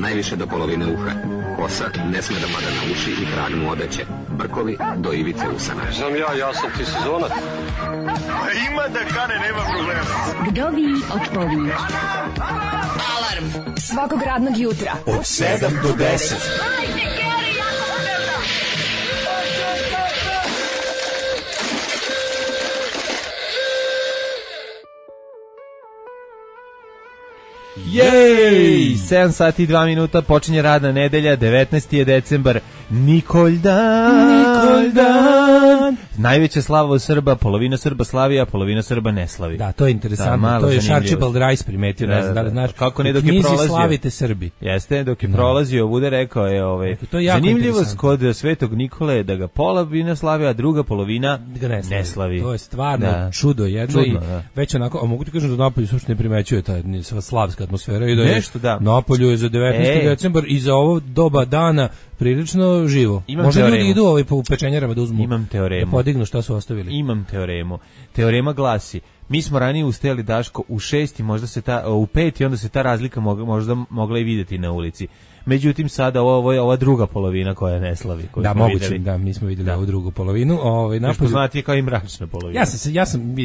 najviše do polovine uha. Kosa ne sme da pada na uši i krag mu odeće. Brkovi do ivice usana. Znam ja sam ti sezonac. Ima da kane, nema problema. Vdovi odpovi. Alarm svakog radnog jutra Od 7 do 10. Jej! 7 sati i 2 minuta, počinje radna nedelja, 19. je decembar, Nikoldan. Najveća slava u Srba, polovina Srba slavi, a polovina Srba ne slavi. Da, to je interesantno, da, to je Archibald Rice primetio, ne znam da li znaš. Kako ne dok je prolazio. Slavite Srbi. Jeste, dok je prolazio ovuda rekao je zanimljivost kod Svetog Nikole da ga polovina slavi, a druga polovina ne slavi. To je stvarno čudo jedno. Čudno, i već onako, a mogu ti kažem da napolju uopšte ne primećuje ta slavska atmosfera i da je napolju je za 19. decembar i za ovo doba dana prilično živo. Možda ljudi idu po pečenjarama da uzmu. Imam teoremu. Da podignu šta su ostavili. Imam teoremu. Teorema glasi: mi smo ranije ustajali, Daško, u 6 i možda se u 5 i onda se ta razlika možda mogla i vidjeti na ulici. Međutim, sada ova druga polovina koja ne slavi. Da, moguće, da, mi smo vidjeli ovu drugu polovinu. Još poznati je kao i mračna polovina.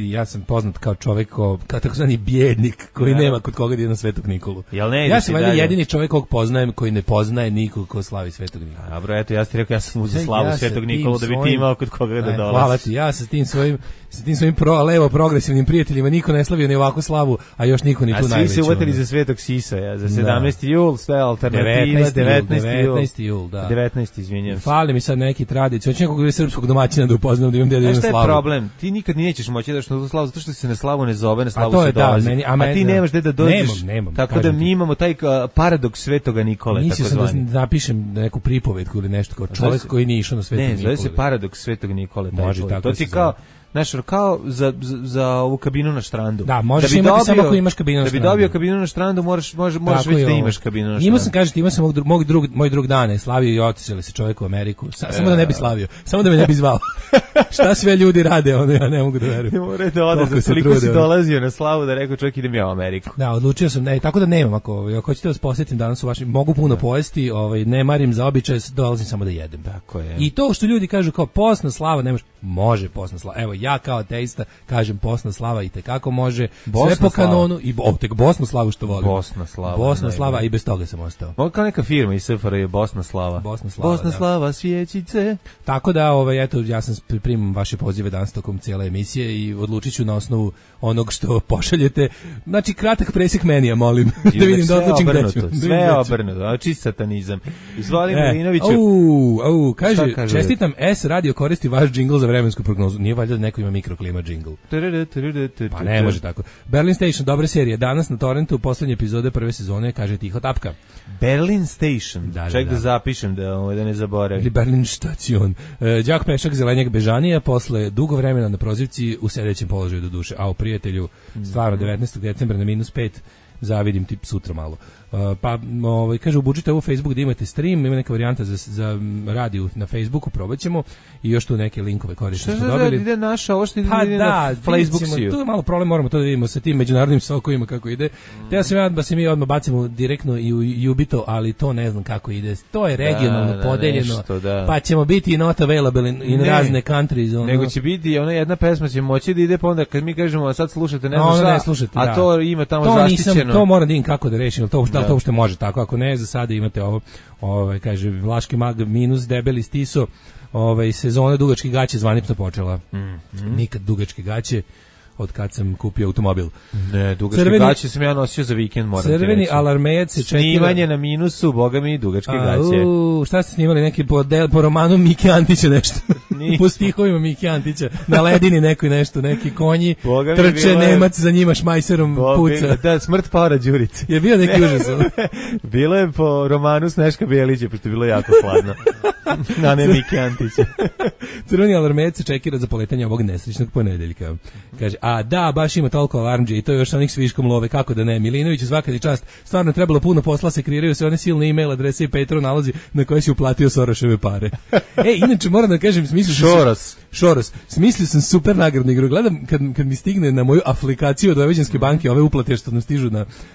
Ja sam poznat kao čovjek, kao takozvani bjednik koji nema kod koga da ide na Svetog Nikolu. Ja sam jedini čovjek kog poznajem koji ne poznaje nikog ko slavi Svetog Nikolu. Dobro, eto, ja ti rekao, ja sam uzeo slavu Svetog Nikolu da bi ti imao kod koga da dolazi. Hvala ti, ja sa tim svojim levo progresivnim prijateljima niko ne slavio ni ovakvu slavu, a još niko ni tu najveću. A svi se uvatili za Svetog Sisoja, za 17. jul, sve alternative. 19. jul, da. 19. izvinjam se. Fali mi sad neki tradiciju. Hoću nekog srpskog domaćina da upoznam da imam djedu na slavu. Šta je problem? Ti nikad nećeš moći da što slavu, zato što se na slavu ne zove, na slavu se dolazi. A ti nemaš gde da dođeš. Nemam. Tako da mi imamo taj paradoks Svetoga Nikole. Mislio sam da napišem neku pripovetku ili nešto kao čovjek koji nije išao na Svetog Nikole. Ne, zove se paradoks Svetog Nikole. Može tako. To ti kao za ovu kabinu na štrandu. Da, možeš imati samo ako imaš kabinu na štrandu. Da bi dobio kabinu na štrandu, možeš već da imaš kabinu na štrandu. Imao sam moj drug dane, slavio i otišao se čovjek u Ameriku. Samo da ne bi slavio, samo da me ne bi zvao. Šta sve ljudi rade, ja ne mogu da verujem. Ne mora da ode, koliko si dolazio na slavu da rekao čovjek idem ja u Ameriku. Da, odlučio sam, tako da nemam, ako hoćete vas posjetim danas u vašim, mogu puno pojesti, ne marim za običaj, dolazim samo da jedem. Tako je. I to što ljudi kažu kao postna slava, nemaš, može postna slava. Evo, ja kao ateista kažem postna slava i tekako može, sve po kanonu i tek Bosnu slavu što volim. Bosna slava i bez toga sam ostao. Ovo kao neka firma iz SFRJ, Bosna slava. Bosna slava, svjećice. Tako da, eto, ja sam primam vaše pozive danas tokom cijele emisije i odlučit ću na osnovu onog što pošaljete. Znači, kratak presjek menija, molim. Da vidim da odlučim gde ću. Sve obrnuto, čist satanizam. Izvoli Milinoviću. Kaže, čestitam S radio koristi vaš džingl za vremensku prognozu. Nije valjda da neko ima mikroklima džingl. Pa ne može tako. Berlin Station, dobra serija. Danas na torrentu poslednje epizode prve sezone, kaže Tiho tapka. Berlin Station. Ček da zapišem da ne zaboravim. Ili Berlin Station. Đak Pešak, Zelenjak Bežanija, posle dugo vremena na prozivci u sedećem položaju do duše. A u prijatelju, stvarno 19. decembra na -5, zavidim ti sutra malo. Kaže, ubučite u Facebook da imate stream, ima neka varijanta za radio na Facebooku, probat ćemo i još tu neke linkove korisno smo dobili. Ide naša, ovo što ide na Facebooku. Tu je malo problem, moramo to da vidimo sa tim međunarodnim sokovima kako ide. Teo sam da se mi odmah bacimo direktno i u Jubito, ali to ne znam kako ide. To je regionalno podeljeno, pa ćemo biti not available in razne countries. Nego će biti jedna pesma će moći da ide, pa onda kad mi kažemo sad slušate, ne znam šta, a to ima tamo zaštićeno. To moram da im kako da rešim, da li to uopšte može tako, ako ne, za sada imate ovo, kaže, Vlaški mag minus debeli stiso, sezona dugačke gaće zvanično počela. Nikad dugačke gaće od kad sam kupio automobil. Ne, dugačke gaće sam ja nosio za vikend, moram ti reći. Crveni alarmejac se čekira. Snimanje na minusu, boga mi, dugačke gaće. Šta ste snimali, neki po romanu Mike Antića nešto? Po stihovima Mike Antića, na ledini nešto, neki konji, trče Nemac za njima šmajserom puca. Da, smrt Paora Đurice. Je bio neki užas. Bilo je po romanu Sneška Bijelića, pošto je bilo jako hladno. Na ne Mike Antića. Crveni alarmejac se čekira za poletanje ovog nesrećnog ponedeljka. Kaže, baš ima toliko alarmđe i to još onih s viškom love, kako da ne. Milinović, svaka ti čast, stvarno trebalo puno posla, se kreiraju se one silne e-mail adrese i Petro nalazi na koje si uplatio Soroševe pare. Inače, moram da kažem, Šoros, smislio sam super nagradnu igru. Gledam kad mi stigne na moju aplikaciju od Vojvođanske banke, ove uplate što nam stižu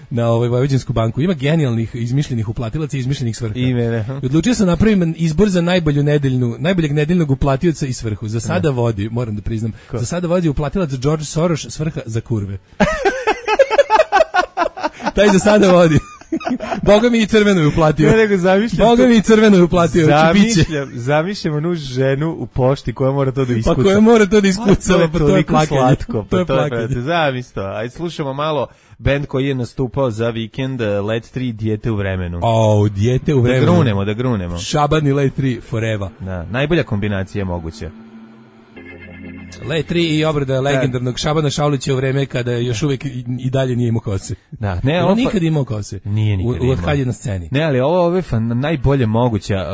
na ovaj Vojvođansku banku. Ima genijalnih izmišljenih uplatilaca i izmišljenih svrha. I odlučio sam napravim izbor za najboljeg nedeljnog uplatioca i svrhu. Za sada vodi, moram da priznam, za sada vodi uplatilac George Soros, svrha za kurve. Taj za sada vodi. Boga mi i crveno je uplatio. Boga mi i crveno je uplatio. Zamišljam onu ženu u pošti koja mora to da iskuca. Pa koja mora to da iskuca. Pa to je slatko. To je plakanje. Zamisli to. Ajde slušamo malo bend koji je nastupao za vikend, Let 3, Dijete u vremenu. Dijete u vremenu. Da grunemo. Šaban i Let 3 forever. Da, najbolja kombinacija je moguća. Let 3 i obrada legendarnog Šabana Šaulića u vreme kada još uvijek i dalje nije imao kose. Da, on nikad imao kose. Nije nikad imao. Od kad je na sceni. Ne, ali ovo je najbolje moguća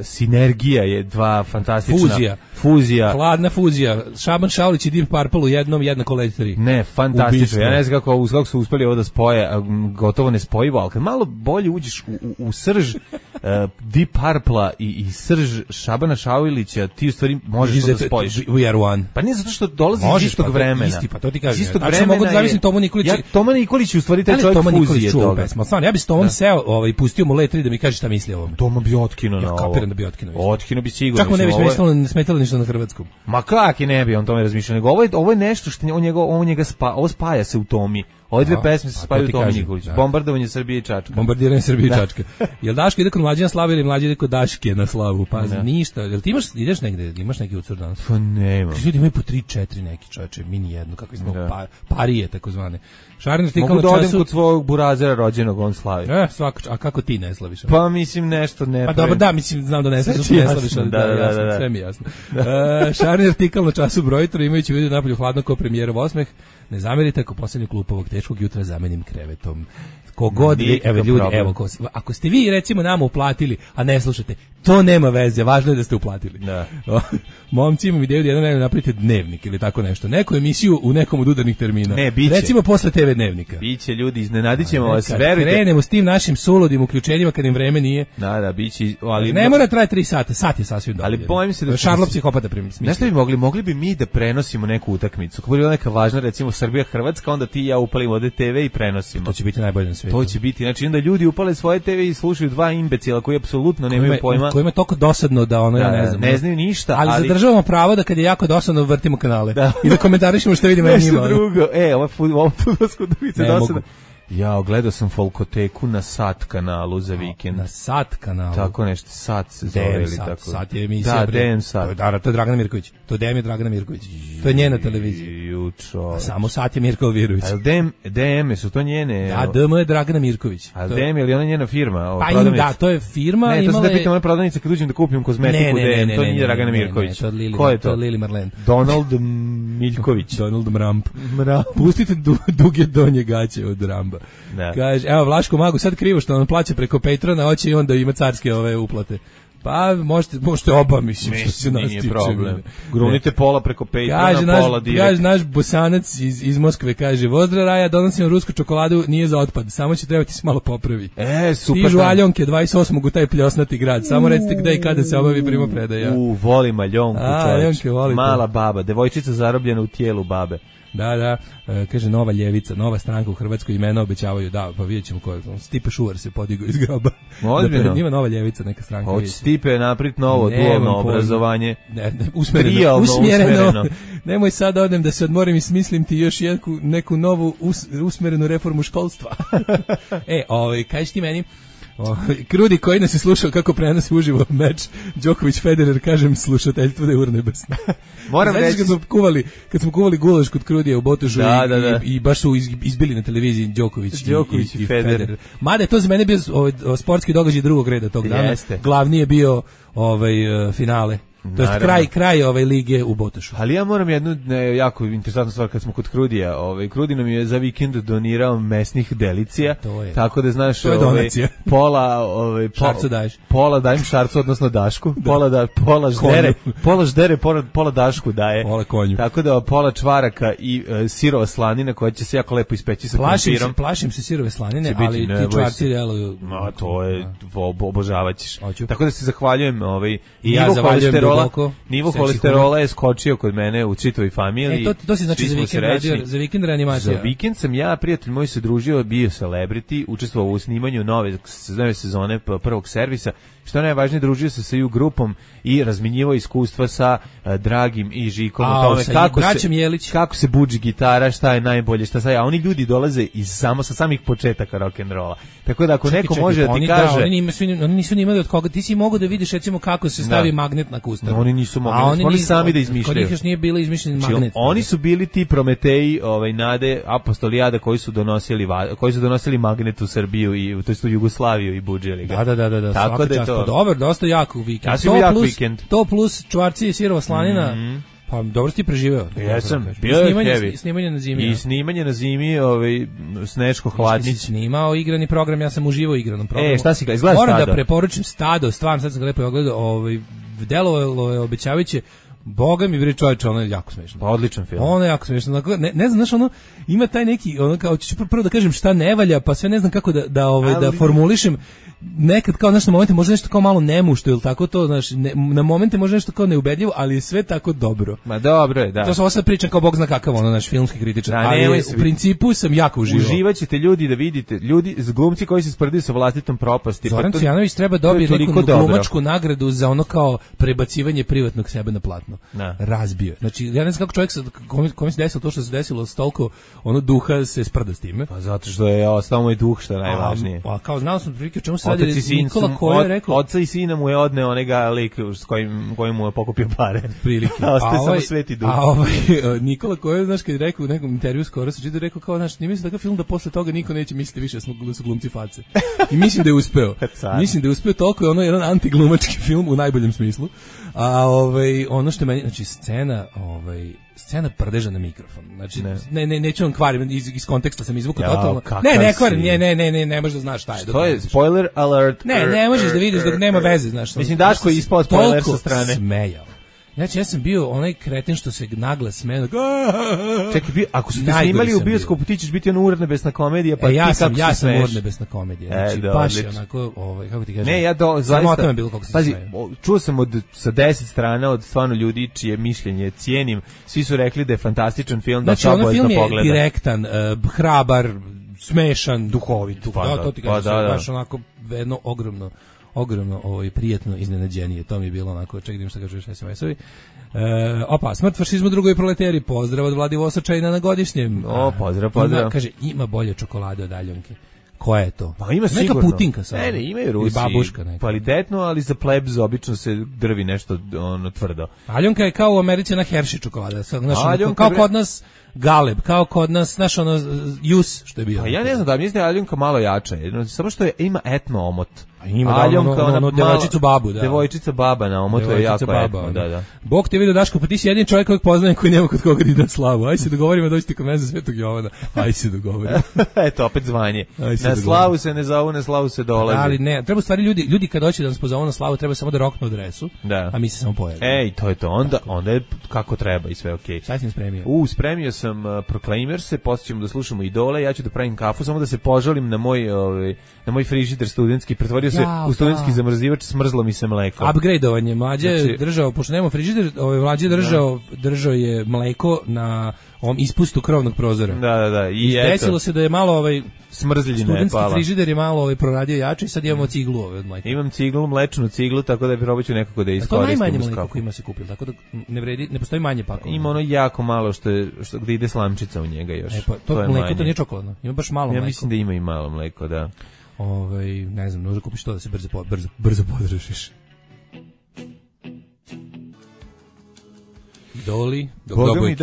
sinergija je dva fantastična. Fuzija. Hladna fuzija. Šaban Šaulić i Deep Purple u jednom jednako Let 3. Ne, fantastično. Ja ne znam kako su uspeli ovo da spoje, gotovo nespojivo, ali kad malo bolje uđeš u srž Deep Purple-a i srž Šabana Šaulića, ti u stvari možeš to da spojiš. We are one. Pa nije zato što dolazi iz istog vremena. Isti, pa to ti kažem. Ja mogu da zamislim Tomu Nikolića. Toma Nikolić u stvari taj čovjek fuzije toga. Stvarno, ja bih s Tomom seo i pustio mu Let 3 da mi kaže šta misli o ovome. Toma bi otkinuo na ovo. Ja kapiram da bi otkinuo. Otkinuo bi sigurno. Čak mu ne bi smetalo ništa na hrvatskom. Ma kak i ne bi on tome razmišljao. Nego ovo je nešto što ovo spaja se u Tomi. Ove dve pesme se spaju u Tomi Nikoliću. Bombardovanje Srbije i Čačka. Bombardovanje Srbije i Čačka. Jel Daško ide kod Mlađe na slavu ili Mlađe ide kod Daške na slavu? Pa ništa. Jel ti ideš negde? Imaš neki ucur danas? Pa nema. Ljudi imaju po 3-4 neki čoveče, mini jedno, kako smo parije takozvane. Šarner ti mogu da odem kod svog burazera rođenog, on slavi. Svako, a kako ti ne slaviš? Pa mislim nešto ne. Pa dobro, da, mislim znam da ne slaviš, ali da, sve mi jasno. Šarner artikal na času brojitra, imajući vidio napolju hladno kao premijerov osmeh. Ne zamerite ako posljednju klupu ovog teškog jutra zamenim krevetom. Kogod vi, evo ljudi, ako ste vi recimo nama uplatili, a ne slušate, to nema veze, važno je da ste uplatili. Da. Momci imam ideju da jedan vreme napravite dnevnik ili tako nešto, neku emisiju u nekom od udarnih termina. Ne, biće. Recimo posle TV dnevnika. Biće ljudi, iznenadit ćemo vas, verujte. Krenemo s tim našim suludim uključenjima kad im vreme nije. Da, biće, ali ne mora traje 3 sata, sat je sasvim dovoljno. Ali bojim se da Šarlo psihopata primisli. Nešto bi mogli bi mi da prenosimo neku utakmicu. Kako bi bila neka važna, recimo Srbija Hrvatska, onda ti i ja upalimo ovde TV i prenosimo. To će biti najbolje na svijetu. To će biti, znači onda ljudi upale svoje TV i slušaju dva imbecila koji apsolutno nemaju pojma. Kojima je toliko dosadno da ono ja ne znam. Ne znaju ništa, ali zadržavamo pravo da kad je jako dosadno vrtimo kanale i da komentarišemo što vidimo na njima. Nešto drugo. Ovo fudbalsko utakmice dosadno. Ja, gledao sam Folkoteku na Sat kanalu za vikend. Na Sat kanalu? Tako nešto, Sat se zove ili tako. Sat je emisija. Da, DM Sat. To je Dragana Mirković. To je DM je Dragana Mirković. To je njena televizija. A samo Sat je Mirko Virović. A DM su to njene? Da, DM je Dragana Mirković. A DM je li ona njena firma? Pa im da, to je firma. Ne, to se da pitam ona prodavnica kad uđem da kupim kozmetiku DM. To nije Dragana Mirković. Ko je to? To je Lili Marlen. Donald Miljković. Donald Mramp. Pustite duge donje gaće od Ramba. Kaže, evo Vlaško Magu sad krivo što on plaća preko Patrona, hoće i onda ima carske ove uplate. Pa možete oba, mislim što se nas tiče. Problem. Grunite pola preko Patrona, pola direkt. Kaže naš Bosanac iz Moskve, kaže, Vozdra Raja, donosim rusku čokoladu, nije za otpad, samo će trebati se malo popravi. Super. Stižu Aljonke 28. u taj pljosnati grad, samo recite gde i kada se obavi primopredaja. Volim Aljonku, Aljonke, volite. Mala baba, devojčica zarobljena u tijelu babe. Da, kaže Nova ljevica, nova stranka u Hrvatskoj, imena obećavaju, da, pa vidjet ćemo ko je. Stipe Šuvar se podigao iz groba. Ozbiljno? Ima Nova ljevica, neka stranka. Hoće Stipe naprit novo dualno obrazovanje. Usmereno. Nemoj sad odem da se odmorim i smislim ti još neku novu usmerenu reformu školstva. Kaži ti meni, Krudi koji nas je slušao kako prenosi uživo meč Đoković-Federer, kažem slušateljstvo da je urnebesno. Moram reći, kad smo kuvali gulaš kod Krudija u Botošu i baš su izbili na televiziji Đoković i Federer. Mada je to za mene bio sportski događaj drugog reda tog dana. Glavni je bio finale. To je kraj ove lige u Botošu. Ali ja moram jednu jako interesantnu stvar kad smo kod Krudija. Krudi nam je za vikend donirao mesnih delicija. Tako da znaš, Šarcu daješ. Pola dajem Šarcu, odnosno Dašku. Pola ždere, pola Dašku daje. Pola konju. Tako da pola čvaraka i sirova slanina koja će se jako lepo ispeći sa krompirom. Plašim se sirove slanine, ali ti čvarci deluju. To je obožavaćeš. Tako da se zahvaljujem i ja zahvaljujem holesterola je skočio kod mene u čitavoj familiji. To si znači za vikend reanimacija. Za vikend sam ja, prijatelj moj se družio, bio celebrity, učestvovao u snimanju nove sezone prvog servisa. Što najvažnije, družio se sa EU grupom i razminjivao iskustva sa Dragim i Žikom o tome kako se budži gitara, šta je najbolje, a oni ljudi dolaze sa samih početaka rock'n'rolla. Tako da ako neko može da ti kaže... Oni nisu ni imali od koga, ti si mogao da vidiš recimo kako se stavi magnet na kustaru. Oni nisu mogli, oni sami da izmišljaju. Kod njih još nije bilo izmišljen magnet. Oni su bili ti Prometeji, Nade, Apostolijada koji su donosili magnet u Srbiju i to jest u Jugoslaviju i budžili ga. Da. Tako da je to. Dobar, dosta jak vikend. Ja sam jak vikend. To plus čvarci i sirova slanina. Pa dobro si ti preživeo. Jesam, bio je heavy. Snimanje na zimi. I snimanje na zimi, Sneško hladnić. Si snimao igrani program, ja sam uživao u igranom programu. Šta si gledao? Izgleda Stado. Moram da preporučim Stado, stvarno, sad sam ga lepo ogledao, delovalo je obećavajuće. Boga mi bre čovječe, ono je jako smešno. Pa odličan film. Ono je jako smešno. Ne znam, znaš, ono ima taj neki, ono kao ću prvo da kažem šta ne valja, pa sve ne znam kako da formulišem. Nekad kao na momente može nešto kao malo nemušto ili tako to, znaš, na momente može nešto kao neubedljivo, ali je sve tako dobro. Ma dobro je, da. To sam sad pričam kao Bog zna kakav, ono naš filmski kritičar, ali u principu sam jako uživao. Uživaćete ljudi da vidite, ljudi glumci koji se sprdaju sa vlastitom propasti. Zoran Cvijanović treba dobiti neku glumačku nagradu za ono kao prebacivanje privatnog sebe na platno. Razbio. Znači, ja ne znam kako čovjek kome se desilo to što se desilo, s toliko ono duha se sprda s time. Pa zato što je ostao moj duh, što je najvažnije. A kao znao sam prilike čemu se radi, Nikola Koja je rekao... Oca i sina mu je odneo onega lik s kojim mu je pokupio pare. Prilike. A ostaje samo sveti duh. Nikola Koja, znaš, kad je rekao u nekom intervju skoro se čitao, rekao kao, znaš, nije mislim takav film da posle toga niko neće misliti više da su glumci face. I mislim da je uspeo. Mislim da je uspeo, toliko je ono jedan antiglumački film u najboljem smislu. A ono što je meni, znači scena prdeža na mikrofon. Znači neću vam kvarim, iz konteksta sam izvukao totalno. Ne kvarim, ne možeš da znaš šta je. To je spoiler alert. Ne možeš da vidiš dok nema veze, znaš. Mislim Daško je ispao spoiler sa strane. Smejao. Znači ja sam bio onaj kreten što se naglas smejao. Čekaj, ako su te snimali u bioskopu, ti ćeš biti ono urnebesna komedija, pa ti kako se smeješ. Ja sam urnebesna komedija. Znači baš je onako, kako ti kažem. Ne, ja zaista. Pazi, čuo sam sa 10 strana od stvarno ljudi čije mišljenje cijenim. Svi su rekli da je fantastičan film, da se obavezno pogleda. Znači, ono film je direktan, hrabar, smešan, duhovit. To ti kažem, baš onako jedno ogromno prijatno iznenađenje. To mi je bilo onako, čekaj šta kažeš SMS-ovi. Smrt fašizmu drugoj proleteri, pozdrav od Vladivosačajna na godišnjem. Pozdrav. Kaže, ima bolje čokolade od Aljonke. Koja je to? Pa ima sigurno. Neka putinka sad. Ne, imaju Rusi. I babuška neka. Kvalitetno, ali za plebs obično se drvi nešto tvrdo. Aljonka je kao u Americi na Hershey čokolada. Kao kod nas Galeb, kao kod nas, znaš Jus, što je bio. Ja ne znam da mislim da je Aljonka malo jača. Samo što ima etno omot. Ima Aljonka, devojčicu babu, da. Devojčica baba na omotu je jako etno, da. Bog te vidio, Daško, pa ti si jedin čovjek kojeg poznajem koji nema kod koga da ide na slavu. Ajde se dogovorimo, dođi ti kod mene za Svetog Jovana. Ajde se dogovorimo. Eto, opet zvanje. Na slavu se ne zovu, na slavu se dolazi. Ali ne, treba stvari ljudi kad hoće da nas pozovu na slavu, treba samo da roknu adresu, a mi se samo pojavimo. To je to. Onda je kako treba i sve okej. Šta si spremio? Spremio sam Proclaimerse, poslije ćemo da slušamo Idole, ja ću da pravim kafu, samo da se požalim na moj frižider studentski, pretvorio se u studentski zamrzivač, smrzlo mi se mleko. Upgradeovanje, Mlađe je držao, pošto nema frižider, Mlađe je držao je mleko na ovom ispustu krovnog prozora. Da. I desilo se da je malo smrzljina je pala. Studentski frižider je malo proradio jače i sad imamo ciglu od mleka. Imam ciglu, mlečnu ciglu, tako da probat ću nekako da iskoristim. To najmanje mleko koji ima se kupil, tako da ne postoji manje pakovanja. Ima ono jako malo gde ide slamčica u njega još. To mleko to nije čokoladno, ima baš malo mleko. Ja mislim da ima i malo mleko, da. Ne znam, možda kupiš to da se brzo podržiš. Idoli, dok doboje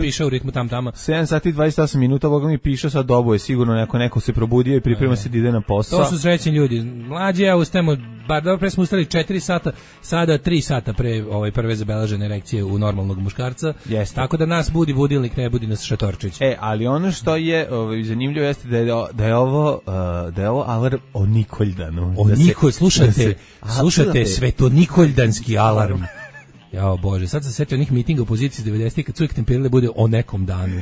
piše u ritmu tam-tama. 7 sati 28 minuta, Boga mi piše, sad doboje sigurno neko se probudio i priprema se da ide na posao. To su srećni ljudi. Mlađi ja ustajemo, bar dobro pre smo ustali 4 sata, sada 3 sata pre prve zabeležene erekcije u normalnog muškarca. Jeste. Tako da nas budi budilnik, ne budi nas šatorčić. Ali ono što je zanimljivo jeste da je ovo alarm o Nikoldanu. Slušate Svetonikoljdanski alarm. Jao Bože, sad sam se setio onih mitinga opozicije iz 90-ih kad su uvijek temperirali bude o nekom danu.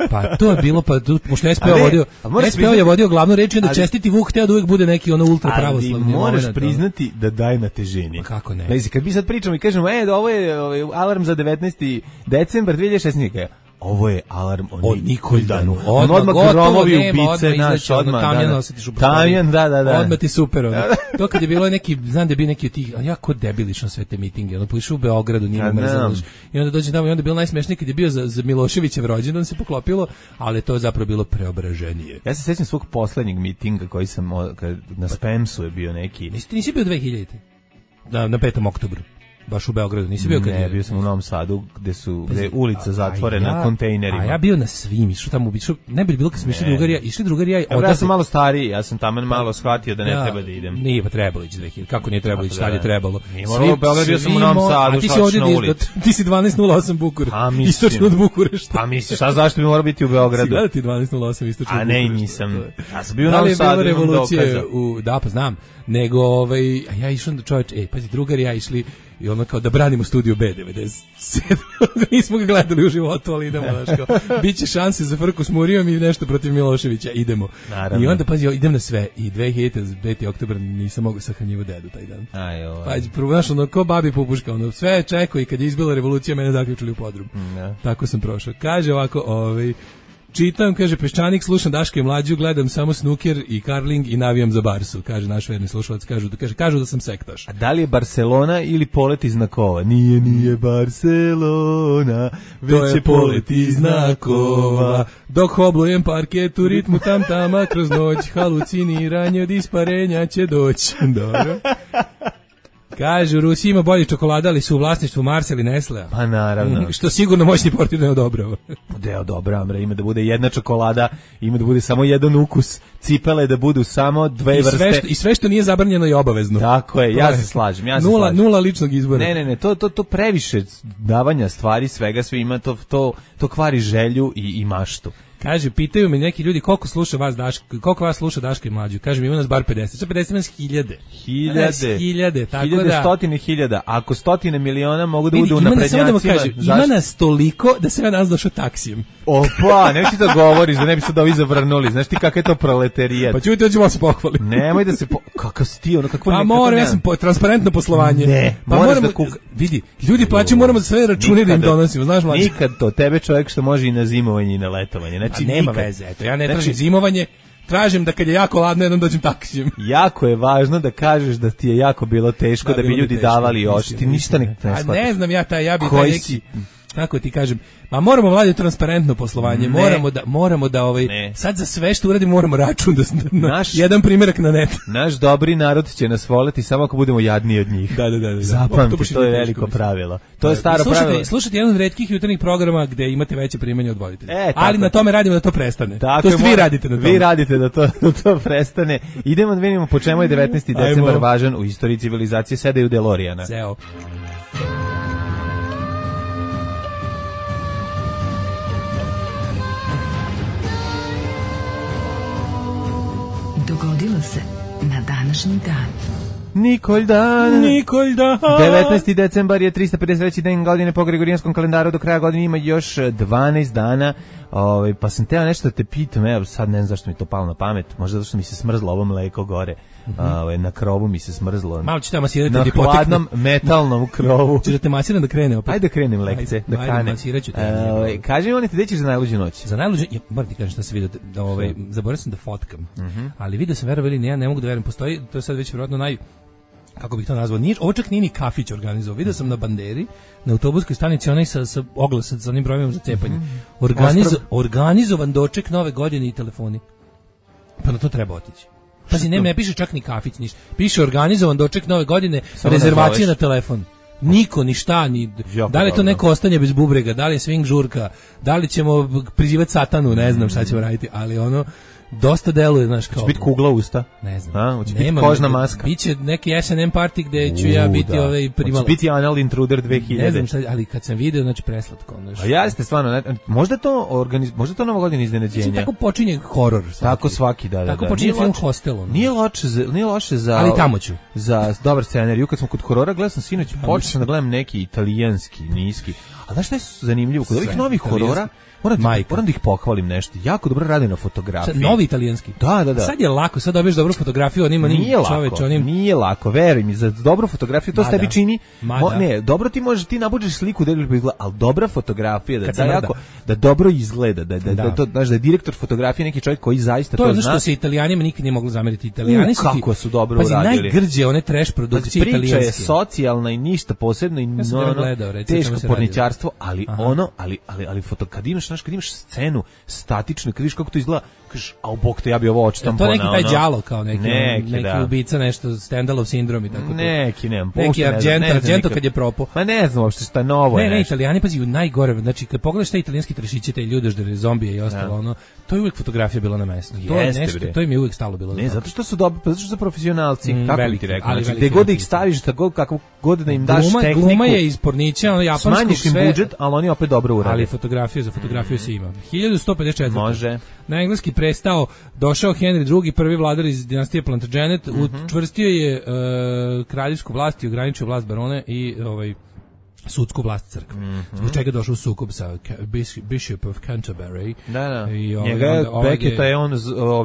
Pa to je bilo, pa pošto SPO je vodio glavnu reč i onda čestiti Vuk hteo da uvijek bude neki ono ultra pravoslavni. Ali moraš priznati da daje na težini. Pa kako ne? Lezi, kad mi sad pričamo i kažemo, ovo je alarm za 19. decembar 2016. Ovo je alarm o Nikoldanu. Odmah gromovi ubice naš, odmah. Tamjan osjetiš u Tamjan, da. Odmah ti super. To kad je bilo neki, znam da je bio neki od tih, jako debilično sve te mitinge. Ono poišu u Beogradu, nije mrzalo. I onda dođe tamo i onda je bilo najsmešnije kad je bio za Miloševićev rođendan se poklopilo, ali to je zapravo bilo preobraženije. Ja se sećam svog poslednjeg mitinga koji sam, na Spamsu je bio neki. Nisi bio 2000. Na 5. oktobru. Baš u Beogradu, nisi bio kad ne, bio sam u Novom Sadu gde je ulica zatvorena kontejnerima. A ja bio na svim, išao tamo, ne bi bilo kad smo išli drugarija. Ja sam malo stariji, ja sam tamo malo shvatio da ne treba da idem. Nije pa trebalo ići 2000, kako nije trebalo ići, tad je trebalo. U Beogradu bio sam u Novom Sadu, šač na ulici. Ti si 1208 Bukur, istočno od Bukurešta. Pa misliš, šta zašto bi morao biti u Beogradu? Si gleda ti 1208 istočno od Bukurešta. A ne, nisam. Ja sam bio u Novom Sadu, imam dokaza. Da, pa znam, nego, ja išao da čovječ, pazi, drugari ja išli i ono kao da branimo Studio B97. Nismo ga gledali u životu, ali idemo, znaš kao, biće šanse za frku s Murijom i nešto protiv Miloševića, idemo. Naravno. I onda, pazi, idem na sve. I 5. oktober nisam mogao sahranjivo dedu taj dan. Pazi, prvo, znaš, ono, ko babi pupuška, ono, sve čekao i kad je izbila revolucija, mene zaključili u podrum. Tako sam prošao. Kaže ovako, čitam, kaže, Peščanik, slušam Daška i Mlađu, gledam samo snooker i karling i navijam za Barsu, kaže naš verni slušalac, kažu da sam sektaš. A da li je Barcelona ili polet iz znakova? Nije Barcelona, već je polet iz znakova. Dok hoblujem parket u ritmu tam-tama kroz noć, haluciniranje od isparenja će doći. Dobro. Kaže, u Rusiji ima bolji čokolada, ali su u vlasništvu Marsa ili Nestlea. Pa naravno. Što sigurno moćni portir ne odobrava. Ne odobravam, ima da bude jedna čokolada, ima da bude samo jedan ukus, cipele da budu samo dve vrste. I sve što nije zabranjeno je obavezno. Tako je, ja se slažem. Nula ličnog izbora. Ne, to previše davanja stvari, svega, sve ima, to kvari želju i maštu. Kaže, pitaju me neki ljudi koliko vas sluša Daška i Mlađu. Kaže mi, ima nas bar 50. Sa 50 nas hiljade. Tako da... Stotine hiljada. Ako stotine miliona mogu da budu u naprednjacima... Ima nas toliko da sam ja nas došao taksijem. Opa, nemoj ti to govoriš, da ne bi sad ovi zavrnuli. Znaš ti kakav je to proletarijat? Pa ću ti ođemo se pohvalim. Nemoj da se... Kakav si ti, ono, kakvo... Pa moram, ja sam transparentno poslovanje. Ne, pa moraš da kuka... Vidi, ljudi plaćaju, moramo da sve račune da im donosimo, znaš Mlađe? Nikad to, tebe čovjek što može i na zimovanje i na letovanje. Znači, nema veze, eto, ja ne tražim zimovanje, tražim da kad je jako ladno jednom dođem taksijem. Jako je važno da kažeš da ti je jako bilo teško, da bi ljudi davali oči, ti ništa ne shvataš. A ne znam ja bi taj neki... Kako ti kažem, ma moramo vladiti transparentno poslovanje, moramo da sad za sve što uradimo moramo račun da jedan primjerak na net. Naš dobri narod će nas voleti samo ako budemo jadniji od njih. Da. Zapamti, to je veliko pravilo. To je staro pravilo. Slušajte jedan od retkih jutarnjih programa gde imate veće primanje od voditelja. Ali na tome radimo da to prestane. To jest vi radite na tome. Vi radite da to prestane. Idemo da vidimo po čemu je 19. decembar važan u istoriji civilizacije, sedaju DeLoreana. Zeo. Dogodilo se na današnji dan. Nikoldan. 19. decembar je 353. dan godine po Gregorijanskom kalendaru, do kraja godine ima još 12 dana. Pa sam teo nešto da te pitam, evo sad ne znam zašto mi to palo na pamet, možda zato što mi se smrzlo ovo mleko gore, na krovu mi se smrzlo. Malo ću te masirati na hladnom metalnom krovu. Ću da te masiram da krene opet. Ajde da krenem lekce, da kane. Masirat ću te. Kaži mi, gde ćeš za najluđu noć? Za najluđu, moram ti kažem šta se vidio, zaboravio sam da fotkam, ali vidio sam, verovali, ne mogu da verujem, postoji, to je sad već vjerojatno kako bih to nazvao, ovo čak nije ni kafić organizovao, vidio sam na banderi, na autobuskoj stanici, onaj sa oglasom, sa onim brojevima za cepanje, organizovan doček nove godine i telefoni. Pa na to treba otići. Pazi, ne piše čak ni kafić, ništa. Piše organizovan doček nove godine, rezervacija na telefon. Niko, ni šta, da li je to neko ostanje bez bubrega, da li je swing žurka, da li ćemo prizivati satanu, ne znam šta ćemo raditi, ali dosta deluje, znaš, kao... Će biti kugla usta? Ne znam. Hoće biti kožna maska? Biće neki S&M party gde ću ja biti primala. Hoće biti Anal Intruder 2000. Ne znam šta, ali kad sam video, znači preslatko. A jeste, stvarno, možda to novogodinje iznenađenje. Znači, tako počinje horor. Tako svaki, da. Tako počinje film Hostel. Nije loše za... Ali tamo ću. Za dobar scenarij. Kad smo kod horora, gledao sam sinoć, počeo sam da gledam neki italijanski, niski. A znaš šta je zanimljivo? Kod ovih novih horora, moram da ih pohvalim nešto. Jako dobro rade na fotografiji. Novi italijanski. Da. Sad je lako, sad dobiješ dobru fotografiju, Nije lako, veruj mi, za dobru fotografiju to se tebi čini. Ne, dobro ti možeš, ti nabuđeš sliku, ali dobra fotografija, da dobro izgleda, da je direktor fotografije neki čovjek koji zaista to zna. To je ono što se Italijanima nikad nije moglo zameriti. Italijani su kako su dobro uradili. Najgrđe one trash produkcije italijanske. Priča je socijalna i ništa posebno i teško porničarstvo, ali kad imaš scenu statičnu, kad vidiš kako to izgleda, kažeš, a u bok te, ja bi ovo očitam to neki taj đalo kao neki ubica, nešto Stendhalov sindrom i tako to. Neki Argento kad je propo. Ma ne znam uopšte šta je novo. Ne, Italijani pazi najgore, znači kad pogledaš te italijanski trešiće, te ljude, zombije i ostalo, to je uvijek fotografija bila na mestu. To je nešto, to im je uvijek stalo bilo. Ne, zato što su dobri, zato što su profesionalci, kako bi ti rekao, znači gde god ih staviš, tako kako god da im daš tehniku. Gluma je iz pornića, japanskog, smanjiš im budžet, ali oni opet dobro urade. Ali za fotografiju se ima. 1154. Može. Na engleski prestao, došao Henry II, prvi vladar iz dinastije Plantagenet, učvrstio je kraljevsku vlast i ograničio vlast barone i sudsku vlast crkve. Zbog čega je došao u sukob sa Bishop of Canterbury. Da. Njega Becketa je on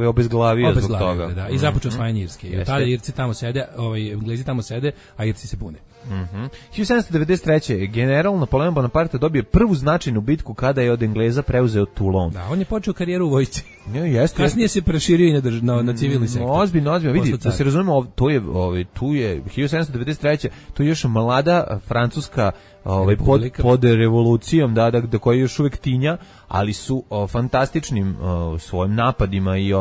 obezglavio zbog toga. Da. I započeo osvajanje Irske. I tada Irci tamo sede, Englezi tamo sede, a Irci se bune. 1793. general Napoleon Bonaparte dobije prvu značajnu bitku kada je od Engleza preuzeo Toulon. Da, on je počeo karijeru u vojsci. Kasnije se proširio i na civilni sektor. Ozbiljno, vidi, da se razumemo, tu je 1793. tu je još mlada francuska pod revolucijom, da koja je još uvijek tinja, ali su fantastičnim svojim napadima i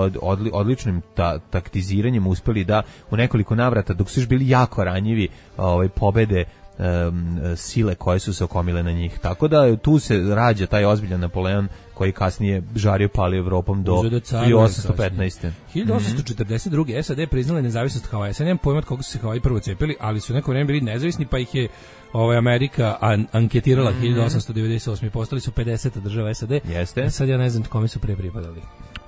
odličnim taktiziranjem uspeli da u nekoliko navrata, dok su još bili jako ranjivi, pobede sile koje su se okomile na njih. Tako da tu se rađa taj ozbiljan Napoleon koji kasnije žario pali Evropom do 1815. 1842. SAD priznala nezavisnost Havaja. Sad nemam pojma od koga su se Havaji prvo cepili, ali su neko vreme bili nezavisni, pa ih je Amerika anketirala 1898. Postali su 50 država SAD. Jeste. Sad ja ne znam kome su pre pripadali.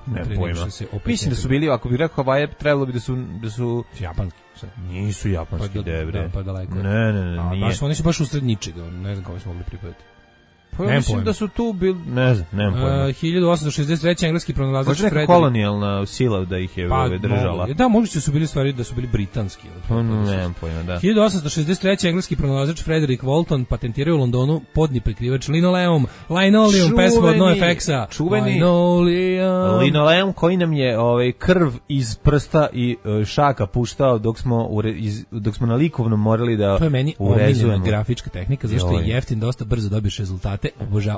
Ne pojma. Mislim da su bili, ako bih rekao Havaje, trebalo bi da su japanski. Nisu japanski, debre. Pa daleko. Ne, nije. Oni su baš usred ničega, ne znam kome su mogli pripadati. Pa ja mislim da su tu bili, ne znam, nemam pojma. 1863. engleski pronalazač Frederick. Možda neka kolonijalna sila da ih je držala. Da, možda su bili stvari da su bili britanski. Nemam pojma, da. 1863. engleski pronalazač Frederick Walton patentirao u Londonu podni prekrivač linoleum, pesma od NoFX-a. Čuveni linoleum koji nam je krv iz prsta i šaka puštao dok smo na likovnom morali da urezujemo. To je meni omiljena grafička tehnika, zašto je jeftin, dosta brzo dobiješ rezultate.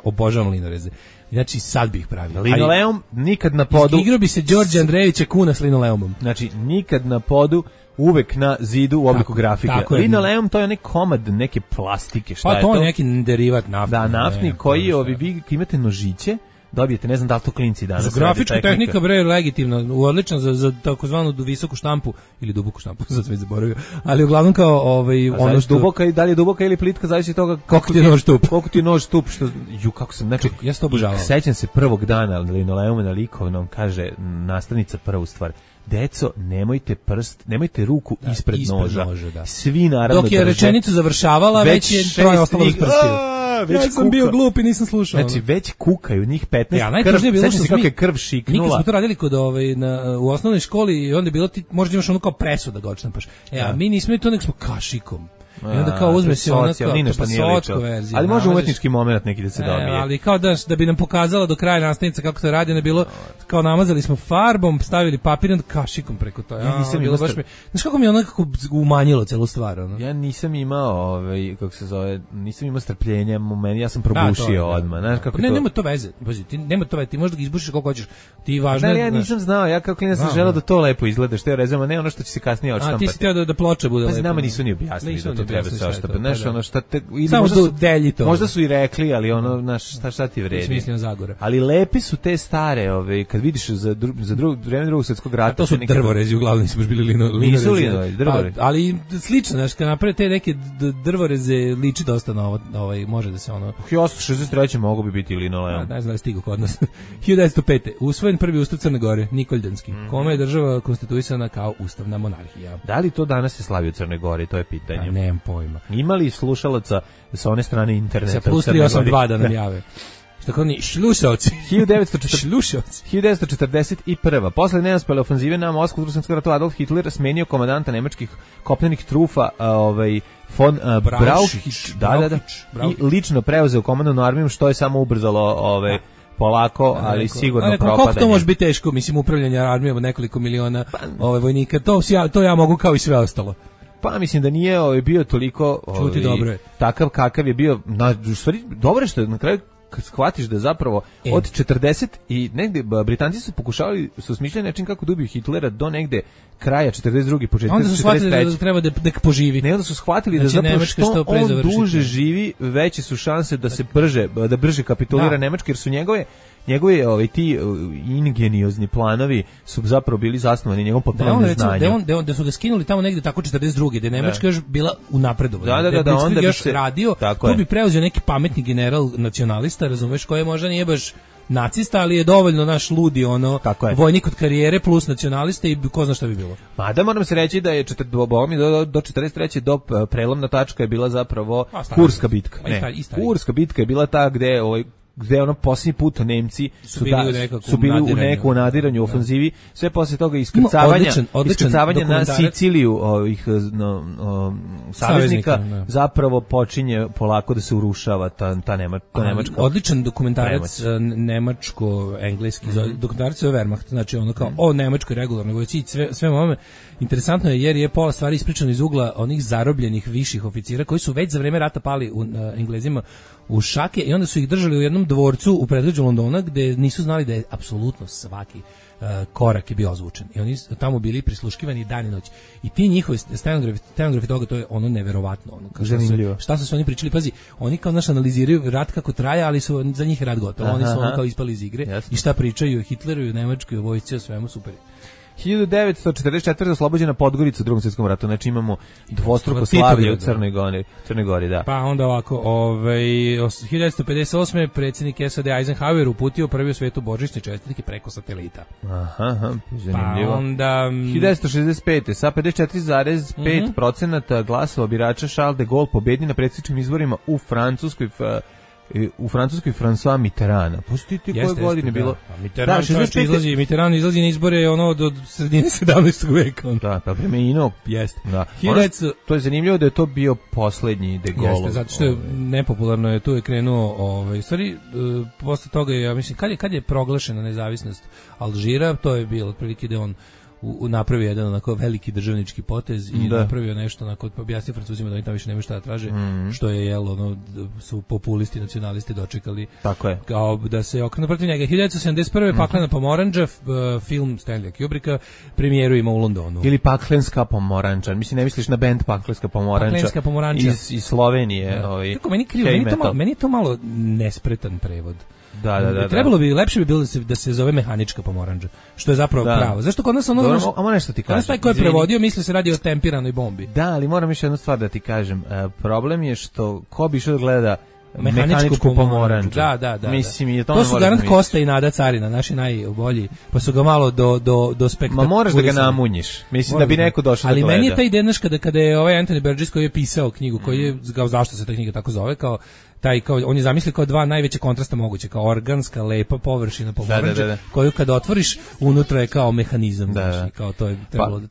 Obožavam linoreze. Znači, sad bih pravio. Linoleum nikad na podu. Igrao bi se Đorđe Andrejevića kuna s linoleumom. Znači, nikad na podu, uvek na zidu u obliku grafike. Linoleum to je onaj komad neke plastike. Šta je to? Pa to je neki derivat naftni. Da, naftni koji vi imate nožiće, dobijete, ne znam da li to klinci danas. Grafička tehnika bre legitimna, odlična za takozvanu visoku štampu ili duboku štampu, sad sam zaboravio. Ali uglavnom kao ono što duboka i da li je duboka ili plitka, zavisi od toga koliko ti je nož tup. Koliko ti je nož tup, što kako sam, znači ja se to obožavam. Sećam se prvog dana linoleuma na likovnom, kaže nastavnica prvu stvar: deco, nemojte ruku ispred noža. Svi naravno dok je rečenicu završavala, već je troje ostalo s prstiju. Ja sam bio glup i nisam slušao. Znači, već kukaju njih 15 krv, sećam se kako je krv šiknula. Mi smo to radili kod, u osnovnoj školi i onda je bilo ti, možda imaš ono kao presu da ga odštampaš. A mi nismo to, nek smo kašikom. I onda kao uzme se ona kao verzija. Ali može umetnički moment neki da se dobije. Ali kao da bi nam pokazala do kraja nastavnica kako to radi, ne bilo kao namazali smo farbom, stavili papir i onda kašikom preko to. Ja nisam imao. Znaš kako mi je onako umanjilo celu stvar, ono? Ja nisam imao, kako se zove, nisam imao strpljenja, ja sam probušio odmah. Znaš kako to? Ne, nema to veze. Nema to veze, ti možeš da ga izbušiš koliko hoćeš. Ti važno. Ja nisam znao, ja kao klinac sam želeo da to lepo izgleda, što je rezano, ne ono što će se kasnije odštampati. A ti si htio da ploča bude lepo. Pa nama nisu ni objasnili da to treba se oštapati. Znaš, ono šta te... Samo delji to. Možda su i rekli, ali ono, znaš, šta ti vredi. Mislim Zagora. Ali lepi su te stare, kad vidiš za vreme drugog svjetskog rata. A to su drvorezi, uglavnom nisu baš bili linorezi. Nisu linorezi, drvorezi. Ali slično, znaš, kad naprave te neke drvoreze, liči dosta na može da se ono... 1863. mogu bi biti linoleum. Ne znam da je stigo kod nas. 1905. Usvojen prvi ustav Crne Gore, Nikoljanski, kome je država konstituisana kao ustavna monarhija. Da li to danas se slavi u Crnoj Gori, to je pitanje. Ja, nemam pojma. Ima li slušalaca sa one strane interneta sa plus 382 da nam jave? Što kao ni šlušalci. 1941. Posle neuspele ofanzive na Moskvu u Drugom svjetskom ratu Adolf Hitler smenio komandanta nemačkih kopnenih trufa von Brauchitsch, i lično preuzeo komandnu armiju, što je samo ubrzalo polako, ali sigurno propadanje. Koliko to može biti teško, mislim, upravljanje armijom od nekoliko miliona vojnika, to ja mogu kao i sve ostalo. Pa mislim da nije bio toliko takav kakav je bio, u stvari dobro je što na kraju kad shvatiš da zapravo od 40 i negde Britanci su pokušavali, su smišljali način kako da ubiju Hitlera do negde kraja 42. početka 43. Onda su shvatili da treba da poživi. Ne, onda su shvatili da zapravo što on duže živi, veće su šanse da se brže kapitulira Nemačka, jer su njegovi ti ingeniozni planovi su zapravo bili zasnovani njegovom potpunom neznanju. Da su ga skinuli tamo negde tako 42. da je Nemačka još bila u napredovanju. Da, onda još radio, tu bi preuzeo neki pametni general nacionalista, razumeš, koji možda nije baš nacista, ali je dovoljno naš ludi vojnik od karijere plus nacionalista i ko zna šta bi bilo. Mada moram se reći da je do 43. do prelomna tačka je bila zapravo Kurska bitka. Kurska bitka je bila ta gde ono posljednji put Nemci su bili u nekom nadiranju, ofenzivi, sve posle toga iskrcavanja na Siciliju ovih saveznika zapravo počinje polako da se urušava ta Nemačka. Odličan dokumentarac nemačko-engleski, dokumentarac je Wehrmacht, znači ono kao o nemačkoj regularnoj vojsci i sve ovome. Interesantno je jer je pola stvari ispričano iz ugla onih zarobljenih viših oficira koji su već za vreme rata pali Englezima u šake i onda su ih držali u jednom dvorcu u predgrađu Londona gde nisu znali da je apsolutno svaki korak je bio ozvučen. I oni su tamo bili prisluškivani dan i noć. I ti njihovi stenografi toga, to je ono neverovatno. Šta su oni pričali? Pazi, oni kao analiziraju rat kako traja, ali su za njih rat gotov. Oni su kao ispali iz igre. Jasne. I šta pričaju o Hitleru i o Nemačkoj vojsci, o svemu, super. 1944. oslobođena Podgorica u Drugom svjetskom ratu, znači imamo dvostruko slavlje u Crnoj Gori, da. Pa onda ovako, 1958. predsjednik SAD Eisenhower uputio prvi u svijetu božićne čestitke preko satelita. Aha, zanimljivo. Pa onda 1965. sa 54,5% glasova birača Charles de Gaulle pobedi na predsjedničkim izborima u Francuskoj François Mitterrand. Pustite koje godine bilo? Mitterrand izlazi na izbore do sredine 17. veka. Da, pa preminuo. Jeste. Da. To je zanimljivo da je to bio poslednji de Gaulle. Jeste, zato što je nepopularno je, tu je krenuo, stvari, posle toga je, ja mislim, kad je proglašena nezavisnost Alžira, to je bilo otprilike da on napravio jedan onako veliki državnički potez i napravio nešto onako, objasnio Francuzima da oni tamo više nemaju šta da traže, što je su populisti, nacionalisti dočekali. Tako je. Kao da se okrenu protiv njega. 1971. Paklena pomoranđa, film Stanleya Kubricka, premijeru ima u Londonu. Ili Paklenska pomoranđa. Mislim, ne misliš na bend Paklenska pomoranđa iz Slovenije. Kako meni krivo, meni je to malo nespretan prevod. Da. Trebalo bi, lepše bi bilo da se zove mehanička pomoranđa, što je zapravo pravo. Zašto kod nas nešto ti kažem. Taj ko je prevodio misli se radi o tempiranoj bombi. Da, ali moram još jednu stvar da ti kažem. Problem je što ko bi išao da gleda mehaničku pomoranđu. Da. Mislim, to su garant Kosta i Nada Carina, naši najbolji, pa su ga malo do spektakula. Ma moraš da ga namunjiš. Mislim da bi neko došao da gleda. Ali meni je ta ideja kada je Anthony Burgess koji je pisao knjigu, koji je, zašto se ta knjiga tako zove, kao on je zamislio kao dva najveće kontrasta moguće, kao organska, lepa površina pomoranđe, koju kad otvoriš, unutra je kao mehanizam, znači, kao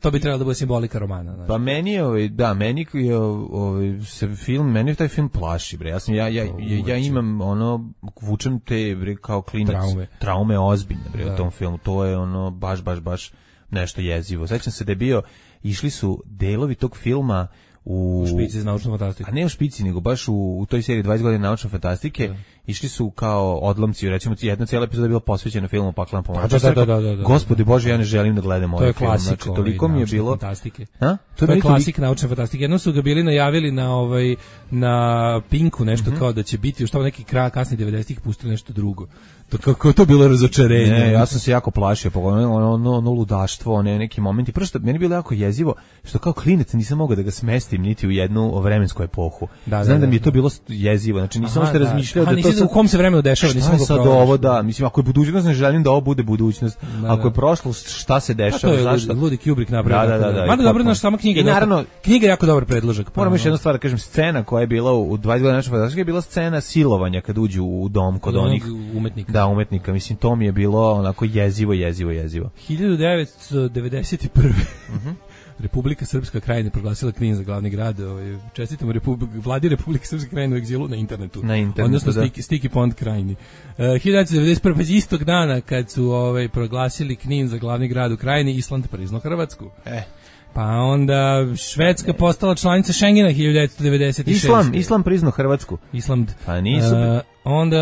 to bi trebalo da bude simbolika romana. Znači. Pa meni je, meni taj film plaši, bre. Ja imam vučem te, bre, kao klinac, traume ozbiljne, bre, u tom filmu. To je baš nešto jezivo. Sećam se da je išli su delovi tog filma u špici za naučnu fantastiku. A ne u špici, nego baš u toj seriji 20 godina naučne fantastike išli su kao odlomci, recimo jedna cijela epizoda je bila posvećena filmu Paklena pomorač. Da. Gospodi Bože, ja ne želim da gledam ovaj film. Znači, toliko mi je bilo fantastike. A? To je klasik naučne fantastike. Jednom su ga bili najavili na Pinku nešto kao da će biti, što neki kraj kasni 90-ih pustili nešto drugo. To kako to bilo razočarenje. Ne, ja sam se jako plašio, ono ludaštvo, neki momenti. Prvo što meni je bilo jako jezivo, što kao klinec nisam mogao da ga smestim niti u jednu vremensku epohu. Znam da mi je to bilo jezivo, znači nisam što razmišljao da to u kom se vremenu dešava, nisam mogao sad ovo da, mislim ako je budućnost ne želim da ovo bude budućnost. Ako je prošlost, šta se dešava, zašto? Ludi Kubrick napravio. Da. Mada dobro naša sama knjiga. I naravno, knjiga je jako dobar predložak. Moram još jednu stvar da kažem, scena koja je bila u 20 godina naše fantastike je bila scena silovanja kad uđu u dom kod onih umetnika. Da, umetnika. Mislim, to mi je bilo onako jezivo. 1991. Republika Srpska Krajina proglasila Knin za glavni grad. Čestitamo vladi Republike Srpske Krajine u egzilu na internetu. Odnosno Sticky Pond Krajini. 1991. istog dana kad su proglasili Knin za glavni grad u Krajini, Island priznao Hrvatsku. Pa onda Švedska postala članica Schengena 1996. Islam priznao Hrvatsku. Island. Pa nisu. Onda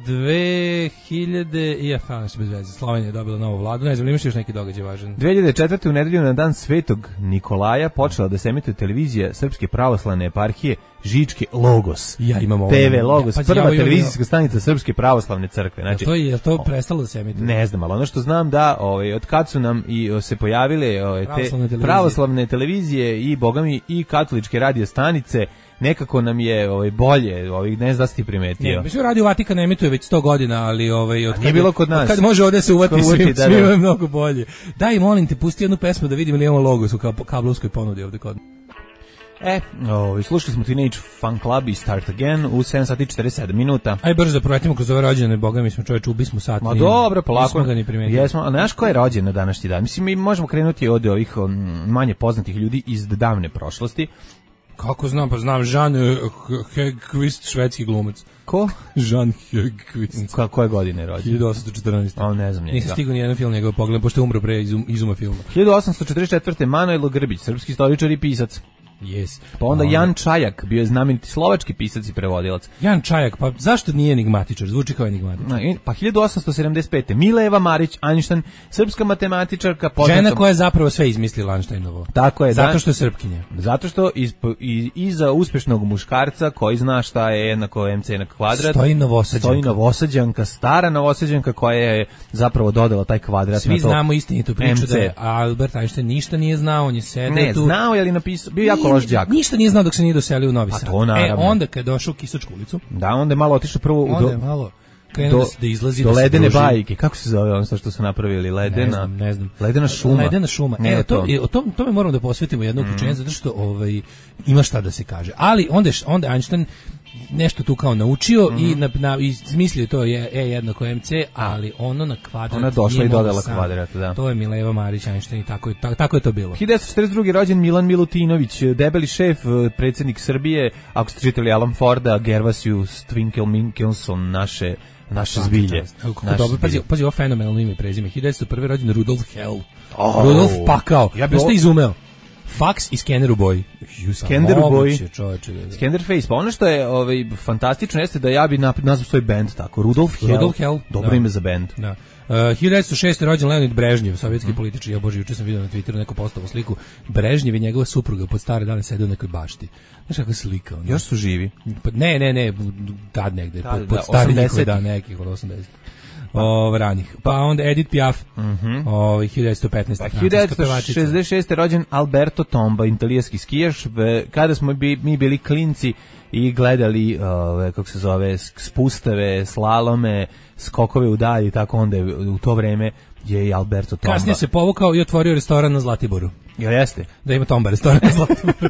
2000 bez veze. Slovenija je dobila novu vladu. Ne znam, imaš još neki događaj važan. 2004. u nedelju na dan Svetog Nikolaja počela da se emituje televizija Srpske pravoslavne eparhije Žičke Logos. Ja imam ovo. TV Logos, prva televizijska stanica Srpske pravoslavne crkve. Znači, je to prestalo da se emituje? Ne znam, ali ono što znam da od kad su nam i se pojavile te pravoslavne televizije i bogami i katoličke radio stanice, nekako nam je bolje, ne znam da si ti primetio. Mislim, Radio Vatikan emituje već 100 godina, ali nije bilo kod nas. Kad može ovdje se uvati svima je mnogo bolje. Daj, molim te, pusti jednu pesmu da vidimo li imamo Logos u kablovskoj ponudi ovdje kod. Slušali smo Teenage Fan Club i Start Again u 7 sati 47 minuta. Aj brzo da proletimo kroz ove rođene, boga mi smo čovječ, ubismo sat. Ma dobro, polako. Nismo ga ni primetili. Jesmo, a znaš ko je rođen na današnji dan? Mislim, mi možemo krenuti od ovih manje poznatih ljudi iz davne prošlosti. Kako znam, pa znam, Jean Hegqvist, švedski glumac. Ko? Jean Hegqvist. Koje godine je rođen? 1814. Ne znam njega. Nisam stigao nijedan film njegov pogled, pošto je umro pre izuma filma. 1844. Manojlo Grbić, srpski istoričar i pisac. Yes. Pa onda Jan Čajak, bio je znameniti slovački pisac i prevodilac. Jan Čajak, pa zašto nije enigmatičar? Zvuči kao enigmatičar. Pa 1875. Mileva Marić Einstein, srpska matematičarka. Žena koja je zapravo sve izmislila Einsteinovo. Tako je. Zato što je srpkinja. Zato što iza uspešnog muškarca koji zna šta je jednako MC na kvadrat, stoji Novosađanka, stara Novosađanka koja je zapravo dodala taj kvadrat. Svi znamo istinitu priču da je Albert Einstein ništa nije znao, on je sedeo tu. Ne, znao je ali napisao, bio jako loš đak. Ništa nije znao dok se nije doselio u Novi Sad. Onda kad je došao u Kisačku ulicu. Da, onda je malo otišao prvo krenuo da izlazi do ledene bajke. Kako se zove ono što su napravili? Ne znam. Ledena šuma. Ledena šuma. O tome moramo da posvetimo jedno uključenje, zato što ima šta da se kaže. Ali onda Einstein nešto tu kao naučio i smislio to je jednako MC, ali ono na kvadrat. Ona došla i dodala kvadrat, da. To je Mileva Marić Einstein i tako je to bilo. 1942. rođen Milan Milutinović, debeli šef, predsjednik Srbije, ako ste čitali Alan Forda, Gervasius Twinkle Minkelson, naše zbilje. Pazi, ovo fenomenalno ime i prezime. 1901. rođen Rudolf Hell. Rudolf Pakao. Jeste izumeo. Fax i skener u boji. Skener u boji. Skener face. Pa ono što je fantastično jeste da ja bi nazvao svoj band tako. Rudolf Hell. Dobro ime za band. Da. 1906. rođen Leonid Brežnjev, sovjetski političar. Ja bože, juče sam vidio na Twitteru neku postavu sliku. Brežnjev i njegova supruga pod stare dane sede u nekoj bašti. Znaš kako slika? Još su živi? Ne, tad negde. Pod stari nekoj dan, nekih od 80. Ranih. Pa onda Edith Piaf, 1915. Pa 1966. rođen Alberto Tomba, italijanski skijaš. Kada smo mi bili klinci i gledali, kako se zove, spustave, slalome, skokove u dalji, tako onda u to vreme je i Alberto Tomba. Kasnije se povukao i otvorio restoran na Zlatiboru. Ja jeste. Da ima Tomba restoran na Zlatiboru.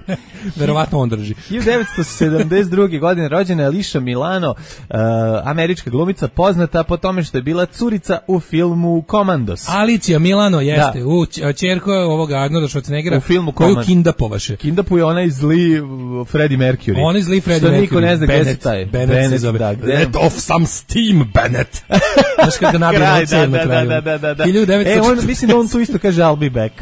Verovatno on drži. 1972. godine rođena je Alicia Milano, američka glumica poznata po tome što je bila curica u filmu Commandos. Alicia Milano jeste, ćerko ovoga Arnolda Schwarzeneggera u filmu koju kindapovaše. Kindapuje onaj zli Freddie Mercury. Onaj zli Freddie Mercury. Niko ne zna gde se taj. Bennett se zove. Let off some steam, Bennett. Znaš kada nabije na cev na kraju. Da. Mislim da on tu isto kaže I'll be back.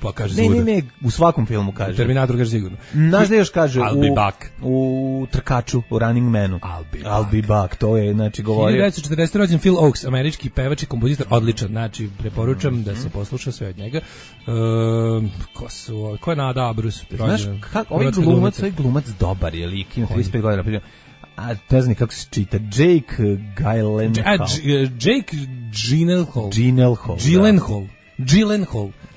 pa kaže Ne, u svakom filmu kaže. Terminator kaže sigurno. Znaš da još kaže I'll be back. U Trkaču, u Running Manu. I'll be back, to je, znači, govorio. 1940. rođen Phil Oakes, američki pevač i kompozitor, odličan, znači, preporučam da se posluša sve od njega. Ko je Nada Abrus? Znaš, ovaj glumac dobar je lik, ima 35 godina, a ne znam kako se čita, Jake Gyllenhaal. Jake Gyllenhaal.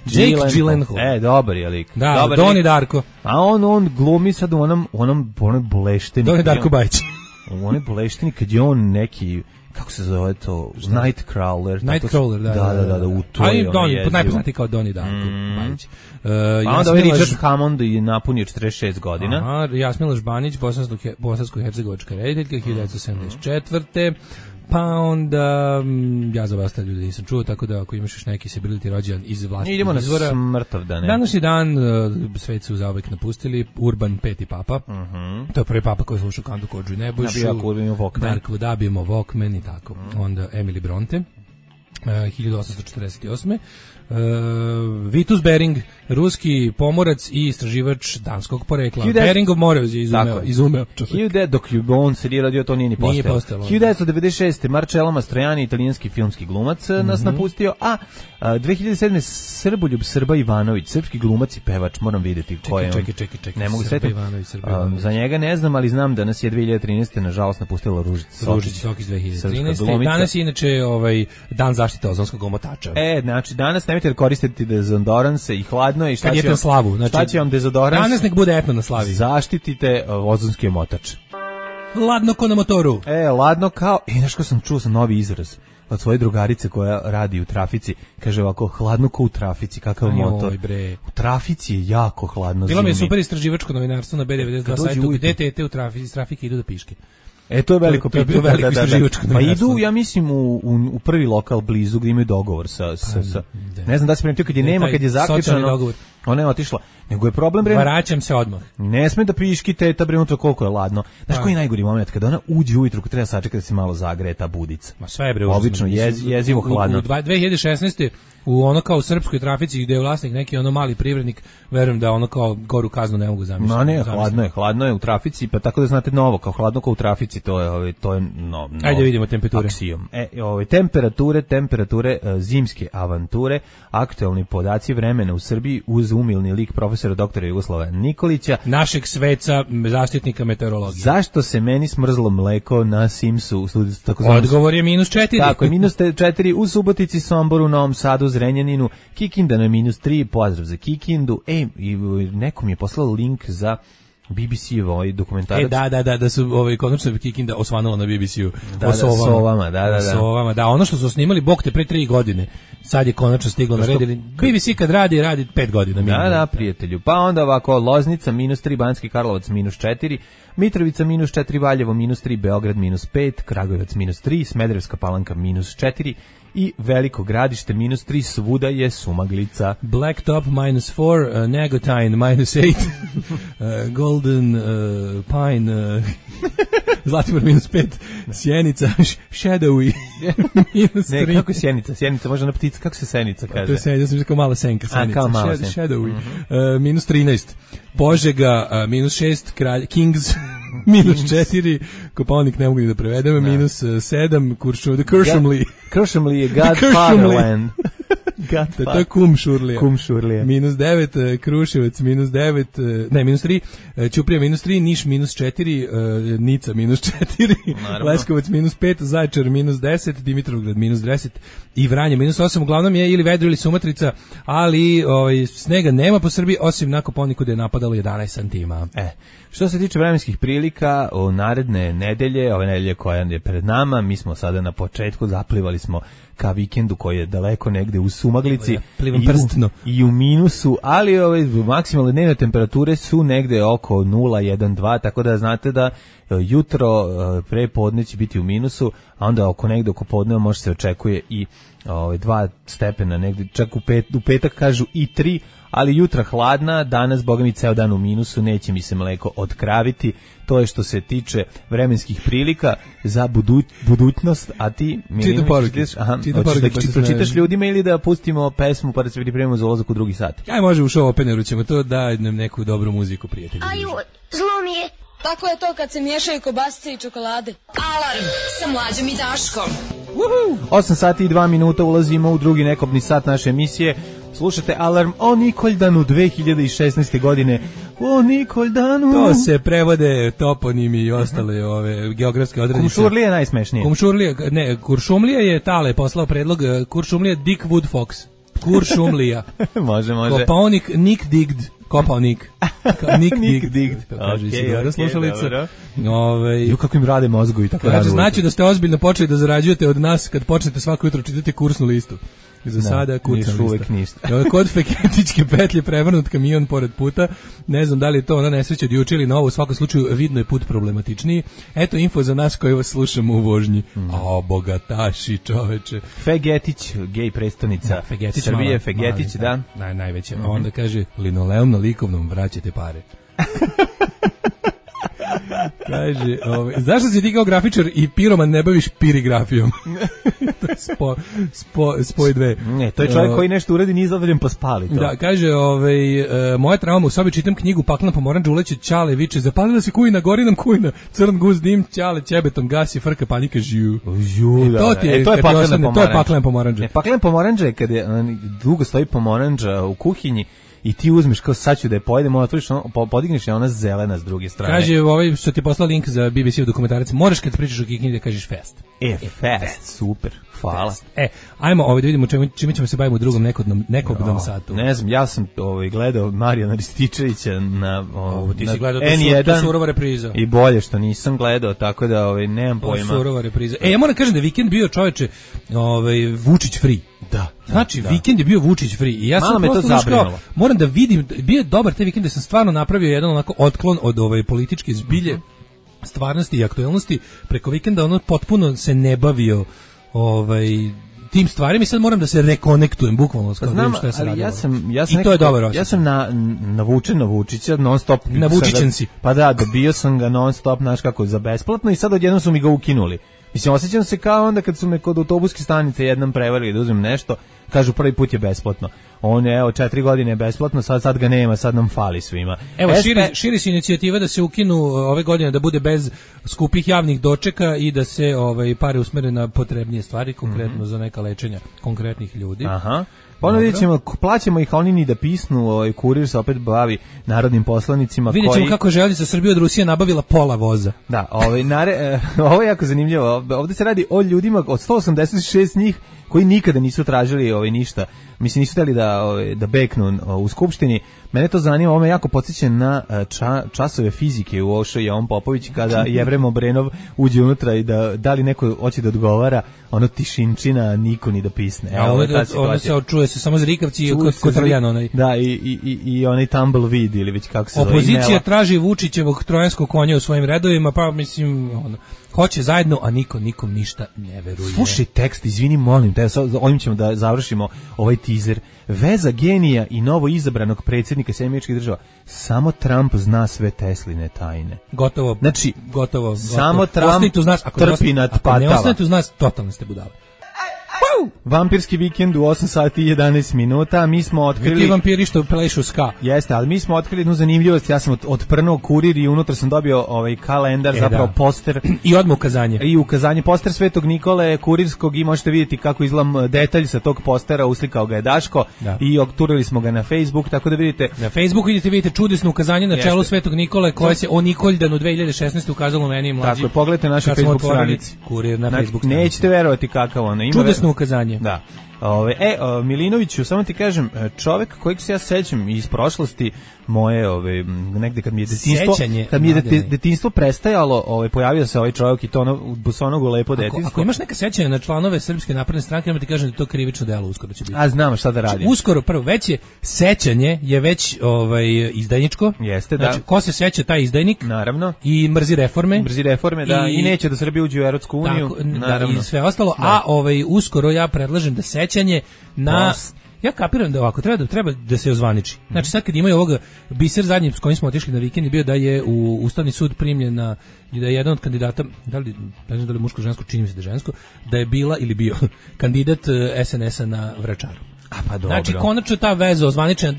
Jake Gyllenhaal. Dobar je lik. Da, dobar Doni Darko. A on glumi sad u onom blešteni. Doni Darko Bajić. U onoj blešteni kad je on neki, kako se zove to, Nightcrawler. Nightcrawler, da. U to je on jezivo. Najpoznatiji kao Doni Darko Bajić. A onda ovaj Richard Hammond je napunio 46 godina. Aha, Jasmila Žbanić, bosansko-hercegovačka rediteljka, 1974. Pa onda, ja za vas ljudi nisam čuo, tako da ako imaš još neki sebiliti rođendan iz vlastnih idemo izvora. Na Smrtovdane. Današnji dan, svet su zauvek napustili, Urban V. Papa. To je prvi papa koji je slušao Kantu Kodžu i Nebojšu. Dark Wood, Abimo, Walkman i tako. Onda Emily Bronte, 1848. Vitus Bering, ruski pomorac i istraživač danskog porekla. Beringov Morez je izumeo. Dok je on se radio, to nije ni postalo. 1996. Marcello Mastroianni, italijanski filmski glumac, nas napustio, a 2007. Srboljub Srba Ivanović, srpski glumac i pevač, moram vidjeti ko je on. Čekaj. Ne mogu setiti. Za njega ne znam, ali znam da nas je 2013. nažalost napustila Ružica Sokić 2013. Danas je inače dan zaštite ozonskog omotača. Znači danas nemojte da koristiti dezodoranse i hladno je i šta će vam dezodorans? Danas nek bude etno na slavi. Zaštitite ozonski omotač. Ladno ko na motoru. Ladno kao, znaš ko sam čuo novi izraz od svoje drugarice koja radi u trafici, kaže ovako, hladno ko u trafici, kakav motor. U trafici je jako hladno zimi. Bilo mi je super istraživačko novinarstvo na B92 sajtu, gde tete u trafike idu da piške. To je veliko pitanje. Pa idu, ja mislim, u prvi lokal blizu gdje imaju dogovor sa ne znam da se primetio kad je nema, kad je zaključano. Ona je otišla. Nego je problem, vraćam se odmah. Ne sme da piški teta unutra koliko je ladno. Znaš koji je najgori moment? Kada ona uđe ujutru, kad treba sačekati da se malo zagreje ta budica. Ma sve je obično jezivo hladno. U 2016. u ono kao u srpskoj trafici gdje je vlasnik neki ono mali privrednik, verujem da ono kao goru kaznu ne mogu zamisliti. No ne, hladno je u trafici, pa tako da znate novo, kao hladno kao u trafici, to je Ajde vidimo temperature. Aksijom. Temperature zimske avanture, aktualni podaci vremena u Srbiji uz umilni lik profesora doktora Jugoslava Nikolića, našeg sveca, zaštitnika meteorologije. Zašto se meni smrzlo mleko na Simsu? Odgovor je -4. Tako je, -4 u Subotici, Somboru, Novom Sadu, Zrenjaninu, Kikinda na -3, pozdrav za Kikindu. I nekom je poslao link za BBC-ev ovaj dokumentarac. Da su konačno Kikinda osvanula na BBC-u. Sovama. Da, ono što su snimali Bog te pre 3 godine, sad je konačno stiglo na red. BBC kad radi 5 godina. Da, prijatelju. Pa onda ovako, Loznica -3, Banjski Karlovac -4, Mitrovica -4, Valjevo -3, Beograd -5, Kragujevac -3, Smederevska Palanka -4 i Veliko Gradište -3, svuda je sumaglica. Blacktop -4, Negotin -8, Golden Pine, Zlatibor -5, Sjenica, Shadowy -3. Ne, kako je Sjenica? Sjenica može na ptica, kako se Senica kaže? To je Senica, sam kao mala senka. Kao mala senka. Shadowy, -13, Požega, -6, Kings, -4, Kopaonik ne mogu ni da prevedem, -7, Kuršumli. Kuršumli je Godfatherland. To je Kumšurlija. Kumšurlija. -9, Kruševac -9, ne, -3, Ćuprija -3, Niš -4, Nica -4, Leskovac -5, Zaječar -10, Dimitrovgrad -10 i Vranje -8. Uglavnom je ili vedro ili sumatrica, ali snega nema po Srbiji, osim na Kopaoniku gde je napadalo 11 santima. Što se tiče vremenskih prilika, u naredne nedelje, ove nedelje koja je pred nama, mi smo sada na početku, zaplivali smo ka vikendu koji je daleko negde u sumaglici i u minusu, ali maksimalne dnevne temperature su negde oko 0,1,2, tako da znate da jutro pre podne će biti u minusu, a onda negde oko podneva može se očekuje i 2 stepena, negde čak u petak kažu i 3, ali jutra hladna, danas boga mi ceo dan u minusu, neće mi se mleko otkraviti. To je što se tiče vremenskih prilika za budućnost, a ti Čitam poruke. Hoćeš da pročitaš ljudima ili da pustimo pesmu pa da se pripremimo za ulazak u drugi sat? Aj, može u show openeru ćemo to, da nam neku dobru muziku, prijatelji. Aju, zlo mi je. Tako je to kad se miješaju kobasice i čokolade. Alarm sa Mlađom i Daškom. 8 sati i 2 minuta ulazimo u drugi nekobni sat naše emisije. Slušate Alarm o Nikoldanu 2016. godine. O Nikoldanu. To se prevode toponimi i ostale ove geografske odredište. Kumšurlija je najsmešnije. Kuršumlija je Tale poslao predlog. Kuršumlija Dick Wood Fox. Kuršumlija. može. Kopaonik Nick Digd. Kopaonik. Nick Digd. To kaže se dobro slušalica. Ju kako im rade mozgovi tako rade. Znači da ste ozbiljno počeli da zarađujete od nas kad počnete svako jutro čitati kursnu listu. Za sada kucam ništa. Kod Feketičke petlje prevrnut kamion pored puta. Ne znam da li je to ona nesreća od juče ili novo. U svakom slučaju vidno je put problematičniji. Eto info za nas koji vas slušamo u vožnji. A bogataši, čoveče. Fegetić, gej prestonica Srbije, Fegetić, da. Najveće. Onda kaže, linoleum na likovnom vraćate pare. Kaže, zašto si ti kao grafičar i piroman ne baviš pirigrafijom? To je spoj dve. Ne, to je čovjek koji nešto uradi, nije zadovoljen pa spali to. Da, kaže, moja trauma, u sobi čitam knjigu Paklena pomoranđa, uleće Ćale, viče, zapalila se kujna, gori nam kujna, crn guz dim, Ćale ćebetom gasi, frka, panika, žiju. To je paklena pomoranđa. Ne, paklena pomoranđa je kad je dugo stoji pomoranđa u kuhinji, i ti uzmeš kao sad ću da je pojedem, otvoriš, podigneš je ona zelena s druge strane. Kaže, što ti je poslao link za BBC-ov dokumentarac, moraš kad pričaš o Kikini da kažeš fest. Fest, super, hvala. Ajmo da vidimo čime ćemo se baviti u drugom nekobnom satu. Ne znam, ja sam gledao Marijana Rističevića na N1. To je surova repriza. I bolje što nisam gledao, tako da nemam pojma. Surova repriza. Ja moram kažem da je vikend bio, čoveče, Vučić free. Da. Znači, vikend je bio Vučić free. I ja sam prosto moram da vidim, bio je dobar taj vikend da sam stvarno napravio jedan onako otklon od političke zbilje, stvarnosti i aktuelnosti. Preko vikenda ono potpuno se ne bavio tim stvarima i sad moram da se rekonektujem bukvalno s znam, šta se radilo. I to je dobar osjećaj. Ja sam navučen na Vučića non stop. Na Vučićen si. Pa da, dobio sam ga non stop, znaš kako, za besplatno i sad odjednom su mi ga ukinuli. Mislim, osjećam se kao onda kad su me kod autobuske stanice jednom prevarili da uzmem nešto, kažu prvi put je besplatno. On je, 4 godine je besplatno, sad ga nema, sad nam fali svima. Evo, širi se inicijativa da se ukinu ove godine, da bude bez skupih javnih dočeka i da se pare usmere na potrebnije stvari, konkretno za neka lečenja konkretnih ljudi. Aha. Ono vidjet ćemo, plaćamo ih, a oni ni da pisnu, kurir se opet bavi narodnim poslanicima. Vidjet ćemo kako je Železnica Srbije od Rusije nabavila pola voza. Da, ovo je jako zanimljivo. Ovdje se radi o ljudima, od 186 njih, koji nikada nisu tražili ništa. Mislim, nisu htjeli da beknu u skupštini. Mene to zanima, ovo me jako podsjeća na časove fizike u Ošo Jovan Popović, kada Jevrem Obrenov uđe unutra i da li neko hoće da odgovara, ono tišinčina, niko ni da pisne. Ono se čuje se samo zrikavci i kotrljan onaj. Da, i onaj tumbleweed ili već kako se zove. Opozicija traži Vučićevog trojanskog konja u svojim redovima, pa mislim, hoće zajedno, a nikom ništa ne veruje. Slušaj tekst, izvini, molim te, ovim ćemo da završimo ovaj teaser. Veza genija i novo izabranog predsjednika SAD država. Samo Trump zna sve Tesline tajne. Gotovo. Znači, gotovo. Samo Trump trpi nad patava. Ako ne ostanete uz nas, totalno ste budale. Vampirski vikend u 8 sati i 11 minuta. Mi smo otkrili... Ti vampiri što plešu ska. Jeste, ali mi smo otkrili jednu zanimljivost. Ja sam otprnuo kurir i unutra sam dobio kalendar, zapravo poster. I odmah ukazanje. I ukazanje, poster Svetog Nikole kurirskog i možete vidjeti kako izgleda detalj sa tog postera, uslikao ga je Daško i okturili smo ga na Facebook, tako da vidite... Na Facebooku vidite čudesno ukazanje na čelu Svetog Nikole koje se o Nikoldanu 2016. ukazalo meni i mlađi. Tako, pogledajte našu Facebook stranici. Kurir na Facebook stranici. Nećete verovati kakav ono ima. Čudesno ukazanje. Da. Milinoviću, samo ti kažem, čovjek kojeg se ja sećam iz prošlosti moje, negde kad mi je detinjstvo prestajalo, pojavio se ovaj čovjek i to ono bosonogu lepo detinjstvo. Ako imaš neka sećanja na članove Srpske napredne stranke, ja ti kažem da to krivično delo uskoro će biti. A znam šta da radim. Uskoro, prvo, već je sećanje je već izdajničko. Jeste, da. Znači, ko se seća taj izdajnik? Naravno. I mrzi reforme. Da, i neće da Srbija uđe u Evropsku uniju. Naravno. I sve ostalo, a uskoro ja predlažem da sećanje na ja kapiram da ovako treba da se ozvaniči. Znači sad kad imaju ovoga biser zadnji s kojim smo otišli na vikend je bio da je u Ustavni sud primljena i da je jedan od kandidata, ne znam da li muško žensko, čini mi se da je žensko, da je bila ili bio kandidat SNS-a na Vračaru. A pa dobro. Znači konačno ta veza ozvaničena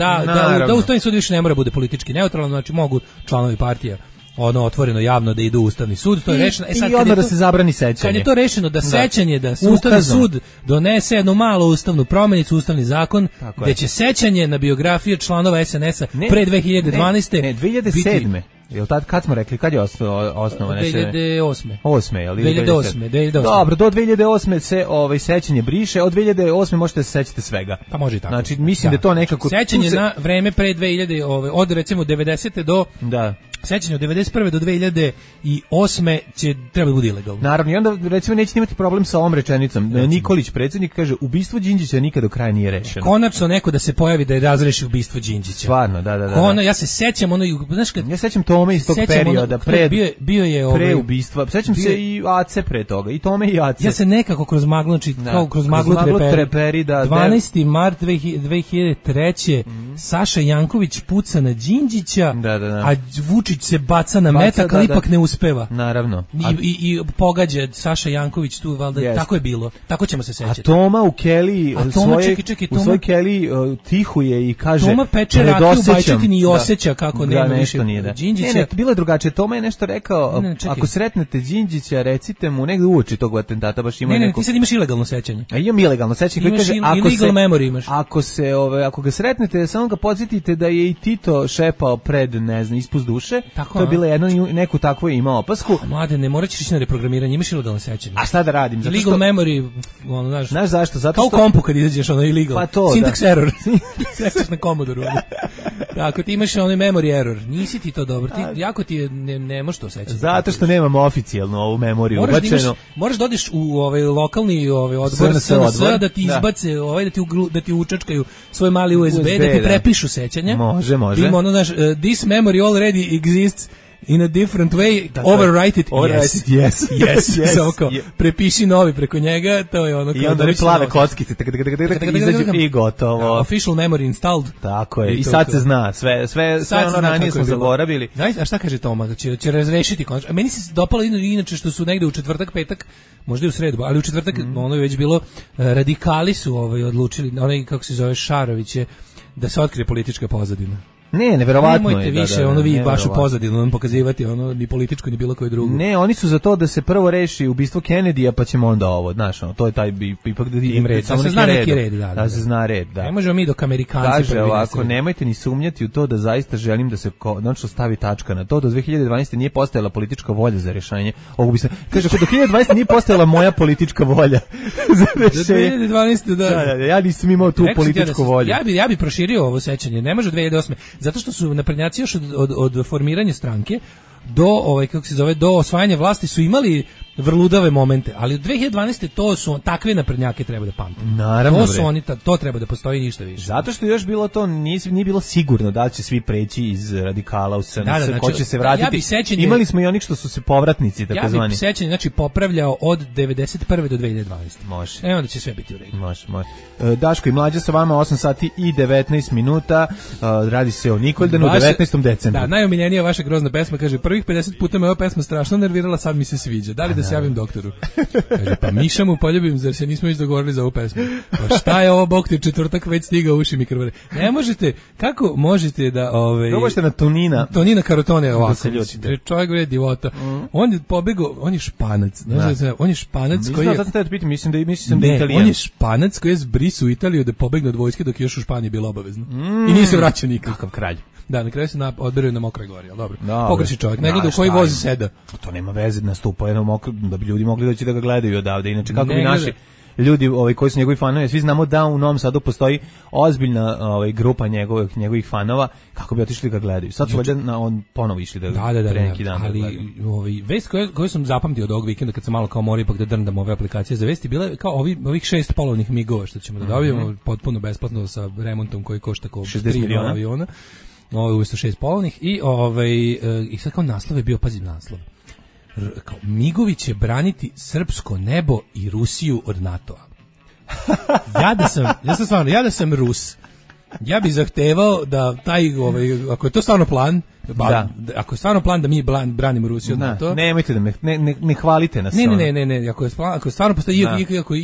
da Ustavni sud više ne mora bude politički neutralan, znači mogu članovi partija otvoreno javno da idu u Ustavni sud, to je rešeno. I odmah da se zabrani sećanje. Kad je to rešeno da sećanje, da Ustavni sud donese jednu malu ustavnu promjenicu, ustavni zakon, gde će sećanje na biografije članova SNS-a pre 2012. Ne, 2007. Jel tad kad smo rekli kad je osnovana 2008. 8. je li 2008. Dobro, do 2008 se sećanje briše, od 2008 možete se sećate svega. Pa može i tako. Znači mislim da to nekako sećanje na vreme pre 2000 od recimo 90. do sećanje od 91. do 2008. će treba bude ilegalno. Naravno, i onda recimo nećete imati problem sa ovom rečenicom. Nikolić predsjednik kaže ubistvo Đinđića nikad do kraja nije rešeno. Konačno neko da se pojavi da je razreši ubistvo Đinđića. Stvarno, da. Ja se sećam znaš kad ja sećam Tome iz tog perioda bio je pre ubistva. Sećam se i Ace pre toga. I Tome i Ace. Ja se nekako kroz maglu, znači kao kroz maglu treperi 12. mart 2003. Saša Janković puca na Đinđića, a Vučić se baca na metak, ali ipak ne uspeva. Naravno. I pogađa Saša Janković tu, valjda, tako je bilo. Tako ćemo se sećati. A Toma u Kelly, u svoj Kelly tihuje i kaže Toma peče rakiju u Bajčetini i osjeća kako nema više Đinđića. Ne, bilo je drugačije. Toma je nešto rekao, ako sretnete Đinđića, recite mu negde uoči tog atentata, baš ima neko... Ne, ti sad imaš ilegalno sećanje. A imam ilegalno sećanje. Imaš illegal memory imaš. Ako ga sretnete, samo ga podsjetite da je i Tito šepao pred, ne znam, ispust duše. To je bila neku takvu imao opasku. Mlade, ne morat ćeš ići na reprogramiranje, imaš ilegalno sećanje. A šta da radim? Legal memory, znaš zašto? Zato kao u kompu kad izađeš, illegal. Pa to, syntax error. Sećaš na Commodore. Ako ti imaš memory error, nisi ti to dobro. Jako ti je, ne možeš to sećati. Zato što nemamo oficijalno ovu memoriju ubačenu. Moraš da odeš u lokalni odbor SNS da ti izbace, da ti učačkaju svoj mali USB, da ti prepišu sećanja. Može. Ima this memory already exists in a different way, overwrite it, yes. Prepiši novi preko njega, to je ono... I onda oni plave kockice, izađu i gotovo. Official memory installed. Tako je, i sad se zna, sve ono ranije smo zaboravili. A šta kaže Toma, će razrešiti konačno? Meni se dopalo inače što su negde u četvrtak, petak, možda i u sredu, ali u četvrtak ono je već bilo, radikali su odlučili, onaj kako se zove Šarović je, da se otkrije politička pozadina. Ne, neverovatno je. Nemojte više vi vašu pozadinu pokazivati, ni političko, ni bilo koje drugo. Ne, oni su za to da se prvo reši ubistvo Kennedyja, pa ćemo onda ovo, znaš, to je taj ipak da im red. Samo se zna neki red, da se zna red, da. Ne možemo mi dok Amerikanci kaže ovako, nemojte ni sumnjati u to da zaista želim da se konačno stavi tačka na to. Do 2012. nije postojala politička volja za rješenje ovog ubistva. Kaže, do 2012. nije postojala moja politička volja za rješenje. Do 2012. da. Ja nisam imao tu političku volju. Ja bi proširio ovo sećanje, ne može 2008. Zato što su naprednjaci još od formiranja stranke do osvajanja vlasti su imali vrludave momente, ali u 2012. to su takve naprednjake treba da pamte. Naravno, to su oni, to treba da postoji ništa više. Zato što još bilo to nije bilo sigurno da li će svi preći iz radikala u SNS, ko će se vratiti. Imali smo i onih što su se povratnici, tako zvani. Ja bih sećanje, popravljao od 91. do 2012. Može. Onda će sve biti u redu. Može. Daško i Mlađa sa vama 8 sati i 19 minuta. Radi se o Nikoldanu, 19. decembru. Da, najomiljenija vaša grozna pesma, kaže, prvih 50 puta me ova pesma strašno nervirala, sad mi se sviđa. Da li da se javim doktoru? Kaže, pa Miša mu poljubim, zar se nismo već dogovorili za ovu pesmu? Pa šta je ovo, bok ti četvrtak već stiga uši mi krvare. Ne možete, kako možete da... Probajte na Tonina Karotone ovako. Čovjek je divota. On je pobegao, on je Španac. On je Španac koji je... Mislim da je Italijan. On je Španac koji je zbrisu u Italiju da pobegne od vojske dok je još u Španiji bilo obavezno. I nije se vraćao nikad. Kakav kralj. Da, na kraju se odberio na Mokroj gori, ali dobro. Pogreši čovjek, ne gleda u koji vozi seda. To nema veze, nastupa da bi ljudi mogli doći da ga gledaju odavde. Inače, kako bi naši ljudi koji su njegovi fanovi, svi znamo da u Novom Sadu postoji ozbiljna grupa njegovih fanova, kako bi otišli ga gledaju. Sad su on ponovo išli da pre neki dan. Ali vest koju sam zapamtio od ovog vikenda kad sam malo kao morao ipak da drndam ove aplikacije za vesti, bila je kao ovih 6 polovnih migova što ćemo da dobijemo potpuno besplatno sa remontom koji košta kao 60 miliona aviona. Ovo je usto 6 polovnih i sad kao naslov je bio, pazi naslov. Kao, Migovi će braniti srpsko nebo i Rusiju od NATO-a. ja da sam Rus, ja bih zahtevao da ako je to stvarno plan, ako je stvarno plan da mi branimo Rusiju od NATO. Nemojte da ne hvalite nas. Ne, ako je stvarno postoji,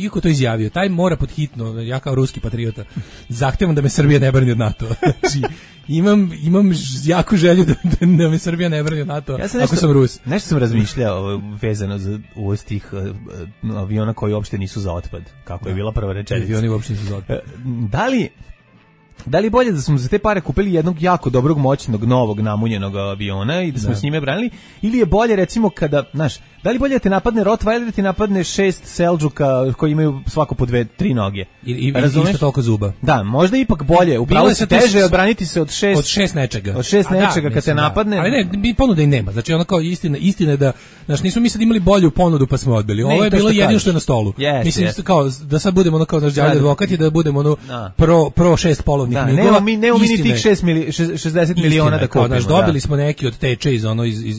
iako to izjavio, taj mora pod hitno, ja kao ruski patriota, zahtevam da me Srbija ne brani od NATO. Znači, imam jaku želju da me Srbija ne brani od NATO, ako sam Rus. Nešto sam razmišljao vezano za uvoz tih aviona koji uopšte nisu za otpad, kako je bila prva rečenica. Avioni uopšte nisu za otpad. Da li bolje da smo za te pare kupili jednog jako dobrog, moćnog, novog, namunjenog aviona i da smo s njime branili, ili je bolje recimo kada, da li bolje da te napadne Rottweiler ili da ti napadne 6 Seldžuka koji imaju svako po 2-3 noge? I isto toliko zuba. Da, možda ipak bolje, upravo se teže odbraniti se od 6 nečega. Od 6 nečega kad te napadne. Ali ne, ponuda i nema. Znači ono kao istina je da, nismo mi sad imali bolju ponudu pa smo odbili. Ovo je bilo jedino što je na stolu. Mislim kao da sad budemo kao naš đavolji advokat i da budemo pro 6 polovnih migova. Nemamo mi ni tih 60 miliona da kupimo. Dobili smo neki od teče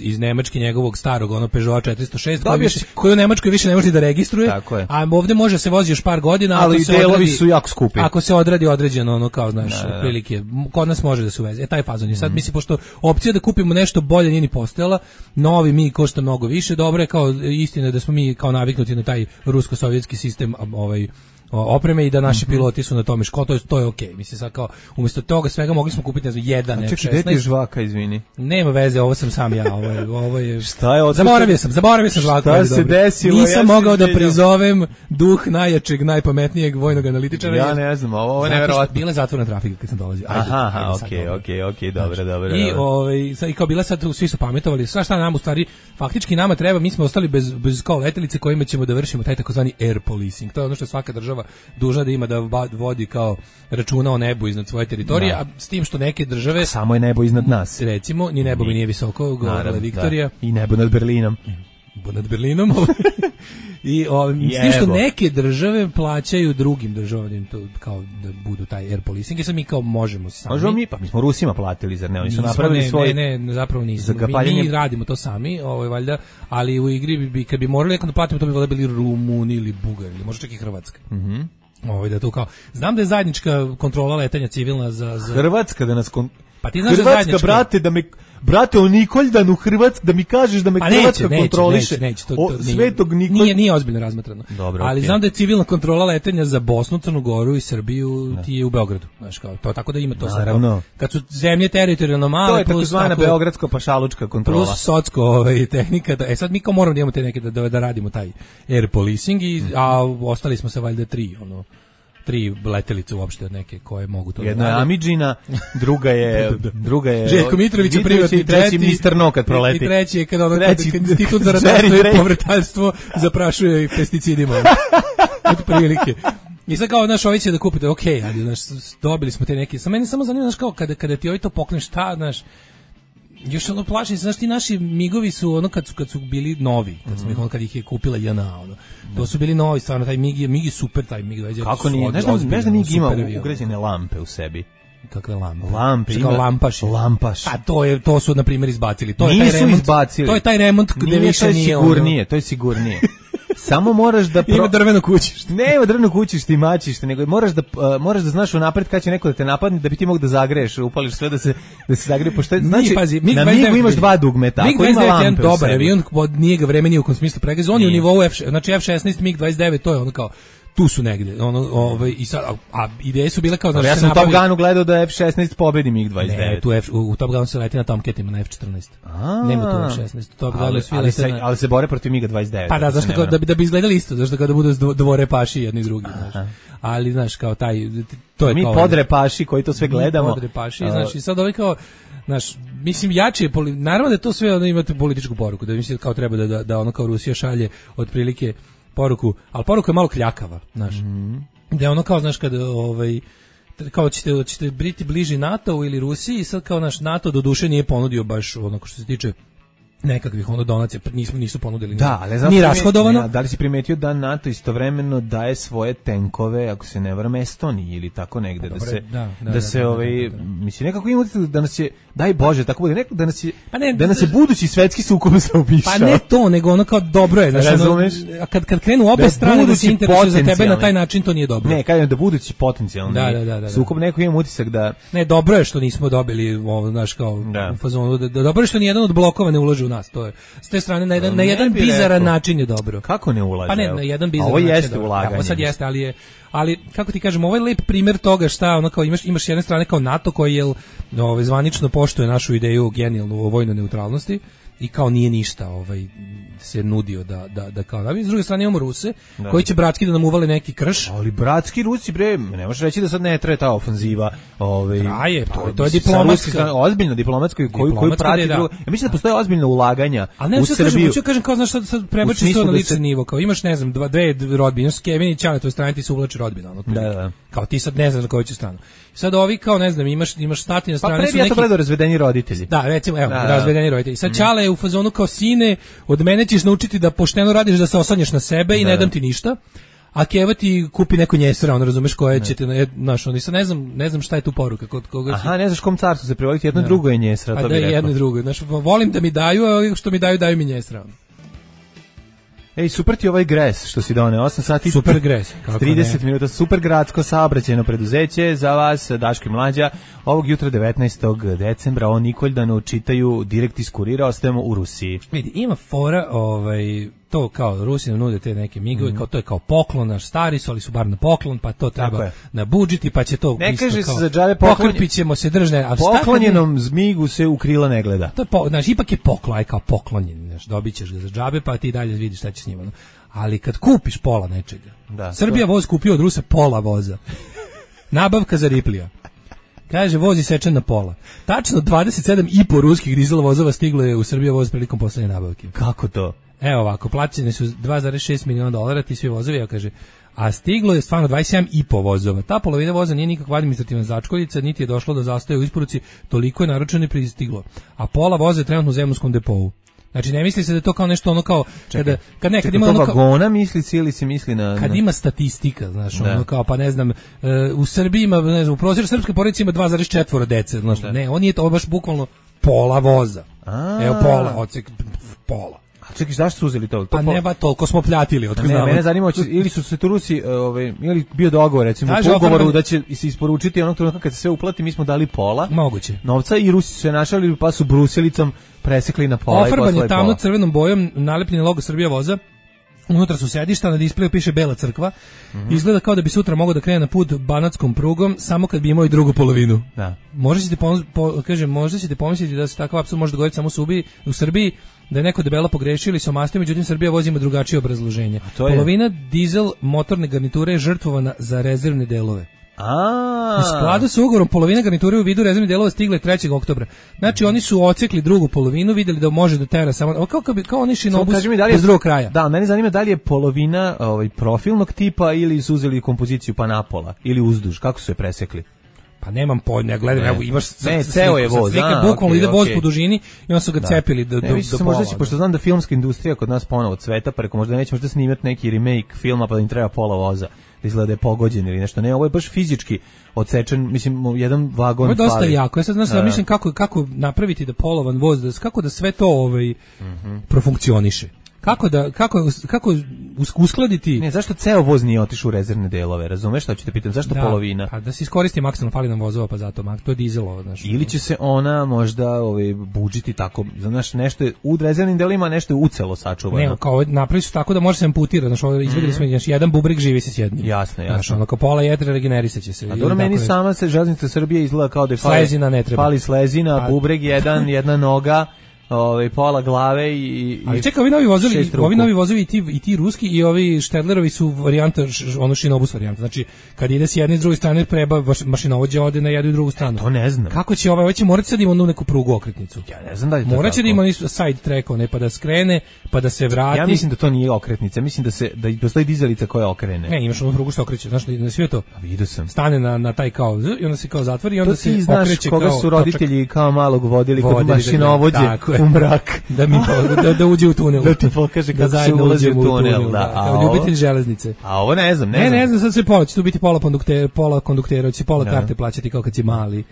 iz Nemačke njegovog starog Peugeot 406 koji u Nemačkoj više ne može da registruje, a ovde može se vozi još par godina, ali delovi su jako skupi. Ako se odradi određeno kao otprilike, kod nas može da se uveze. Taj fazon je sad, mislim, pošto opcija da kupimo nešto bolje nije ni postojala, novi mi košta mnogo više, dobro je kao istina da smo mi kao naviknuti na taj rusko-sovjetski sistem opreme i da naši piloti su na tome to je okej. Mislim sad kao umjesto toga svega mogli smo kupiti jedan F16. Čekaj, gde ti je žvaka, izvini? Nema veze, ovo sam sam ja, ovo je Šta je zaboravio sam žvaku. Šta se desilo? Nisam mogao da prizovem duh najjačeg, najpametnijeg vojnog analitičara. Ja ne znam, ovo je neverovatno. Bila je zatvorena trafika kad sam dolazio. Aha, okej, dobro. I kao bila sad svi su pametovali, šta nam u stvari faktički nama treba, mi smo ostali bez kao letelice kojima ćemo da vršimo taj takozvani air policing. To je ono što svaka država dužna da ima, da vodi kao računa o nebu iznad svoje teritorije, a s tim što neke države samo je nebo iznad nas. Recimo, ni nebo mi nije visoko, govorila Viktorija. I nebo nad Berlinom. I s tim što neke države plaćaju drugim državama to kao da budu taj air policing, i sad mi kao možemo sami. Možemo mi smo Rusima platili, zar ne? Oni su napravili svoj... Ne, zapravo nismo. Mi radimo to sami, valjda, ali u igri kad bi morali da platimo, to bi valjda bili Rumuni ili Bugari, ili možda čak i Hrvatska. Da to kao... Znam da je zajednička kontrola letanja civilna za... Hrvatska da nas... Pa ti znaš Hrvatska, brate, o Nikoldanu Hrvatsk, da mi kažeš da me Hrvatska kontroliše. Neće, Svetog Nikolj... Nije ozbiljno razmatrano. Dobro, ali znam da je civilna kontrola letenja za Bosnu, Crnu Goru i Srbiju ti je u Beogradu. Znaš, kao, to, tako da ima to. Naravno. Kad su zemlje teritorijalno male... To je takozvana beogradsko-pašalučka kontrola. Plus socko tehnika. Sad mi kao moramo da imamo te neke da radimo taj air policing, a ostali smo se valjda 3 letelice uopšte od neke koje mogu to. Jedna je Amidžina, druga je Željko Mitrović, privatni treći ministar No kad proleti. I treći je kad institut za ratarstvo i povrtarstvo zaprašuje pesticidima. Eto prilike. I sad kao, ovi će da kupite, ali dobili smo te neke. Sa meni samo zanima, kao kada ti to pokneš, još plašim se, ti naši migovi su kad su bili novi, kad ih je kupila JNA, to su bili novi, stvarno, taj mig je super, taj mig 29. Kako nije? Znaš da mig ima ugrađene lampe u sebi? Kakve lampe? Lampe, ima lampaši. A to su na primjer izbacili. Nisu izbacili. To je taj remont gde više nije. To je sigurnije. Samo moraš da ima drveno kućište. Nema drveno kućište i maćište, nego moraš da znaš unapred kad će neko da te napadne, da bi ti mogao da zagreješ, upališ sve da se zagreje, pošto znači na migu imaš 2 dugmeta, ako ima lampe. Dobar avion, nije ga vreme ni u kom smislu pregaz, on je u nivou znači F16 MiG-29, to je ono kao tu su negde, i sad, a ideje su bile kao da ja sam u Top Gunu gledao da F16 pobedi MiG-29. Ne, u Top Gunu se leti na Tomcatima, na F14. Nema tu F16. Top Gunu svi leti na... Ali se bore protiv MiG-29. Pa da, zašto da bi izgledali isto, zašto kao da budu dvorepaši jedni drugi, znaš. Ali, znaš, kao taj, to je mi kao... Mi podrepaši koji to sve gledamo. Mi podrepaši, znaš, i sad kao... Znaš, mislim, jače je, naravno da to sve imate političku poruku, da mislim kao treba da ono kao Rusija šalje otprilike poruku, ali poruka je malo kljakava, znaš. Da je ono kao, znaš, kada kao ćete biti bliži NATO ili Rusiji, i sad kao naš NATO do duše nije ponudio baš ono što se tiče nekakvih donacija nisu ponudili Da, ali ni rashodovano. Da li si primetio da NATO istovremeno daje svoje tenkove, ako se ne varam, Estoniji ili tako negde, mislim nekako ima da nas je, daj Bože, tako bude, da nas je budući svetski sukob zaobišao. Pa ne to, nego ono kao dobro je, znači kad krenu obe strane da se interesuju za tebe na taj način, to nije dobro. Ne, kažem da budući potencijalni sukob, neko ima utisak da ne, dobro je što nismo dobili ovo, znaš, kao u fazonu, dobro je što nijedan od blokova ne ulaže u nas, to je s te strane na jedan bizaran način je dobro. Kako ne ulaže? Pa ne, na jedan bizaran način. Ovo jeste ulaganje. Ovo sad jeste, ali kako ti kažem, ovo je lep primjer toga šta, ono kao imaš s jedne strane kao NATO koji je zvanično poštuje našu ideju genijalnu o vojnoj neutralnosti i kao nije ništa se nudio da kao da. S druge strane imamo Ruse koji će bratski da nam uvale neki krš. Ali bratski Rusi, bre, ne možeš reći da sad ne traje ta ofanziva. Traje, to je diplomatska. Ozbiljna diplomatska koju prati drugo. Ja mislim da postoje ozbiljna ulaganja u Srbiju. Kažem kao, znaš, sad prebači to na lični nivo. Kao imaš, ne znam, dve rodbine, Kevin i Ćale, to je strane, ti se uvlači rodbina. Da. Kao ti sad ne znaš na koju će stranu. Sad ovi kao, ne znam, imaš stati na strani su neki... Pa pre bi ja to gledao razvedeni roditelji. Da, recimo, evo, razvedeni roditelji. Sad Ćale je u fazonu kao, sine, od mene ćeš naučiti da pošteno radiš, da se osanjaš na sebe i ne dam ti ništa. A Keva ti kupi neko njesera, on razumeš koje će te, znaš, on ne znam šta je tu poruka kod koga. Aha, ne znaš kom carstvu se privoliti, jedno drugo je njesera, to bi rekao. Jedno i drugo, znaš, volim da mi daju, a što mi daju mi njesera. Ej, super ti ovaj Gres što si doneo, 8 sati. Super Gres. 30 minuta, super gradsko saobraćajno preduzeće za vas, Daško i Mlađa. Ovog jutra 19. decembra o Nikoldanu čitaju direkt iz Kurira, ostajemo u Rusiji. Vidi, ima fora, to kao Rusi nam nude te neke migove, kao to je kao poklon, naš stari su, ali su bar na poklon, pa to treba nabudžiti, pa će to ne isto kaže kao, se za džabe pokrpit ćemo se držne. Poklonjenom zmigu se u krila ne gleda. To je, znaš, ipak je poklon, aj kao poklonjen, znaš, dobit ćeš ga za džabe, pa ti dalje vidiš šta će s njima. No? Ali kad kupiš pola nečega, Srbija voz kupio od Rusa pola voza, nabavka za Riplija. Kaže, voz isečen na pola. Tačno 27,5 ruskih dizel vozova stiglo je u Srbiju voz prilikom poslednje nabavke. Kako to? Evo ovako, plaćene su $2,6 miliona, ti svi vozovi, ja kaže, a stiglo je stvarno 27,5 vozova. Ta polovina voza nije nikakva administrativna začkoljica, niti je došlo do zastoja u isporuci, toliko je naručeno i pristiglo. A pola voza je trenutno u zemunskom depovu. Znači ne misli se da je to kao nešto ono kao kad ima ono vagona misli ili se misli na kad ima statistika, znaš, ono kao pa ne znam, u Srbiji ima, ne znam, u prosječnoj srpskoj porodici ima 2,4 dece, znači ne, on je to baš bukvalno pola voza. Evo pola, odsek pola. Čekaj, zašto su uzeli to? Pa ne, toliko smo pljatili. Ne, mene zanima, ili su se tu Rusi, ili bio dogovor, recimo, u ugovoru da će se isporučiti onog trenutka kad se sve uplati, mi smo dali pola novca i Rusi su se našali, pa su bruselicom presekli na pola i poslali pola. Ofarban je tamno crvenom bojom, nalepljen logo Srbija voza, unutra su sedišta, na displeju piše Bela crkva, izgleda kao da bi sutra mogao da krene na put banatskom prugom, samo kad bi imao i drugu polovinu. Da. Možda ćete pomisliti da se takav apsurd može dogoditi samo u Srbiji, da je neko debelo pogrešio ili se omastio, međutim Srbija vozi ima drugačije obrazloženje. Polovina dizel motorne garniture je žrtvovana za rezervne delove. U skladu sa ugovorom polovina garniture u vidu rezervnih delova stigle 3. oktobra. Znači oni su ocekli drugu polovinu, vidjeli da može da tera samo kao oni šinobus bez drugog kraja. Da, mene zanima da li je polovina profilnog tipa ili su uzeli kompoziciju pa napola ili uzduž, kako su je presekli? Pa nemam pojma, gledam, evo imaš ceo je voz, bukvalno ide voz po dužini i on su ga cepili do pola. Možda će, pošto znam da filmska industrija kod nas ponovo cveta, preko možda neće možda snimati neki remake filma pa da im treba pola voza, da izgleda da je pogođen ili nešto. Ne, ovo je baš fizički odsečen, mislim, jedan vagon fali. Ovo je dosta jako, ja sad znaš da mislim kako napraviti da polovan voz, kako da sve to profunkcioniše. Kako uskladiti? Ne, zašto ceo voz nije otišao u rezervne delove, razumeš šta ću te pitam, zašto polovina? Pa da se iskoristi maksimalno, fali nam vozova, pa zato, to je dizelova, znaš. Ili će se ona možda budžiti tako, znaš, nešto je u rezervnim delima, nešto je ucelo sačuvano. Ne, kao napravi su tako da može se amputirati, znaš, izvedeli smo, jedan bubreg živi se s jednim. Jasno. Znaš, ono, kao pola jedra regenerisat će se. A dobro, meni sama se železnica Srbije izgleda kao da je fali slezina, bubreg jedna noga, pola glave i ali čekaj, ovi novi vozovi i ti ruski i ovi Štedlerovi su varijanta, ono šinobus varijanta. Znači, kad ide s jedne i s druge strane, preba mašinovođa ode na jednu i drugu stranu. To ne znam. Kako će ovaj će morati sad ima neku prugu okretnicu? Ja ne znam da je to. Morat će da ima side track, pa da skrene, pa da se vrati. Ja mislim da to nije okretnica, mislim da postoji dizalica koja okrene. Ne, imaš onu prugu što okreće, znaš, na sve to. Vidio sam. Stane na taj kao i onda se kao zatvori i onda se okreće kao. Koga su roditelji kao malog vodili kod mašinovođe. zove. U mrak. Da uđe u tunel. Da ti pokaže kako se ulazi u tunel. Da. Kao ljubitelj železnice. A ovo ne znam. Ne znam, sad sve pola, će tu biti pola konduktera, će pola karte plaćati kao kad si mali.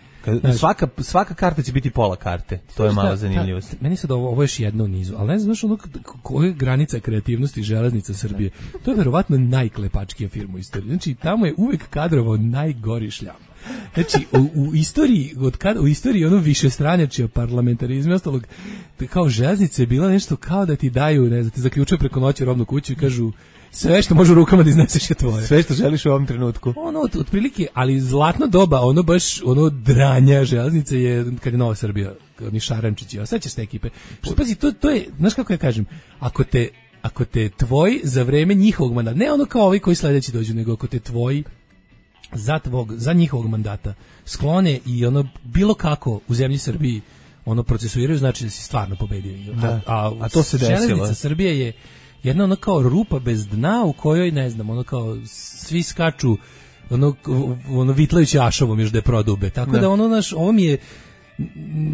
Svaka karta će biti pola karte. To je mala zanimljivost. Meni sad ovo još jedno u nizu, ali ne znam ono koja je granica kreativnosti železnica Srbije. To je verovatno najklepačkija firma u istoriji. Znači, tamo je uvek kadrovao najgori šljam. Znači, u istoriji ono višestranjačija parlamentarizma i ostalog, kao železnica je bila nešto kao da ti daju, ne znam, ti zaključuju preko noći robnu kuću i kažu sve što može rukama da izneseš je tvoje. Sve što želiš u ovom trenutku. Ono, otprilike, ali zlatno doba, ono baš, ono dranja železnice je, kad je Nova Srbija, oni Šarančići, a sad će s te ekipe. Što, pazi, to je, znaš kako ja kažem, ako te tvoji za vreme njihovog mandata, ne ono kao ovi koji sledeći dođu, nego ako te tvoji za njihovog mandata sklone i ono bilo kako u zemlji Srbiji ono procesuiraju, znači da si stvarno pobedio. A to se desilo. Železnica Srbije je jedna ono kao rupa bez dna u kojoj, ne znam, ono kao svi skaču ono vitlajući ašovom još da je prodube. Tako da ono naš, ovo mi je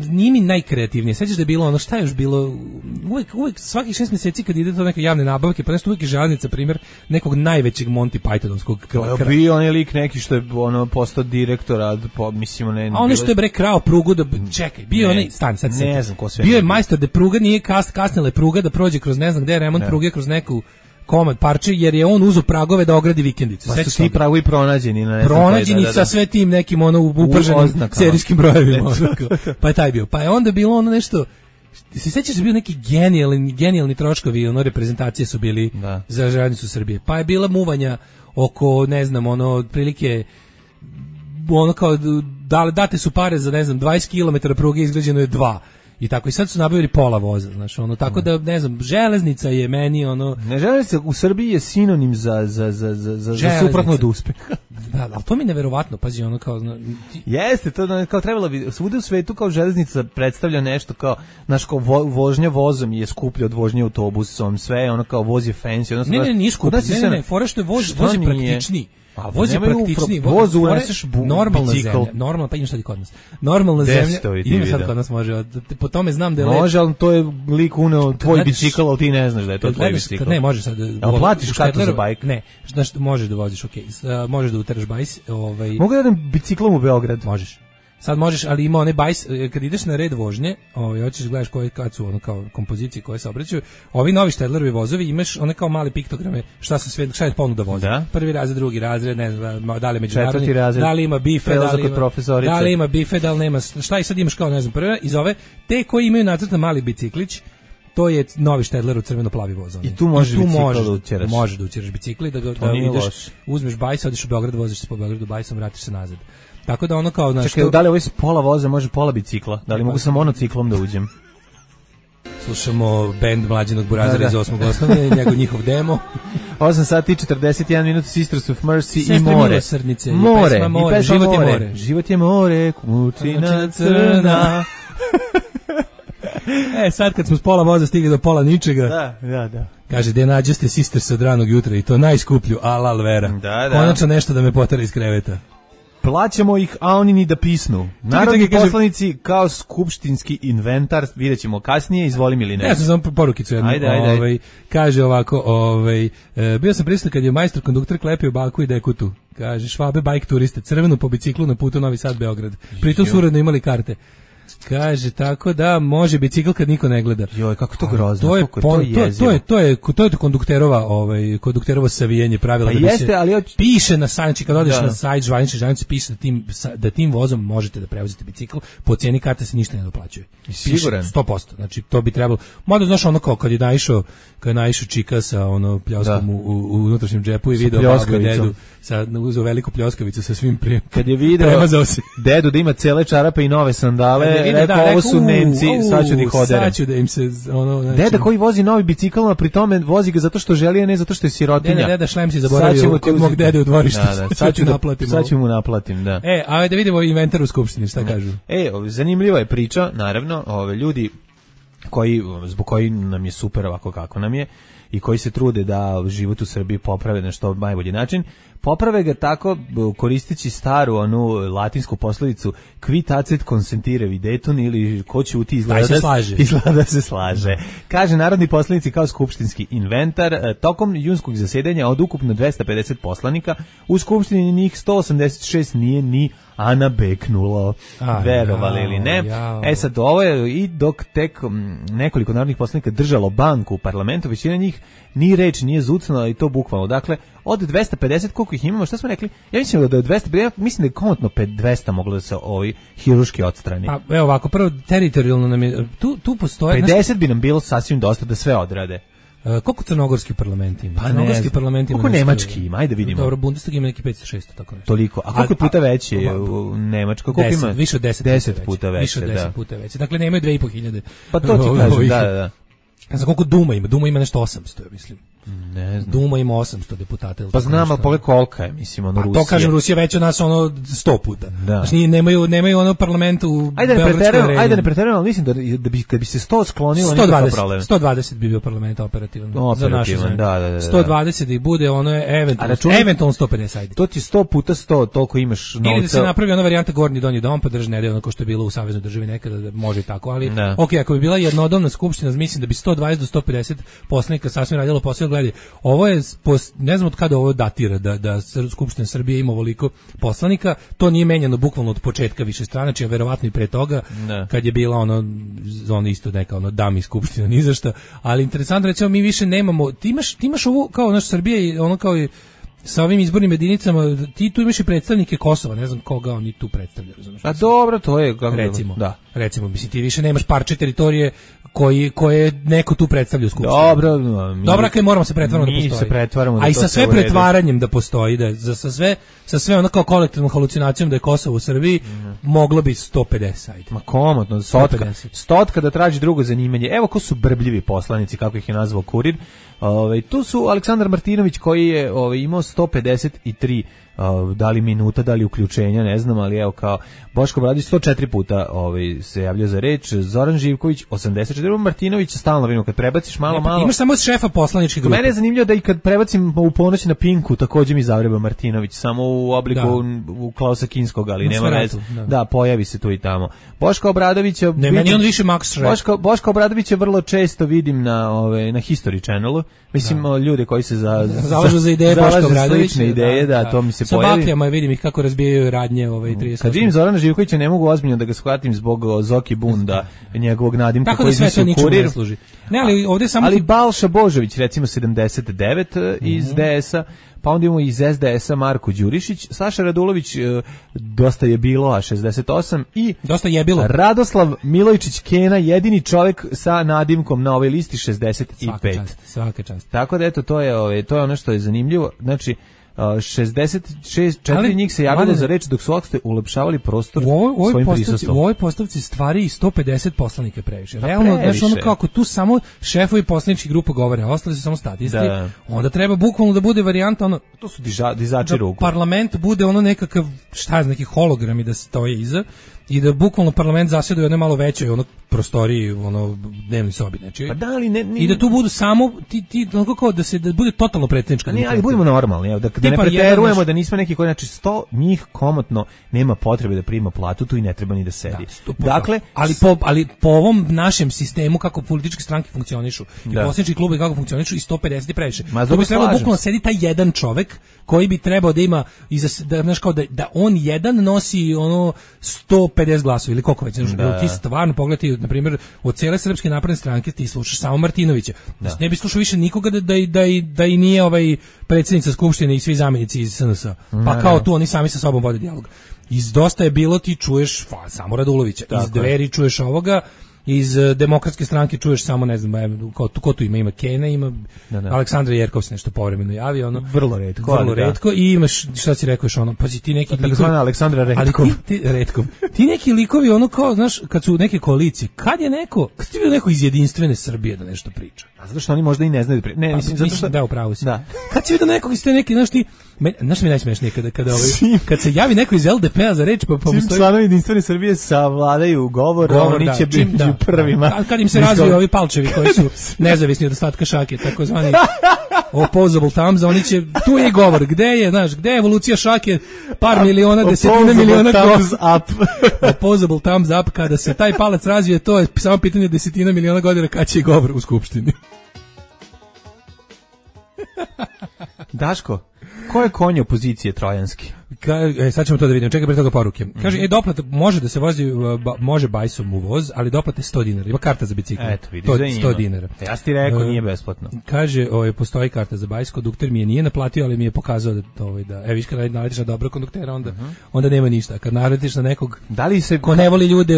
nije mi najkreativnije. Sećaš da je bilo ono, šta je još bilo, uvek svakih 6 mjeseci kad ide to neke javne nabavke, pa nešto uvek je železnica, primjer nekog najvećeg Monty Pythonovskog. Bio on je lik neki što je ono postao direktora, mislimo ne. A ono što je bre krao prugu da čekaj, bio onaj stan sad. Ne znam ko sve. Bio je majstor da pruga nije kasnila pruga da prođe kroz ne znam gde je remont pruge kroz neku komad parče, jer je on uzo pragove da ogradi vikendicu. Pa su ti pragovi pronađeni na pronađeni sa sve tim nekim ono uprženim serijskim brojevima. Pa je taj bio. Pa je onda bilo ono nešto, se sećaš da bio neki genijalni troškovi, ono reprezentacije su bili za železnicu Srbije. Pa je bila muvanja oko, ne znam, ono otprilike ono kao date su pare za, ne znam, 20 km pruge, izgrađeno je 2. I tako, i sad su nabavili pola voza, znaš, ono, tako da, ne znam, železnica je meni, ono... Ne, železnica u Srbiji je sinonim za suprotno od uspeha. Da, ali to mi je neverovatno, pazi, ono, kao... Jeste, to kao trebalo bi, svuda u svetu kao železnica predstavlja nešto kao, znaš, kao vožnja vozom je skuplja od vožnje autobusom, sve, ono, kao voz je fancy, ono... Ne, nije skuplja, ne, fora što je voz je praktičniji. Voz je praktičniji, voz uneseš normalna bicikl. Zemlja, normalna, pa ima šta ti kod nas. Normalna zemlja, ima sad kod nas može, po tome znam da je može, ali to je lik uneo tvoj bicikl, ali ti ne znaš da je to tvoj bicikl. Ne, može sad. A platiš kartu za bajk? Ne, znaš, možeš da voziš, okej. Možeš da uteraš bajs, Mogu da idem biciklom u Beograd? Možeš. Sad možeš, ali ima one bajs, kad ideš na red vožnje, hoćeš gledaš kad su ono kao kompozicije koje se obraćaju. Ovi novi Štedlerovi vozovi imaš one kao mali piktograme, šta je ponuda voza. Da? Prvi razred, drugi razred, ne znam, da li je međunarodni, razred, da li ima bife, da li ima bife, da li nema, šta i sad imaš kao, ne znam, prvi iz ove, te koji imaju nacrtan mali biciklić, to je novi Štedler u crveno-plavi voz. I tu možeš da učeraš. Možeš da učeraš bicikli, da ideš, uzmeš bajs, odeš u Beograd, voziš se po Beogradu bajsom, vratiš se nazad. Tako da ono kao... Čekaj, da li ovo je pola voza, može pola bicikla? Da li mogu sa monociklom da uđem? Slušamo bend Mlađenog Burazera iz 8. osnovne, njihov demo. 8 sati i 41 minuta, Sisters of Mercy i Sestre more. Milosrdnice, More, i pesma život je more. more. Život je more, kumučina crna. Sad kad smo s pola voza stigli do pola ničega. Da. Kaže, gde nađeste Sisters od ranog jutra i to najskuplju, alal vera. Da. Konačno nešto da me potera iz kreveta. Plaćamo ih, a oni ni da pisnu. Narodni poslanici kao skupštinski inventar, vidjet ćemo kasnije, izvolim ili ne. Ja sam samo porukicu jednu. Ajde. Kaže ovako, bio sam prisutan kad je majstor konduktor klepio baku i dekutu. Kaže, Švabe bajk turiste, crvenu po biciklu na putu Novi Sad Beograd. Pritom su uredno imali karte. Kaže, tako da može bicikl kad niko ne gleda. Joj, kako to grozno. To je kondukterovo savijenje pravila. Pa da jeste, ali piše na sajt, kad odeš na sajt žvanice piše da tim vozom možete da prevozite bicikl, po cijeni karte se ništa ne doplaćuje. Siguran? 100%. Znači, to bi trebalo. Mada znaš ono kao kad je naišao čika sa ono pljoskom u unutrašnjem džepu i video babu i dedu uzeo veliku pljoskavicu sa svim kad je video dedu da ima cele čarape i nove sandale, ovo su Nemci, sad ću da ih oderem. Sad ću da im se deda koji vozi novi bicikl, a pri tome vozi ga zato što želi, a ne zato što je sirotinja. Deda šlem si zaboravio kod mog dede u dvorištu. Sad ću mu naplatim, da. A da vidimo inventar u skupštini, šta kažu. Zanimljiva je priča, naravno, ljudi zbog koji nam je super ovako kako nam je, i koji se trude da život u Srbiji poprave na što najbolji način, poprave ga tako koristeći staru onu latinsku poslovicu qui tacet consentire videtur, ili ko će uti izgleda da se slaže. Kaže narodni poslanici kao skupštinski inventar. Tokom junskog zasedanja od ukupno 250 poslanika u skupštini njih 186 nije ni Ana beknulo, verovali ili ne. Sad ovo je i dok tek nekoliko narodnih poslanika držalo banku u parlamentu, većina njih ni reč nije zucnula i to bukvalno. Dakle, od 250 koliko ih imamo, šta smo rekli? Ja mislim da je 200, mislim da je komotno 200 moglo da se hiruški odstrani. Pa evo ovako, prvo teritorijalno nam je, tu postoje... 50 bi nam bilo sasvim dosta da sve odrade. Koliko crnogorski parlament ima? Pa crnogorski parlament ima. Koliko nemački ima? Ajde vidimo. Dobro, Bundestag ima neki 500-600 tako nešto. Toliko. A koliko puta veći je u Nemačkoj? Koliko ima? Više od 10 puta veći. Više od 10 puta veći. Dakle, nemaju 2.500. Pa to ti kažem, da. Ne znam koliko Duma ima. Duma ima nešto 800, mislim. Ne znam. Duma ima 800 deputata. Pa znam, ali pogledaj kolika je, mislim, ono Rusija. To kažem, Rusija već od nas 100 puta. Znači, nemaju ono parlament u Beogradskoj areni. Ajde ne preterujemo, ali mislim da bi kad bi se 100 sklonilo, nikakav problem. 120 bi bio parlament operativno. Za našu zemlju. Da. 120 da ih bude, ono je eventualno 150, ajde. To ti 100 puta 100, toliko imaš novca. Ili da se napravi ona varijanta gornji donji dom, pa drži nedelju, ono ko što je bilo u saveznoj državi nekada, da može i tako, ali okej, ako bi bila jednodomna skupština, mislim da bi 120 do 150 poslanika sasvim radilo posao. Gledaj, ovo je, ne znam od kada ovo datira, da Skupština Srbije ima ovoliko poslanika, to nije menjano bukvalno od početka višestranačja, verovatno i pre toga, kad je bila ono isto neka dami skupština, ni za šta, ali interesantno, recimo, mi više nemamo, ti imaš ovo, kao naš Srbija, ono kao i sa ovim izbornim jedinicama, ti tu imaš i predstavnike Kosova, ne znam koga oni tu predstavljaju, razumiješ? A dobro, to je recimo, mislim, ti više nemaš parče teritorije koje neko tu predstavlja u skupštini. Dobro, kaj moramo se pretvaramo da postoji. A i sa sve pretvaranjem da postoji, da sa sve ono kao kolektivnom halucinacijom da je Kosovo u Srbiji, moglo bi 150, ajde. Ma komotno, stotka da traži drugo zanimanje. Evo ko su brbljivi poslanici, kako ih je nazvao Kurir. Tu su Aleksandar Martinović koji je imao 153 da li minuta, da li uključenja, ne znam, ali evo kao Boško Obradović 104 puta se javlja za reč, Zoran Živković 84, Martinović stalno vino kad prebaciš malo. Imaš samo šefa poslaničke grupe. Mene je zanimljivo da i kad prebacim u ponoć na Pinku, takođe mi zavreba Martinović, samo u obliku u Klausa Kinskog, ali nema veze. Da, pojavi se tu i tamo. Boško Obradović meni on više Max Schreck. Boško Obradović je vrlo često vidim na History Channelu. Mislim, ljude koji se zalažu za ideje Boška Obradovića, ideje, to mi se sa pojavi. bakljama vidim ih kako razbijaju radnje 38. Kad vidim Zorana Živkovića ne mogu ozbiljno da ga shvatim zbog Zoki Bunda, njegovog nadimka koji iznosi u Kurir. Ne, ali ovdje samo... Ali Balša Božović, recimo 79 iz DS-a, pa onda imamo iz SDS-a Marko Đurišić, Saša Radulović, dosta je bilo, a 68, i dosta je bilo. Radoslav Milojčić Kena, jedini čovjek sa nadimkom na ovoj listi 65. Svaka čast. Tako da eto, to je ono što je zanimljivo, znači 64 njih se javilo za reč dok su ostali ulepšavali prostor svojim prisustvom. U ovoj postavci stvari 150 poslanika previše. Realno, znači ono kako tu samo šefovi poslaničkih grupa govore, a ostali su samo statisti, onda treba bukvalno da bude varijanta ono, to su dizači ruku. Parlament bude ono nekakav, neki hologrami da stoje iza i da bukvalno parlament zasjeda u jednoj malo većoj prostoriji, dnevnoj sobi, znači. Pa da, ali ne, i da tu budu samo kako da bude totalno predsjednička. Ne, ali budemo normalni, evo, da ne preterujemo, da nismo neki koji, znači 100 njih komotno nema potrebe da prima platu, tu i ne treba ni da sedi. Dakle, ali po ovom našem sistemu kako političke stranke funkcionišu, i poslanički klubovi kako funkcionišu, i 150 je previše. To bi trebalo bukvalno sedi taj jedan čovek koji bi trebao da ima da on jedan nosi 150 glasova ili koliko već. Ti stvarno pogledaj, na primjer, od cijele Srpske napredne stranke ti slušaš samo Martinovića. Ne bi slušao više nikoga da i nije predsjednica Skupštine i svi zamjenici iz SNS. Pa kao tu oni sami sa sobom vode dijalog. Iz Dosta je bilo ti čuješ samo Radulovića. Iz Dveri čuješ ovoga. Iz Demokratske stranke čuješ samo, ne znam, ko tu ima Kena, ima Aleksandra Jerkov se nešto povremeno javi, vrlo retko, i imaš, šta si rekao, pazi ti neki likovi, Aleksandra Retkov. Ti neki likovi, kao, znaš, kad su neke koalicije, kad ti vidio neko iz Jedinstvene Srbije da nešto priča? A zato što oni možda i ne znaju ne, mislim, da, upravo si. Kad si vidio nekog iz te neki, znaš ti, znaš mi najsmešnije kad se javi neko iz LDP-a za reč, pa postoji... Čim članovi Jedinstvene Srbije savladaju govor, oni će među prvima. Kad im se razviju ovi palčevi koji su nezavisni od ostatka šake, takozvani opposable thumbs, oni će, tu je govor, gde je evolucija šake, par miliona, desetina miliona thumbs up. Opposable thumbs up, kada se taj palac razvije, to je samo pitanje desetina miliona godina kad će i govor u skupštini. Daško, ko je konj opozicije trojanski? Sad ćemo to da vidimo. Čekaj, pre toga poruke. Kaže, doplata može da se vozi, može bajsom u voz, ali doplata je 100 dinara. Ima karta za bicikl. Eto, vidiš to da 100 dinara. Ja ti rekao, nije besplatno. Kaže, postoji karta za bajs, kondukter mi je nije naplatio, ali mi je pokazao da viš kad naletiš na dobro konduktera, onda nema ništa. Kad naletiš na nekog ko ne voli ljude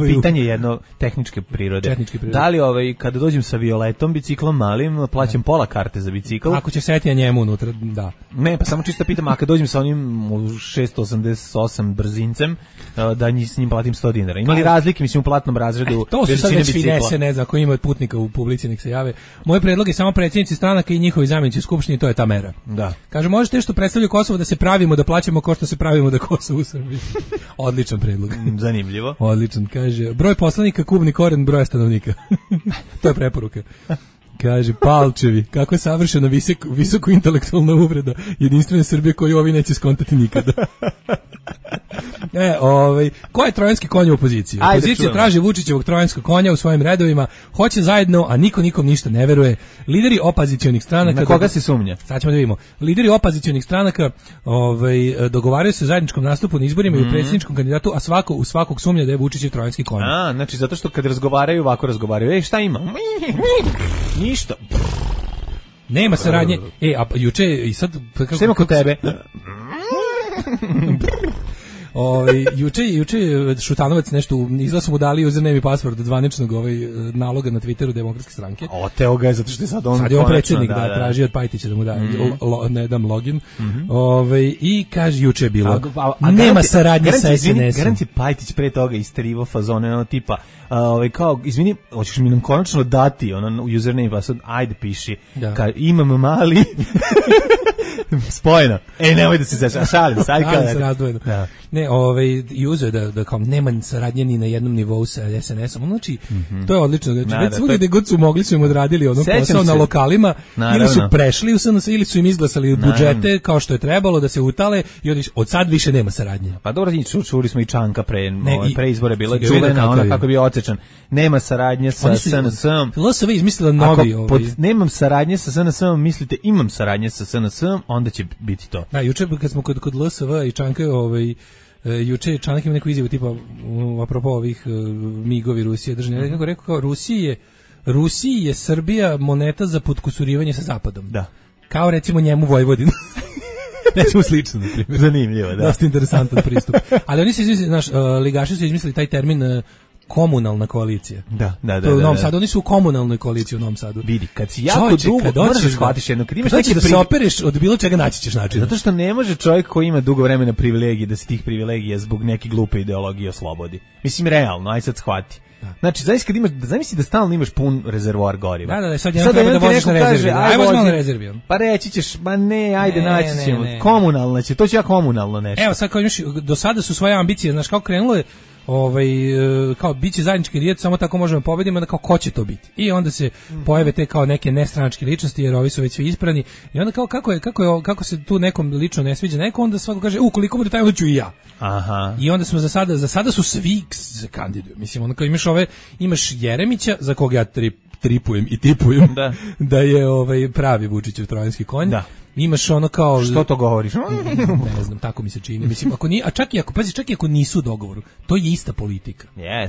pitanje je jedno tehničke prirode. Da li kada dođem sa Violetom, biciklom malim, plaćam pola karte za bicikl? Ako će setija njemu unutra, da. Ne, pa samo čisto pitam, a kad dođem sa onim 688 brzincem, da s njim platim 100 dinara. Ima li razlike, mislim, u platnom razredu? To su sad već finese, ne znam, ako ima putnika u publici, nek se jave. Moj predlog je samo predsjednici stranaka i njihovi zamjenici u skupštini, to je ta mera. Da. Kaže, možete što predstavljaju Kosovo da se pravimo da plaćamo kao što se pravimo da Kosovo u Srbiji. Odličan predlog. Zanimljivo. Odličan, kaže, broj poslanika, kubni koren broja stanovnika. To je preporuka. Kaže, palčevi, kako je savršena visoko intelektualna uvreda jedinstvene Srbije koju ovi neće skontati nikada. Ko je trojanski konj u opoziciji? Opozicija traži Vučićevog trojanskog konja u svojim redovima, hoće zajedno, a niko nikom ništa ne veruje. Lideri opozicionih stranaka... Na koga se sumnja? Sad ćemo da vidimo. Lideri opozicionih stranaka dogovaraju se o zajedničkom nastupu na izborima i u predsjedničkom kandidatu, a svako u svakog sumnja da je Vučićev trojanski konj. Znači zato što kad razgovaraju, ovako razgovaraju. Šta ima? Ništa. Nema saradnje. A juče i sad... Šta ima kod tebe? Juče Šutanovac nešto izgleda su mu dali username i password zvaničnog naloga na Twitteru Demokratske stranke. Oteo ga je zato što je sad on predsjednik traži od Pajtića da mu da ne dam login. I kaže juče je bilo nema saradnje sa SNS-om. Garanti Pajtić pre toga isterivao fazone tipa kao izvini, hoćeš mi nam konačno dati username password, ajde piši. Imam mali spojeno. Nemoj da se šalim, se razdvojeno. Ne, i uzeo da kao nema saradnje ni na jednom nivou sa SNS-om. Znači, to je odlično. Znači, već svugdje gde god su mogli su im odradili posao na lokalima, ili su prešli u SNS, ili su im izglasali budžete kao što je trebalo da se utale i od sad više nema saradnje. Pa dobro, čuli smo i Čanka pre izbore, bila čuvena, ona kako bi odsečan. Nema saradnje sa SNS-om. LSV izmislila novi. Nemam saradnje sa SNS-om, mislite imam saradnje sa SNS-om, onda će biti to. Da, juče kad smo kod LSV i Čanka, juče Čanak ima neku izjavu tipa apropo ovih migovi Rusije držanja, kako rekao, kao Rusiji je Srbija moneta za potkusurivanje sa Zapadom. Da. Kao recimo njemu Vojvodina. Recimo slično, na primjer. Zanimljivo, da. Dosta interesantan pristup. Ali oni su izmislili, ligaši su izmislili taj termin komunalna koalicija. Da. U Novom Sadu, oni su u komunalnoj koaliciji u Novom Sadu. Vidi, kad si jako dugo, moraš shvatiš jedno, kad imaš neki da se opereš od bilo čega naći ćeš način. Zato što ne može čovjek koji ima dugo vremena privilegije da se tih privilegija zbog neke glupe ideologije oslobodi. Mislim, realno, aj sad shvati. Znači, zamisli da stalno imaš pun rezervoar goriva. Da, sad jednom treba da voziš na rezervi. Aj vozi malo na rezervi. Pa reći ćeš, ajde, naći ćemo. Komunalno će, to će ja komunalno nešto. Evo, sad kao imaš, do sada su svoje ambicije, znaš, kao krenulo je, kao biće zajednički rijet, samo tako možemo pobediti, onda kao ko će to biti. I onda se pojave te kao neke nestranačke ličnosti, jer ovi su već svi isprani. I onda kao kako se tu nekom lično ne sviđa neko, onda svako kaže, koliko bude taj, onda ću i ja. Aha. I onda smo za sada su svi kandiduju. Mislim, onda kao imaš Jeremića, za koga ja tripujem i tipujem, da je pravi Vučićev trojanski konj. Da. Imaš ono kao... Što to govoriš? Ne znam, tako mi se čini. Mislim, čak i ako nisu u dogovoru, to je ista politika.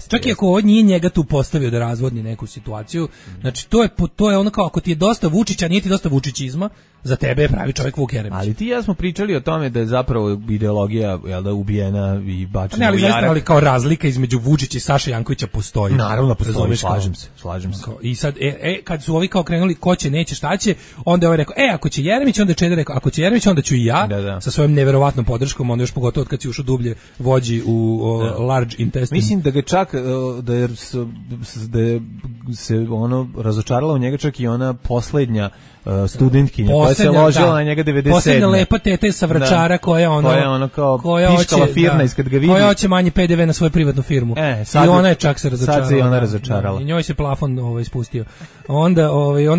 Čak i ako ovo nije njega tu postavio da razvodni neku situaciju, znači to je ono kao, ako ti je dosta Vučića, nije ti dosta vučićizma, za tebe je pravi čovjek Vuk Jeremić. Ali ti ja smo pričali o tome da je zapravo ideologija ubijena i bačena u jarak. Ali kao razlika između Vučića i Saše Jankovića postoji. Naravno postoji, slažem se. I sad, kad su ovi kao krenuli ko će, neće, šta će, onda je ovaj rekao, ako će Jeremić, onda je Čeda rekao, ako će Jeremić, onda ću i ja, sa svojom neverovatnom podrškom, onda još pogotovo od kad si ušao dublje vođi u large intestine. Mislim da ga čak, da se ono razočarala u njega čak i ona posljednja studentkinja koja se ložila na njega 97. Poslednja lepa tete sa Vračara koja je ono kao piškala firna iskad ga vidi. Koja hoće manji PDV na svoju privatnu firmu. I ona je čak se razočarala. Sad se i ona razočarala. I njoj se plafon ispustio. Onda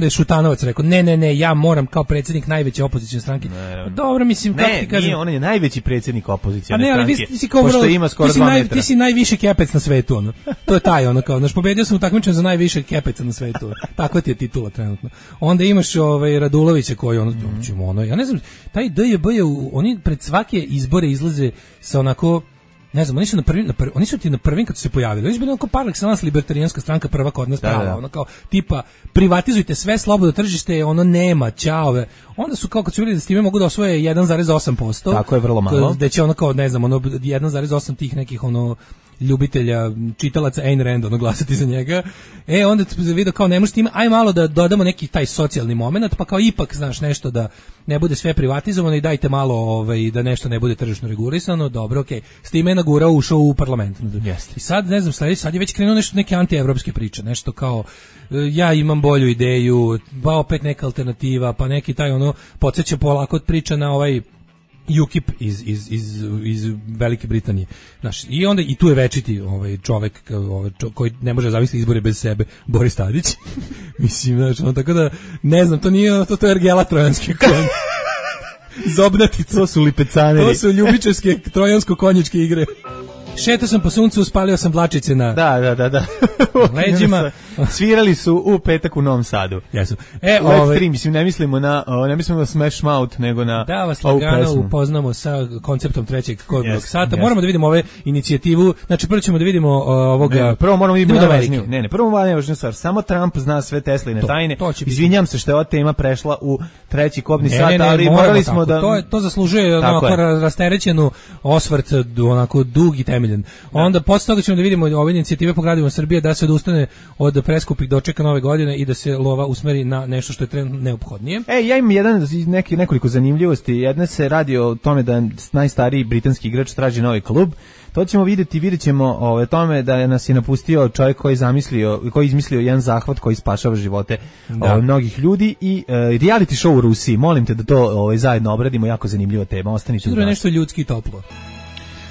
je Šutanovac rekao, ne, ja moram kao predsjednik najveće opozicione stranke. Dobro, mislim, kako ti kažem. Ne, on je najveći predsjednik opozicione stranke. Ali ti si kao pošto ima skoro 2 metra. Ti si najviši kepec na svetu, ono. To je taj, ono, kao, pobedio sam u takmičenju za najviše kepeca na svetu. Takva ti je titula trenutno. Onda imaš Radulovića koji ja ne znam, taj DJB je, oni pred svake izbore izlaze sa onako, ne znam, oni su ti na prvim kad su se pojavili. Oni su bili onako par excellence libertarijanska stranka prva kod nas prava, ono kao tipa privatizujte sve, slobodno tržište, ono nema, ćao. Onda su kao kad su vidjeli da s time mogu da osvoje 1,8%. Tako je, vrlo malo. Da će ono kao, ne znam, 1,8 tih nekih ljubitelja, čitalaca Ayn Rand, glasati za njega. Onda vidio kao ne može tim, aj malo da dodamo neki taj socijalni moment, pa kao ipak, znaš, nešto da ne bude sve privatizovano i dajte malo da nešto ne bude tržišno regulisano, dobro, okej. S time je nagurao, ušao u parlament. I sad, ne znam, sad je već krenuo nešto neke antievropske priče, nešto kao ja imam bolju ideju, pa opet neka alternativa, pa neki taj podsjeća polako od priča na UKIP iz Velike Britanije. Znaš, i onda i tu je večiti čovek koji ne može zavisiti izbore bez sebe, Boris Tadić. Mislim, znači, tako da ne znam, to nije to je ergela trojanski konj. Zobnatica. To su lipecaneri. To su ljubičarske trojansko-konjičke igre. Šetao sam po suncu, spalio sam dlačice na leđima. Svirali su u petak u Novom Sadu. Jesu. Mislim, ne mislimo na Smash Mouth, nego na da vas lagano upoznamo sa konceptom trećeg kodnog sata. Moramo da vidimo ove inicijativu. Znači, prvo ćemo da vidimo ovoga. Prvo moramo vidimo najvažniju. Prvo najvažniju stvar. Samo Trump zna sve Tesline tajne. Izvinjam se što je ova tema prešla u treći kodni sat, ali morali smo da to zaslužuje onako rasterećenu osvrt, onako dug i temeljen. Onda posle toga ćemo da vidimo ove inicijative po gradovima Srbije da se odustane od preskupih dočeka nove godine i da se lova usmeri na nešto što je trenutno neophodnije. Ja imam nekoliko zanimljivosti. Jedna se radi o tome da najstariji britanski igrač traži novi klub. To ćemo vidjet ćemo o tome da nas je napustio čovjek koji je izmislio jedan zahvat koji spašava živote mnogih ljudi i reality show u Rusiji. Molim te da to zajedno obradimo, jako zanimljiva tema. Ostanite u nas. Nešto ljudski i toplo.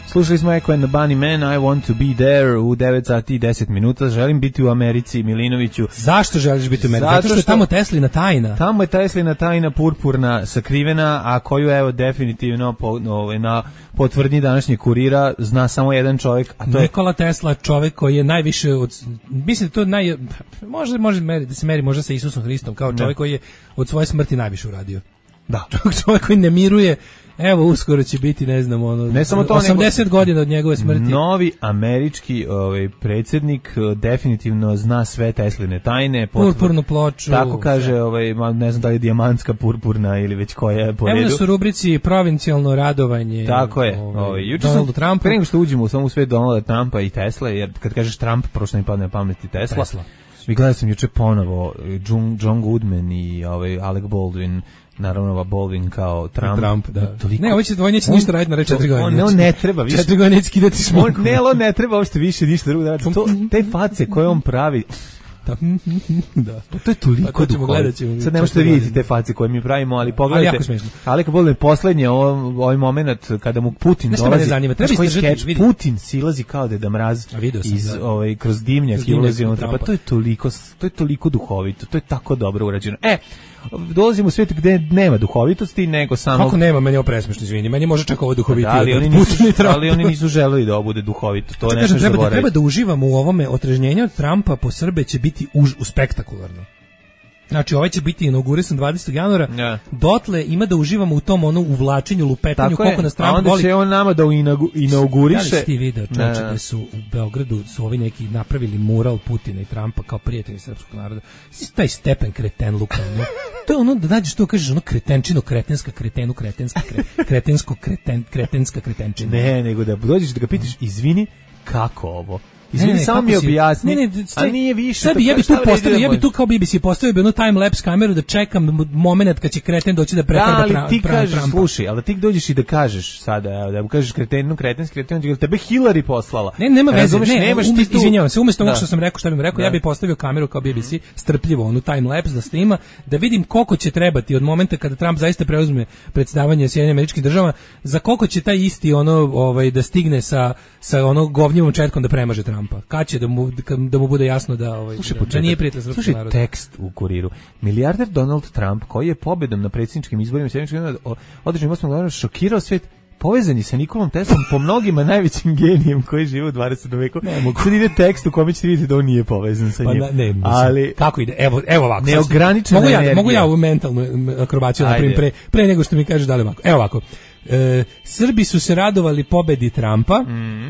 Slušali smo Echo and the Bunny Man, I want to be there u 9 sati i 10 minuta. Želim biti u Americi, Milinoviću. Zašto želiš biti u Americi? Zato što je tamo Teslina tajna. Tamo je Teslina tajna purpurna sakrivena, a koju evo definitivno na potvrdnji današnjeg Kurira zna samo jedan čovjek, a to je Nikola Tesla, čovjek koji je najviše mislim to može da se meri možda sa Isusom Hristom kao čovjek koji je od svoje smrti najviše uradio. Da. Čovjek koji ne miruje. Evo, uskoro će biti, ne znam, ne samo to, 80 godina od njegove smrti. Novi američki predsjednik definitivno zna sve Tesline tajne. Purpurnu ploču. Tako kaže, ne znam da je dijamantska purpurna ili već koja je po redu. Evo su rubrici provincijalno radovanje. Tako je. Donaldu Trumpu. Pre nego što uđemo u samu svet Donalda Trumpa i Tesle, jer kad kažeš Trump, prošlo mi padne na pamet i Tesla. Vi gledali sam juče ponovo John Goodman i Alec Baldwin. Naravno, Baldwin kao Trump. Da. Ne, ovo neće ništa raditi na 4 godine. On ne treba više. 4 godine neće skidati smok. On ne treba uopšte više ništa drugo da radi. Te face koje on pravi, da. To je toliko duhovito. Sad ne možete vidjeti te face koje mi pravimo, ali pogledajte. Ali jako smiješno. Ali kad bude poslednje ovaj moment kada mu Putin dolazi, Putin silazi kao Deda Mraz iz kroz dimnjak i ulazi unutra. Pa to je toliko duhovito. To je tako dobro urađeno. Dolazimo u svijet gde nema duhovitosti, nego samo... Kako nema, meni je ovo presmešno, izvini, meni može čak ovo duhovitije. Ali oni nisu želeli da ovo bude duhovito, to ne smiješ zaboraviti. Treba da uživamo u ovome, otrežnjenje od Trumpa po Srbe će biti spektakularno. Znači, ovaj će biti inaugurisan 20. januara, dotle ima da uživamo u tom uvlačenju, lupetanju, koliko nas Trump voli. A onda će on nama da inauguriše... Da li ti video, čoveče, da su u Beogradu su ovi neki napravili mural Putina i Trumpa kao prijatelji srpskog naroda. Taj stepen kretenluka, to je ono da nađeš to, kažeš ono kretenčino, kretenska, kretenu, kretenska, kretensko, kretenska kretenčina. Ne, nego da dođeš da ga pitaš, izvini, kako ovo? Izvini, samo mi objasni. A nije više. Sad bi ja bi tu kao BBC postavio bi onu time lapse kameru da čekam momenat kad će kreten doći da prefarba Trumpa. Ali ti kažeš, slušaj, ali ti dođeš i da kažeš sada, da mu kažeš kretenski, tebe Hillary poslala. Nema veze, izvinjavam se, umjesto onog što sam rekao, šta bih rekao, ja bih postavio kameru kao BBC, strpljivo, onu time lapse da snima, da vidim koliko će trebati od momenta kada Trump zaista preuzme predsjedavanje Sjedinjenim Američkim Državama, za koliko će taj isti da stigne sa onog govnjivom četkom da premaže Trumpa. Kad će da mu bude jasno da da nije prijatelj srpskog naroda. Slušaj tekst u Kuriru. Milijarder Donald Trump, koji je pobedom na predsjedničkim izborima održanim 8. godina šokirao svet, povezani sa Nikolom Teslom, po mnogima najvećim genijem koji žive u 20. veku. Sad ide tekst u kome ćete vidjeti da on nije povezan sa njim. Ali kako ide? Evo ovako. Neograničena energija. Mogu ja ovu mentalnu akrobaciju napravim pre nego što mi kažeš da li ovako. Evo ovako. Srbi su se radovali pobedi Trumpa.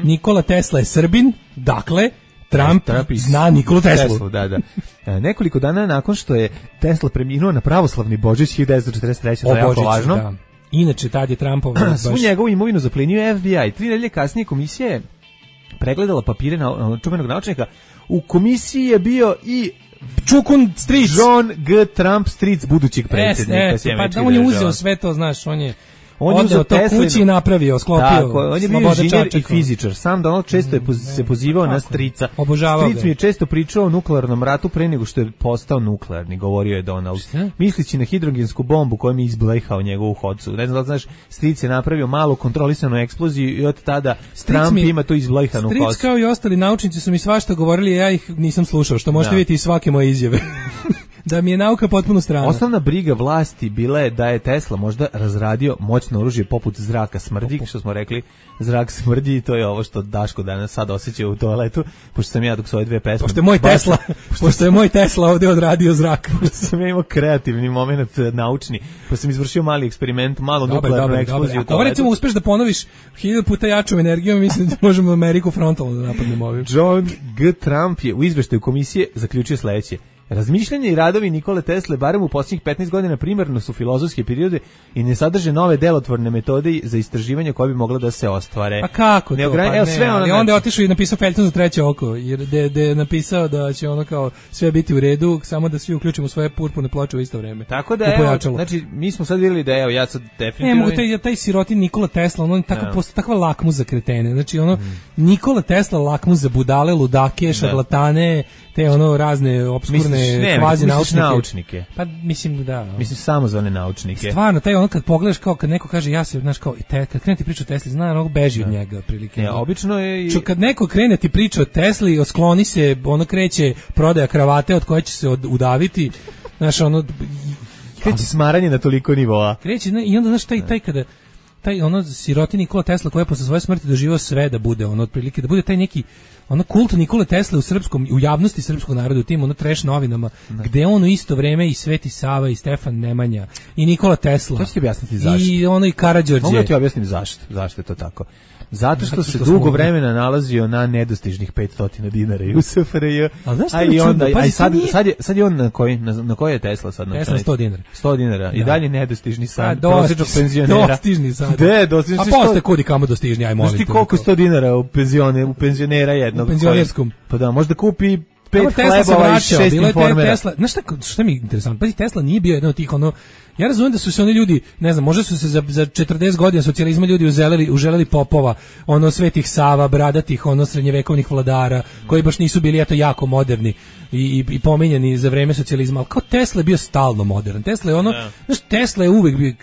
Nikola Tesla je Srbin. Dakle, Trump zna Nikolu Teslu. Da. Nekoliko dana nakon što je Tesla preminuo na pravoslavni Božić 1943. To je jako važno. Da. Inače, tad je Trumpov... Svu njegovu imovinu zaplenio FBI. 3 nedelje kasnije komisija je pregledala papire čuvenog naučnika. U komisiji je bio i Čukun Stric. John G. Trump Stric, budućeg predsjednika. Pa da on je uzeo sve to, znaš, on je odeo to kući i napravio, sklopio. Tako, on je bio inženjer i fizičar. Sam Donald često je se pozivao na strica. Obožavao Stric mi je često pričao o nuklearnom ratu pre nego što je postao nuklearni, govorio je Donald. Mislići na hidrogensku bombu kojom je izblejhao njegovu hodcu. Ne znam da znaš, Stric je napravio malu kontrolisanu eksploziju i od tada Trump ima tu izblejhanu hodcu. Stric kao i ostali naučnici su mi svašta govorili, ja ih nisam slušao, što možete vidjeti iz svake moje izjave. Da mi je nauka potpuno strana. Osnovna briga vlasti bila je da je Tesla možda razradio moćno oružje poput zraka smrdi, što smo rekli, zrak smrdi i to je ovo što Daško danas sad osjeća u toaletu, pošto sam ja dok su ove dve pesme... Pošto je moj Tesla ovdje odradio zrak. Pošto sam ja imao kreativni moment naučni, pošto sam izvršio mali eksperiment, malo nuklearnu eksploziju u toaletu. Ako recimo uspeš da ponoviš 1000 puta jačom energijom, mislim da možemo Ameriku frontalno da napadnemo ovim. John G. Trump je u izveštaju komisije zaključio sledeće. Razmišljanje i radovi Nikole Tesle, barem u posljednjih 15 godina, primarno su filozofske prirode i ne sadrže nove delotvorne metode za istraživanje koje bi mogla da se ostvare. A kako to? Ali onda je otišao i napisao feljton za treće oko, jer da je napisao da će ono kao sve biti u redu, samo da svi uključimo svoje purpurne ploče u isto vreme. Tako da evo, znači mi smo sad vidjeli da evo ja sad definitivno... taj sirotin Nikola Tesla, on takva lakmus za kretene. Znači Nikola Tesla lakmus za budale, ludake, šarlatane, te razne opskurne kvazi naučnike. Pa mislim da. Mislim samozvane naučnike. Stvarno, taj kad pogledaš kao kad neko kaže ja se, znaš kao kad krene ti priča o Tesli, zna ono beži od njega otprilike. Ne, obično je kad neko krene ti priča o Tesli, skloni se, kreće prodaja kravate od koje će se udaviti. Znaš, kreće smaranje na toliko nivoa. Kreće i onda znaš taj kada taj siroti Nikola Tesla koji je posle svoje smrti doživio sve da bude otprilike da bude taj neki kult Nikole Tesle u javnosti srpskog naroda, u tim trash novinama, gde on u isto vreme i Sveti Sava i Stefan Nemanja i Nikola Tesla. To ću ti objasniti zašto. I Karađorđe. Mogu da ti objasnim zašto je to tako. Zato što se dugo vremena nalazio na nedostižnih 500 dinara i u SFRJ. Sad je on na koji je Tesla sad? Tesla 100 dinara. 100 dinara. I dalje nedostižni sad. Prosječnog penzionera. Dostižni sad. Dostižni. A posle kudi kamo dostižni, aj molim te. Znaš ti koliko 100 dinara u penzionera jednog? U penzionerskom. Pa da, možda kupi 5 hlebova i 6 informera. Znaš šta mi je interesantno? Pazi, Tesla nije bio jedan od tih ja razumijem da su se oni ljudi, ne znam, možda su se za 40 godina socijalizma ljudi uželeli popova, Svetih Sava, bradatih, srednjevekovnih vladara, koji baš nisu bili jako moderni i pominjani za vreme socijalizma, ali kao Tesla je bio stalno modern. Tesla je znaš, Tesla je uvek bio...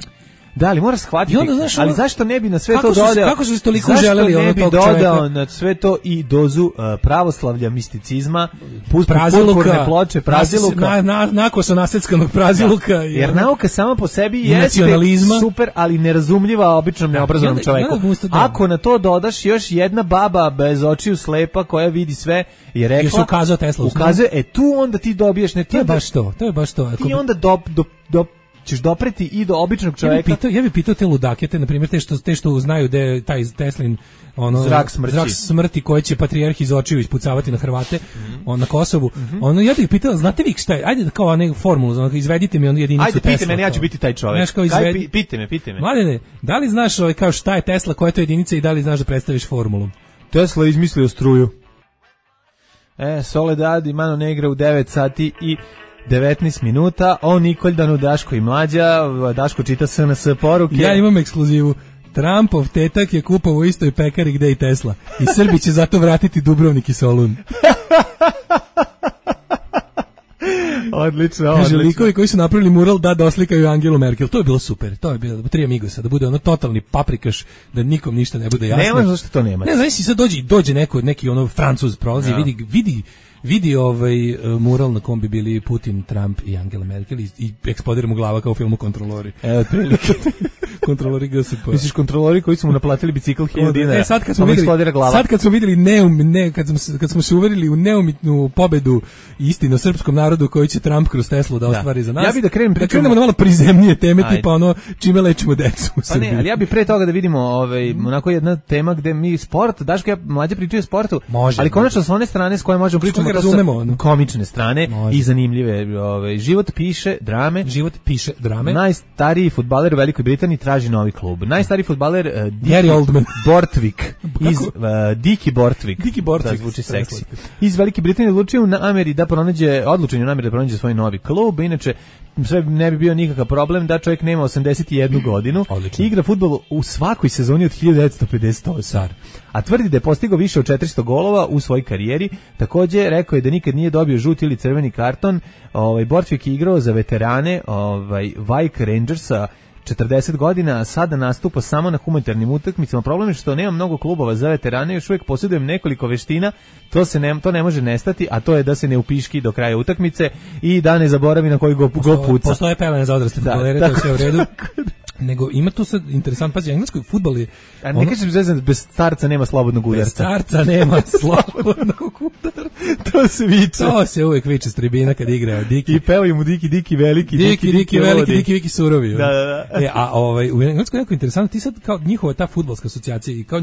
Da, ali moraš shvatiti, ali zašto ne bi na sve to dodao? Kako su se toliko želeli tog čovjeka? Zašto ne bi dodao na sve to i dozu pravoslavlja, misticizma, purpurne ploče, praziluka? Nakoso naseckanog praziluka. Jer nauka sama po sebi jeste super, ali nerazumljiva običnom neobrazovanom čoveku. Ako na to dodaš još jedna baba bez očiju slepa koja vidi sve i rekla... Jer se ukazao Tesla. Tu onda ti dobiješ... To je baš to. Ti onda ćeš dopreti i do običnog čovjeka. Ja bih pitao te ludake, te na primjer te što znaju da je taj Teslin zrak smrti koji će patrijarh iz očiju ispucavati na Hrvate na Kosovu. Ja bih pitao, znate vi šta je? Ajde kao onu formulu, izvedite mi jedinicu Tesla. Ajde, pite me, ja ću biti taj čovjek. Pite me. Mladene, da li znaš kao šta je Tesla, koja je to jedinica i da li znaš da predstaviš formulu? Tesla je izmislio struju. Soledad i Mano Negra u 9 sati i 19 minuta. O Nikoldanu, Daško i Mlađa. Daško čita SNS poruke. Ja imam ekskluzivu. Trumpov tetak je kupovao u istoj pekari gde i Tesla. I Srbi će zato vratiti Dubrovnik i Solun. Odlično, kaže, likovi koji su napravili mural da doslikaju Angelu Merkel. To je bilo super. To je bilo tri amigosa, da bude ono totalni paprikaš, da nikom ništa ne bude jasno. Nema zašto to nema. Ne znam, si sad dođe neki ono Francuz prolazi, vidi mural na kom bi bili Putin, Trump i Angela Merkel i eksplodira mu glava kao u filmu Kontrolori. Evo, otprilike. Kontrolori GSP. Misliš kontrolori koji su mu naplatili bicikl 1000 dinara? Sad kad smo videli kad smo se uverili u neumitnu pobedu istinu srpskom narodu koji će Trump kroz Teslu da ostvari za nas. Ja bih da krenemo na malo prizemnije teme, tipa ono čime lečimo decu u Srbiji. Pa ne, ali ja bih pre toga da vidimo onako jedna tema gde mi sport, Daško, ja Mlađe pričaju o sportu, ali konačno s one strane s koje možemo pričati razumemo, komične strane i zanimljive. Život piše drame. Najstariji fudbaler u Velikoj Britaniji traži novi klub. Najstariji fudbaler Gary Oldman Bortvik iz Diki Bortvik. Da zvuči seksi. Iz Velike Britanije odlučio odlučen u nameri da pronađe svoj novi klub. Inače sve ne bi bio nikakav problem da čovjek nema 81 godinu. Odlično. Igra fudbal u svakoj sezoni od 1958. A tvrdi da je postigao više od 400 golova u svojoj karijeri. Također rekao je da nikad nije dobio žuti ili crveni karton. Bortvik je igrao za veterane Wyke Rangersa 40 godina, a sada nastupa samo na humanitarnim utakmicama. Problem je što nema mnogo klubova za veterane, još uvijek posjedujem nekoliko veština, to ne može nestati, a to je da se ne upiški do kraja utakmice i da ne zaboravi na koji go puca. Postoje pelene za odrasle fudbalere, to je sve u redu. Nego ima tu sad interesant, pazi, engleski fudbal je... A ne kažem zvezdan, bez starca nema slobodnog udarca. Bez starca nema slobodnog udarca. To se viče. To se uvijek viče s tribina kad igra Diki. I pevaju mu Diki veliki. Diki veliki, Diki surovi. Da. A u engleskom je jako interesantno, ti sad kao njihova ta fudbalska asocijacija i kao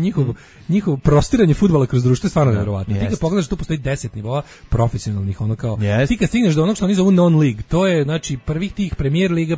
njihovo prostiranje fudbala kroz društvo je stvarno nevjerovatno. Ti kad pogledaš, tu postoji 10 nivoa profesionalnih, ono kao... Ti kad stigneš do onog što oni zovu non-league, to je, znači, prvih tih Premier liga,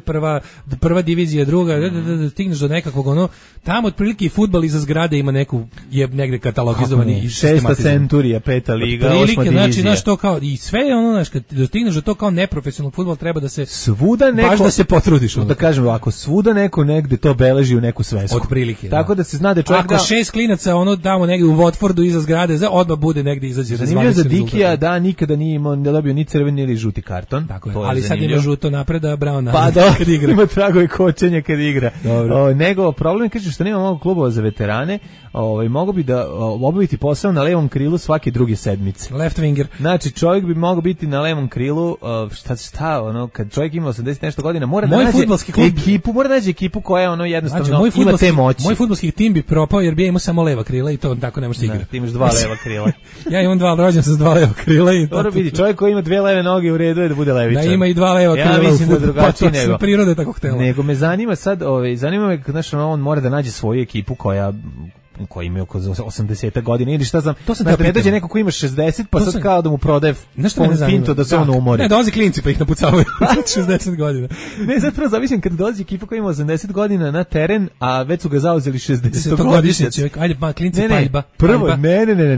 prva divizija, druga, stigneš do nekakvog ono, tamo otprilike i fudbal iza zgrade ima neku, je negde katalogizovani i sistematizovan. 6. centurija, 5. liga, 8. divizija. Znači, to kao, i sve je ono, znači, kad dostigneš do to kao neprofesionalnog fudbala treba da se, svuda neko, baš da se potrudiš. Da kažem ovako, svuda neko negde to beleži u neku svesku. Otprilike. Tako da se zna da čovjek ako 6 klinaca ono damo negde u Watfordu iza zgrade, odmah bude negde izađe rezultat. Zanimljivo za Dikija da nikada nije imao, ne dobio ni crveni ili žuti karton. Tako je. Ali sad ima žuto napred, a Brown pa da, kad igra. Ima tragove kočenja kad igra. Nego problem je, kaže, što nema mnogo klubova za veterane, mogu bi da obaviti posao na levom krilu svake druge sedmice. Left winger. Znači, čovjek bi mogao biti na levom krilu, kad čovjek ima 80 nešto godina, mora da nađe ekipu koja jednostavno ima te moći. Moj fudbalski tim bi propao jer bi imao samo leva krila i to tako ne može igrati. Ti imaš 2 leva krila. Ja imam rođen sam s 2 leva krila i dobro vidi, čovjek koji ima 2 leve noge u redu je da bude levičar. Da ima i 2 leva krila. Ja mislim da drugačije nego. Priroda je tako htela. Nego me zanima sad, zanima me znači on mora da nađe svoju ekipu koji ima oko 80 godina ili šta znam, ne dođe neko ko ima 60 pa sad kao da mu prodaje finto da se on umori. Ne, dolazi klinci pa ih napucavaju 60 godina. Ne, zapravo zamislim kad dolazi ekipa koja ima 80 godina na teren, a već su ga zauzeli 60-godišnjaci. Ajde, klinci paljba. Prvo,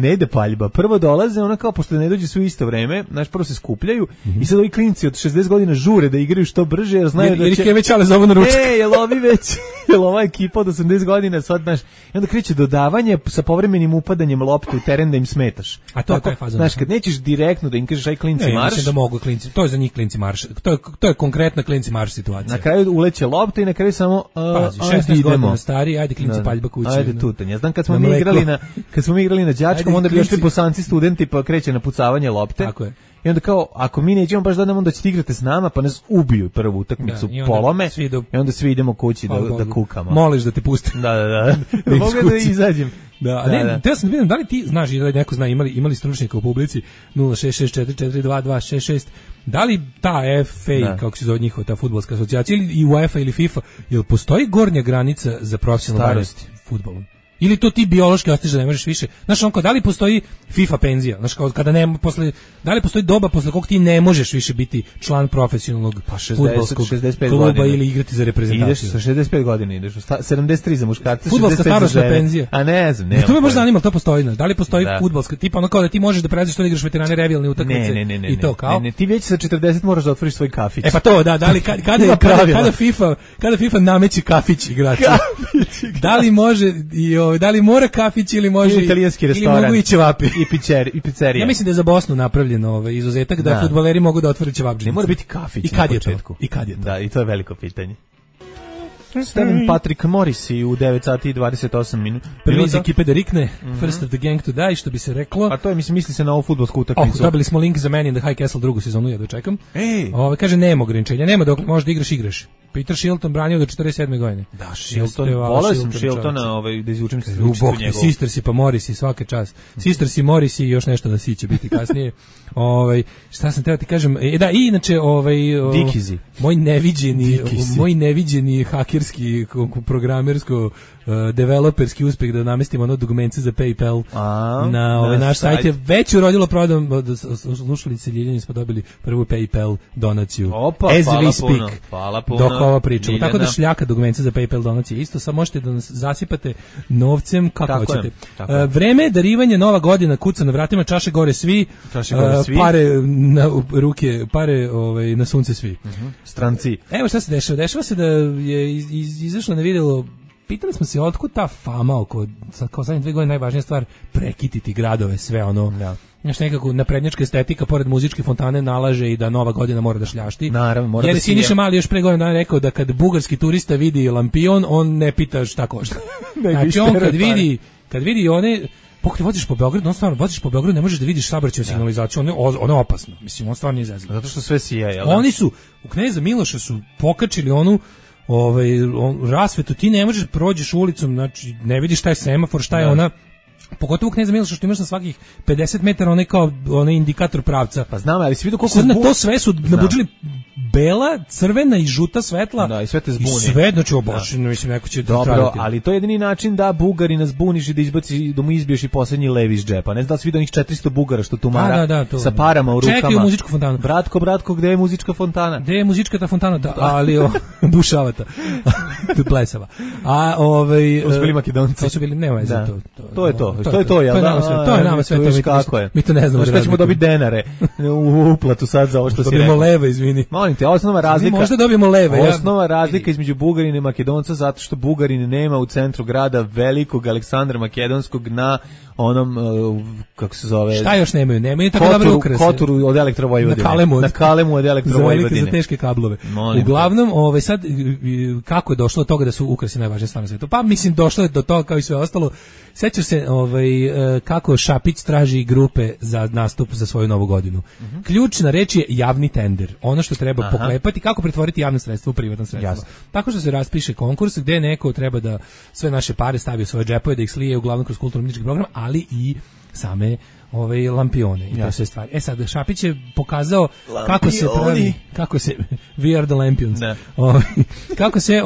ne ide paljba. Prvo dolaze, ona kao, pošto ne dođe svi u isto vreme, znači prvo se skupljaju i sad ovi klinci od 60 godina žure da igraju što brže, jer znaju da će... Jer ih je već ale zovu na ručak. Jel ovi već, jel ova ekipa od 80 godina sad, znaš, i onda kreće dodavanje sa povremenim upadanjem lopte u teren da im smetaš. A to je taj fazon. Znaš, kad nećeš direktno da im kažeš aj klinci marš. Mislim da mogu klinci. To je za njih klinci marš. To je konkretna klinci marš situacija. Na kraju uleće lopta i na kraju samo 16 godina stari, ajde klinci paljba kući. Ajde tutanj. Ja znam kad smo mi igrali na đačkom, onda bi išli bosanci studenti pa kreće na pucavanje lopte. Tako je. I onda kao, ako mi nećemo baš da nam, onda ćete igrati s nama, pa nas ubiju prvu utakmicu, polome, i onda svi idemo kući da kukamo. Moliš da te pustim. Da mogu da izađem. Da, ne, teo sam da vidim, da li ti znaš, da li neko zna, imali stručnjaka u publici 066442266, da li ta FA, kako se zove njihova ta fudbalska asocijacija, ili i UEFA ili FIFA, jel postoji gornja granica za profesionalnu starost fudbalom? Ili to ti biološki ostiže da ne možeš više. Znaš, onko, da li postoji FIFA penzija? Znaš, kao kada ne, da li postoji doba posle kog ti ne možeš više biti član profesionalnog fudbalskog kluba godina. Ili igrati za reprezentaciju? Ideš sa 65 godina, ideš 73 za muškarce, fudbalska starosna penzija. A ne znam, ne. To me možda zanima, to postoji. Da li postoji fudbalska, tipa ono kao da ti možeš da prelaziš to da igraš veterane revijalne utakmice i to kao? Ne, ti već sa 40 moraš da otvoriš svoj kafić. E pa to, da li kada FIFA nameće kafić igrači. Da li može da li mora kafić ili može italijanski restoran ili mogu i ćevapi i pizzerija. Ja mislim da je za Bosnu napravljen izuzetak da fudbaleri mogu da otvore ćevapdžinicu. Ne mora biti kafić. I kad je to? Da, i to je veliko pitanje. Steven Patrick Morrissey u 9 sati i 28 minuta. Prvi iz ekipe da rikne, first of the gang to die, što bi se reklo. A to je, misli se na ovu fudbalsku utakmicu. Dobili smo link za Man in the High Castle drugu sezonu, ja dočekam. Kaže, nema ograničenja, nema dok možeš da igraš. Peter Shilton branio do 47. godine. Da, Shilton, volao sam Shiltona, da izvučem se sličicu njegovu. Sisters i pa Morrissey, svaka čast. Sisters i Morrissey i još nešto da si će biti kasnije. Šta sam teo ti kažem, da, i inače, Dickies. moj neviđeni hakerski, programersko, developerski uspeh da namestimo ono dugmence za PayPal na naš sajt je već urodilo prodom, slušalice Ljiljani smo dobili prvu PayPal donaciju. Opa, as we speak. Hvala puno. Dok ovo pričamo. Tako da šljaka dugmence za PayPal donacije. Isto sad možete da nas zasipate novcem kako hoćete. Vreme darivanje, nova godina, kuca na vratima, čaše gore svi. Pare na ruke, pare na sunce svi. Stranci. Evo šta se dešava. Dešava se da je izašlo na vidjelo. Pitali smo se otkud ta fama oko, kao zadnje 2 godine najvažnija stvar, prekititi gradove, sve ono. Znaš, nekako naprednjačka estetika pored muzičke fontane nalaže i da nova godina mora da šljašti. Naravno, mora jer da Siniša Mali još pre godina rekao da kad bugarski turista vidi lampion, on ne pita šta košta. Znači on kad vidi one, pokoj voziš po Beogradu, ne možeš da vidiš saobraćajnu signalizaciju, ono je opasno. Mislim, on stvarno nije zezno. Zato što sve sija, jel? Oni su u Kneza Miloša su pokačili onu rasvetu, ti ne možeš prođeš ulicom, znači ne vidiš šta je semafor, šta je ona, pogotovo Kneza Miloša što imaš na svakih 50 metara onaj indikator pravca. Pa znam, ali si vidio koliko na to sve su nabuđili bela, crvena i žuta svetla. Da, i sve te zbuni. I sve, znači obošeno, mislim, neko će dobro, traditi. Ali to je jedini način da Bugari nas zbuniš i da izbaci, da mu izbiješ i poslednji lev iz džepa. Ne znam da si vidio onih 400 Bugara što tumara sa parama u rukama. Čekaju muzičku fontanu. Bratko, gde je muzička fontana? Gde je muzička ta fontana? Da, ali bušavata. Blesava. A to su bili Makedonci. To su bili, nema veze to. To je to, jel da? To je nama sve to. Kako je? Mi to ne znamo. Šta ćemo dobiti denare u uplatu sad za ovo što si rekao? Dobijemo leve, izvini. Molim te, osnova razlika. Možda dobijemo leve. Osnova razlika između Bugarina i Makedonca zato što Bugarin nema u centru grada velikog Aleksandra Makedonskog na onom, kako se zove... Šta još nemaju? Nemaju tako dobre ukrase. Koturu od Elektrovojvodine. Na Kalemu od Elektrovojvodine. Za teške kablove. Uglavnom, sad, kako je došlo do toga da su ukrasi najvažnije stvar na svijetu? Pa, mislim, došlo je do toga kao i sve ostalo. Sećaš se kako Šapić traži grupe za nastup za svoju novu godinu. Ključna reč je javni tender. Ono što treba poklepati, kako pretvoriti javno sredstvo u privatno sredstvo. Jasno. Tako što se raspiše konkurs gde neko treba da sve naše pare stavi u svoje džepove, da ih slije uglavnom kroz kulturno-umjetnički program, ali i same lampione i te sve stvari. Sad, Šapić je pokazao kako se we are the lampions. Kako se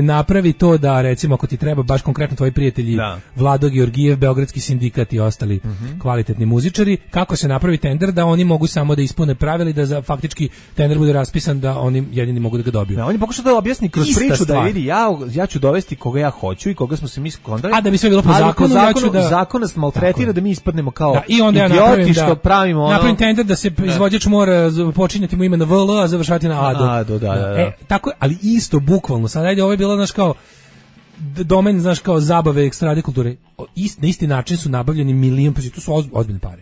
napravi to da, recimo, ako ti treba baš konkretno tvoji prijatelji Vlado Georgijev, Beogradski sindikat i ostali kvalitetni muzičari, kako se napravi tender da oni mogu samo da ispune pravila i da faktički tender bude raspisan da oni jedini mogu da ga dobiju. On je pokušao da objasni kroz priču da vidi, ja ću dovesti koga ja hoću i koga smo se mi skondali. A da bi sve bilo po zakonu, zakon nas maltretira da mi ispadnemo kao onda idioti što pravimo ono. Napravim tender da se izvođač mora počinjati mu ime na VL, a završati na ADO. Da. Tako, ali isto, bukvalno. Sad, ajde, ovo je bilo, znaš, kao domen, znaš, kao zabave, ekstrade kulture. Na isti način su nabavljeni milion, pa to su ozbiljne pare.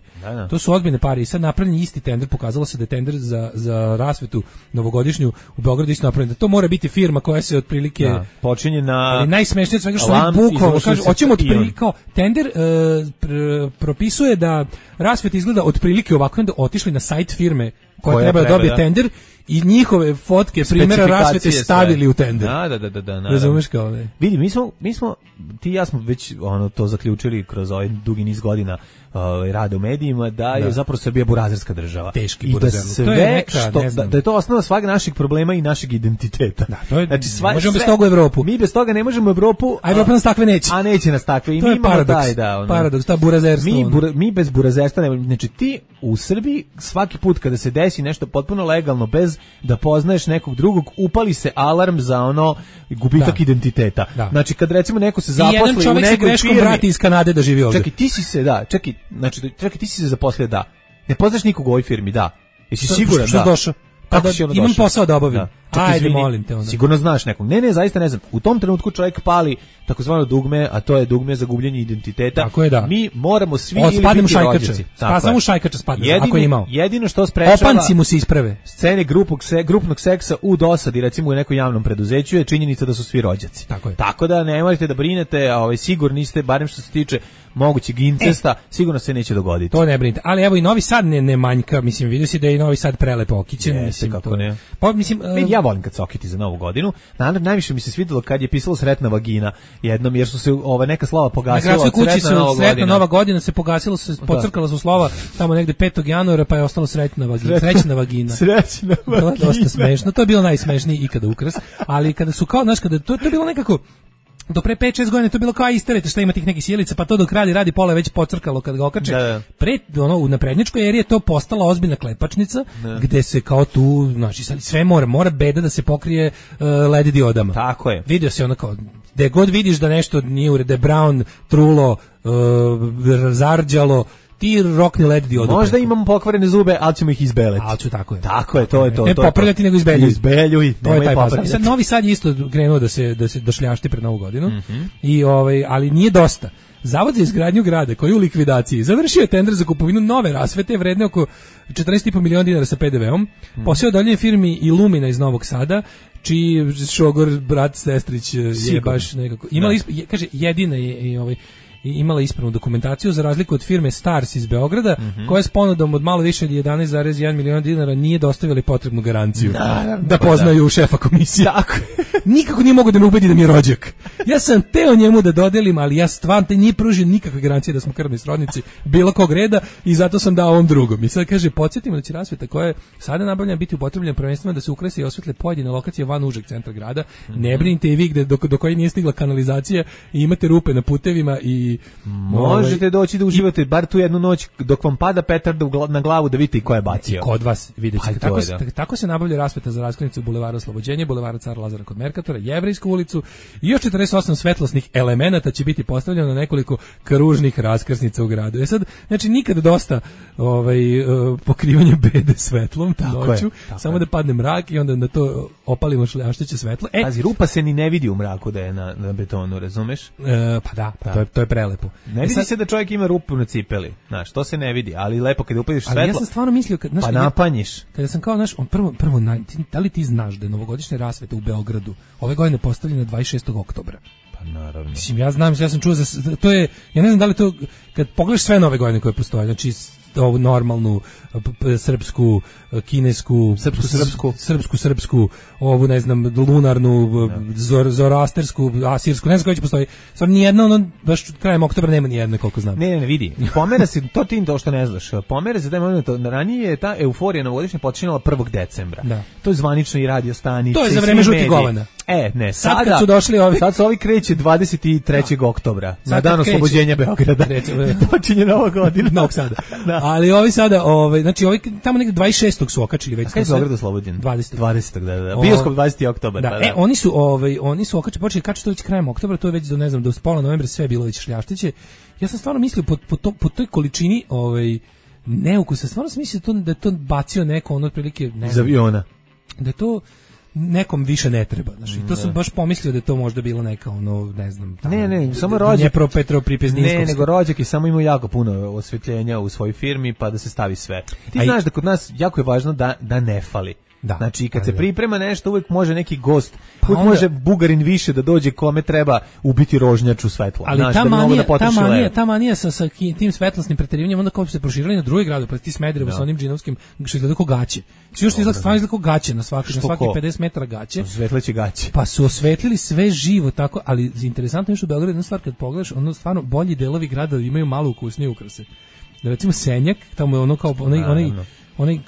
To su ozbiljne pare i sad napravljen isti tender, pokazalo se da je tender za rasvetu novogodišnju u Beogradu isto napravljen. Da to mora biti firma koja se otprilike počinje na... Ali najsmešnije od svega što oni bukvalno kažu, hoćemo otprilike, kao tender propisuje da rasveta izgleda otprilike ovako, onda otišli na sajt firme koja treba da dobije tender i njihove fotke primjera rasvete stavili u tender. Da. Razumeš kao ne? Vidi, mi smo, ti i ja smo već to zaključili kroz ovaj dugi niz godina rada u medijima, da je zapravo Srbija burazerska država. Teški i burazerluk. Da sve to je neka, što, da je to osnova svakog naših problema i našeg identiteta. Da, to je, znači, možemo bez toga u Evropu. Mi bez toga ne možemo u Evropu. A Evropa nas takve neće. A neće nas takve. I to mi je paradoks. Paradoks, ta burazerstvo. Mi bez burazerstva ne možemo. Znači ti u Srbiji svaki put kada se desi nešto potpuno legalno bez da poznaješ nekog drugog, upali se alarm za gubitak identiteta. Da. Znači kad recimo neko se zaposli u nekoj firmi. I jedan čovjek se greškom vrati iz Kanade da živi ovdje. Čekaj, ti si se zaposlio, da. Ne poznaš nikog u ovoj firmi, da. Jesi siguran, što da? Došao? Imam posao da obavim. Ajde, molim te onda. Sigurno znaš nekog. Ne, zaista ne znam. U tom trenutku čovjek pali takozvano dugme, a to je dugme za gubljenje identiteta. Tako je, da. Mi moramo svi ili biti rođaci. Samo u šajkača spadne, ako je imao. Jedino što sprečava opanci mu se isprave. Scene grupnog seksa u dosadi, recimo u nekom javnom preduzeću, je činjenica da su svi rođaci. Tako da ne morate da brinete, sigurni ste, barem što se tiče mogućeg incesta, sigurno se neće dogoditi. To ne brinite. Ali evo i Novi Sad ne manjka, mislim, vidio si da je i Novi Sad prelepo okićen, mislim kako to. Ne. Pa mislim, ja volim kad se okiti za Novu godinu. Najviše mi se svidelo kad je pisalo sretna vagina jednom, jer su se neka slova pogasila. Na gradskoj kući sretna Nova godina se pogasilo, pocrkala su slova tamo negde 5. januara, pa je ostalo srećna vagina. Srećna vagina. To je dosta smešno. To je bilo najsmešniji ikada ukras, ali kada su kao, znaš, kada to je bilo nekako do pre 5-6 godina to je bilo kao isterete šta ima tih nekih sjelica, pa to dok radi pola već pocrkalo kad ga okače. U naprednjačkoj eri je to postala ozbiljna klepačnica, gde se kao tu, znači sve mora beda da se pokrije LED diodama. Tako je. Vidio se kao, gde god vidiš da nešto nije ured, da je brown, trulo, zarđalo, ti rokni LED diodu. Možda imamo pokvarene zube, ali ćemo ih izbeliti. Tako je. Tako je, to je to. Ne popravljati, nego izbeljuj. Izbeljuj. To je taj posao. Sad Novi Sad je isto krenuo da šljašti pred Novu godinu. I ali nije dosta. Zavod za izgradnju grada koji je u likvidaciji završio je tender za kupovinu nove rasvete vredne oko 14,5 miliona dinara sa PDV-om. Posao dalje firmi Illumina iz Novog Sada, čiji šogor brat sestrić je baš nekako kaže jedina je imala ispravnu dokumentaciju za razliku od firme Stars iz Beograda, koja s ponudom od malo više od 11,1 miliona dinara nije dostavila potrebnu garanciju da poznaju šefa komisije. Tako. Nikako nije mogu da me ubedi da mi je rođak. Ja sam teo njemu da dodelim, ali ja stvarno nije pružio nikakve garancije da smo krvni srodnici bilo kog reda i zato sam dao ovom drugom. I sad kaže, podsjetimo da će rasveta koja je sada nabavljena biti upotrebljena prvenstveno da se ukrase i osvetle pojedine lokacije van užeg centra grada. Ne brinite i vi gde do koje nije stigla kanalizacija i imate rupe na putevima i možete doći da uživate bar tu jednu noć dok vam pada petarda na glavu da vidite i ko je bacio. I kod vas vidjet ćete. Tako se nabavlja rasveta za raskrsnicu Bulevara Oslobođenja, Bulevara Cara Lazara kod Merkatora, Jevrejsku ulicu i još 48 svetlosnih elemenata će biti postavljeno na nekoliko kružnih raskrsnica u gradu. Sad, znači nikad dosta pokrivanja bede svetlom noću, samo da padne mrak i onda na to opalimo šljašteće svetlo. Pazi, rupa se ni ne vidi u mraku da je na betonu, razumeš? Pa da, to je prelepo. Ne vidi se da čovjek ima rupu na cipeli, znaš, to se ne vidi, ali lepo kada upadiš svetlo. Ali ja sam stvarno mislio, pa napanjiš. Kada sam kao, znaš, prvo, da li ti znaš da je novogodišnja rasveta u Beogradu ove godine postavljena 26. oktobra? Pa naravno. Mislim, ja sam čuo za to je, ja ne znam da li to, kad pogledaš sve nove godine koje postoje, znači ovu normalnu srpsku, kinesku, srpsku, ovu ne znam lunarnu, zoroastersku, asirsku, ne znam koja će postoji. Stvarno nijedna, baš krajem oktobra nema nijedne koliko znam. Ne, vidi. Pomera se to što ne znaš. Pomera se taj moment, ranije je ta euforija novogodišnja počinjala 1. decembra. Da. To je zvanično i radio stanice. To je za vreme žutih govana. Ne, sad kad su došli ovi. Sad su ovi kreće 23. oktobra, na dan oslobođenja Beograda. Počinje Nova godina. Novog Sada. Ali ovi sada, znači ovi tamo negde 26. su okačili već. A kada je Beograd oslobođen? 20. Da. Bioskop 20. oktobar. Da. Oni su okačili, počeli kačiti to već krajem oktobra, to je već do pola novembra sve bilo već šljaštiće. Ja sam stvarno mislio po toj količini neukusa, stvarno sam mislio da je to bacio neko otprilike iz aviona. Da je to nekom više ne treba, znači to sam baš pomislio da je to možda bilo neka ne znam. Ne, samo rođak. Ne, nego rođak i samo ima jako puno osvetljenja u svojoj firmi pa da se stavi sve. Ti znaš da kod nas jako je važno da ne fali. Da. Znači, kad se priprema nešto, uvek može neki gost, uvek onda, može Bugarin više da dođe kome treba ubiti rožnjaču svetlo. Ali znaš, ta manija sa tim svetlosnim preterivanjem, onda kao se proširili na druge gradove, pa ti Smederevo sa onim džinovskim, što izgleda kao gaće. Svi još izgleda stvarno kao gaće, na svaki 50 metara gaće. Svetleće gaće. Pa su osvetlili sve živo tako, ali interesantno je što u Beogradu jedna stvar kad pogledaš, ono stvarno bolji delovi grada imaju malo ukusnije ukrase. Da recimo Senjak, tamo je ono kao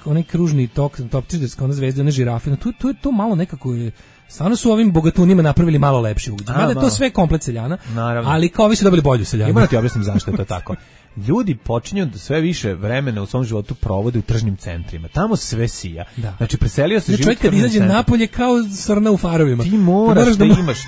onaj kružni topčiderska, ona zvezda, one žirafe, to malo nekako je, stvarno su ovim bogatunima napravili malo lepši ugled. Mada to sve komplet seljana, ali kao vi su dobili bolju seljanu. Ima da ti objasnim zašto je to tako. Ljudi počinju da sve više vremena u svom životu provode u tržnim centrima. Tamo sve sija. Da. Znači preselio se život. Čovjek kad izađe napolje kao srna u farovima.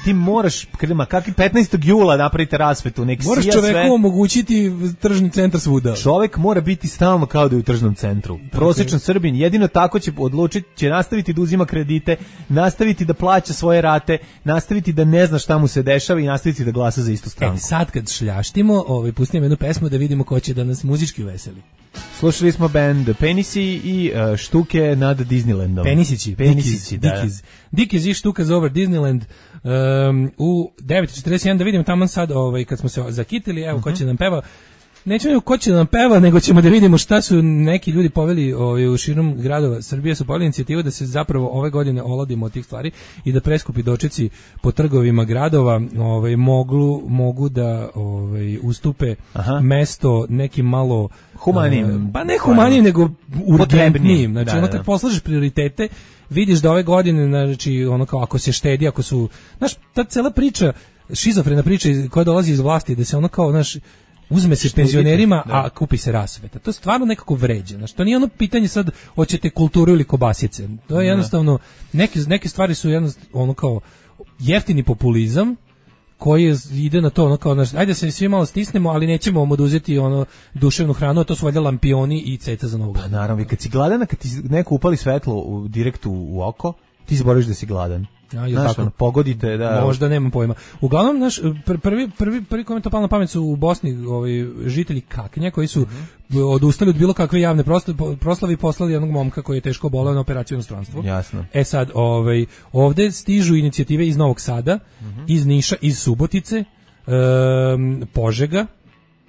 Ti moraš kakvi 15. jula napravite rasvetu, nek moraš sija sve. Moraš čoveku omogućiti tržni centar svuda. Čovjek mora biti stalno kao da je u tržnom centru. Prosječan Srbin jedino tako će odlučiti, će nastaviti da uzima kredite, nastaviti da plaća svoje rate, nastaviti da ne zna šta mu se dešava i nastaviti da glasa za istu stranku. Sad kad šljaštimo, pustimo jednu pesmu da vidimo ko će da nas muzički veseli. Slušali smo band Penisi i štuke nad Disneylandom. Penisići, da. Dickies i štuka za over Disneyland u 9:41, da vidimo tamo sad kad smo se zakitili, evo ko će nam peva. Nećemo ko će nam peva, nego ćemo da vidimo šta su neki ljudi poveli u širom gradova Srbije, su poveli inicijativu da se zapravo ove godine oladimo od tih stvari i da preskupi dočeci po trgovima gradova mogu da ustupe mesto nekim malo humanijim, pa ne humanijim nego urgentnijim. Znači ono kad poslažeš prioritete, vidiš da ove godine, znači ono kao ako se štedi, ako su, znaš, ta cela priča, šizofrena priča koja dolazi iz vlasti, da se ono kao, znaš, uzme se penzionerima, a kupi se rasveta. To je stvarno nekako vređa. Znači, to nije ono pitanje sad hoćete kulturu ili kobasice. To je jednostavno, neke stvari su jednostavno ono kao jeftini populizam koji ide na to ono kao, znači, ajde se svi malo stisnemo, ali nećemo vam oduzeti ono duševnu hranu, a to su valjda lampioni i ceca za novu godinu. Pa naravno, kad si gladan, kad ti neko upali svetlo direkt u oko, ti zaboraviš da si gladan. Znaš, pogodite, da. Možda, nemam pojma. Uglavnom, naš prvi komentar palo na pamet su u Bosni žitelji Kaknja koji su odustali od bilo kakve javne proslave i poslali jednog momka koji je teško boleo na operaciju u inostranstvu. Jasno. Sad, ovde stižu inicijative iz Novog Sada, iz Niša, iz Subotice, Požega.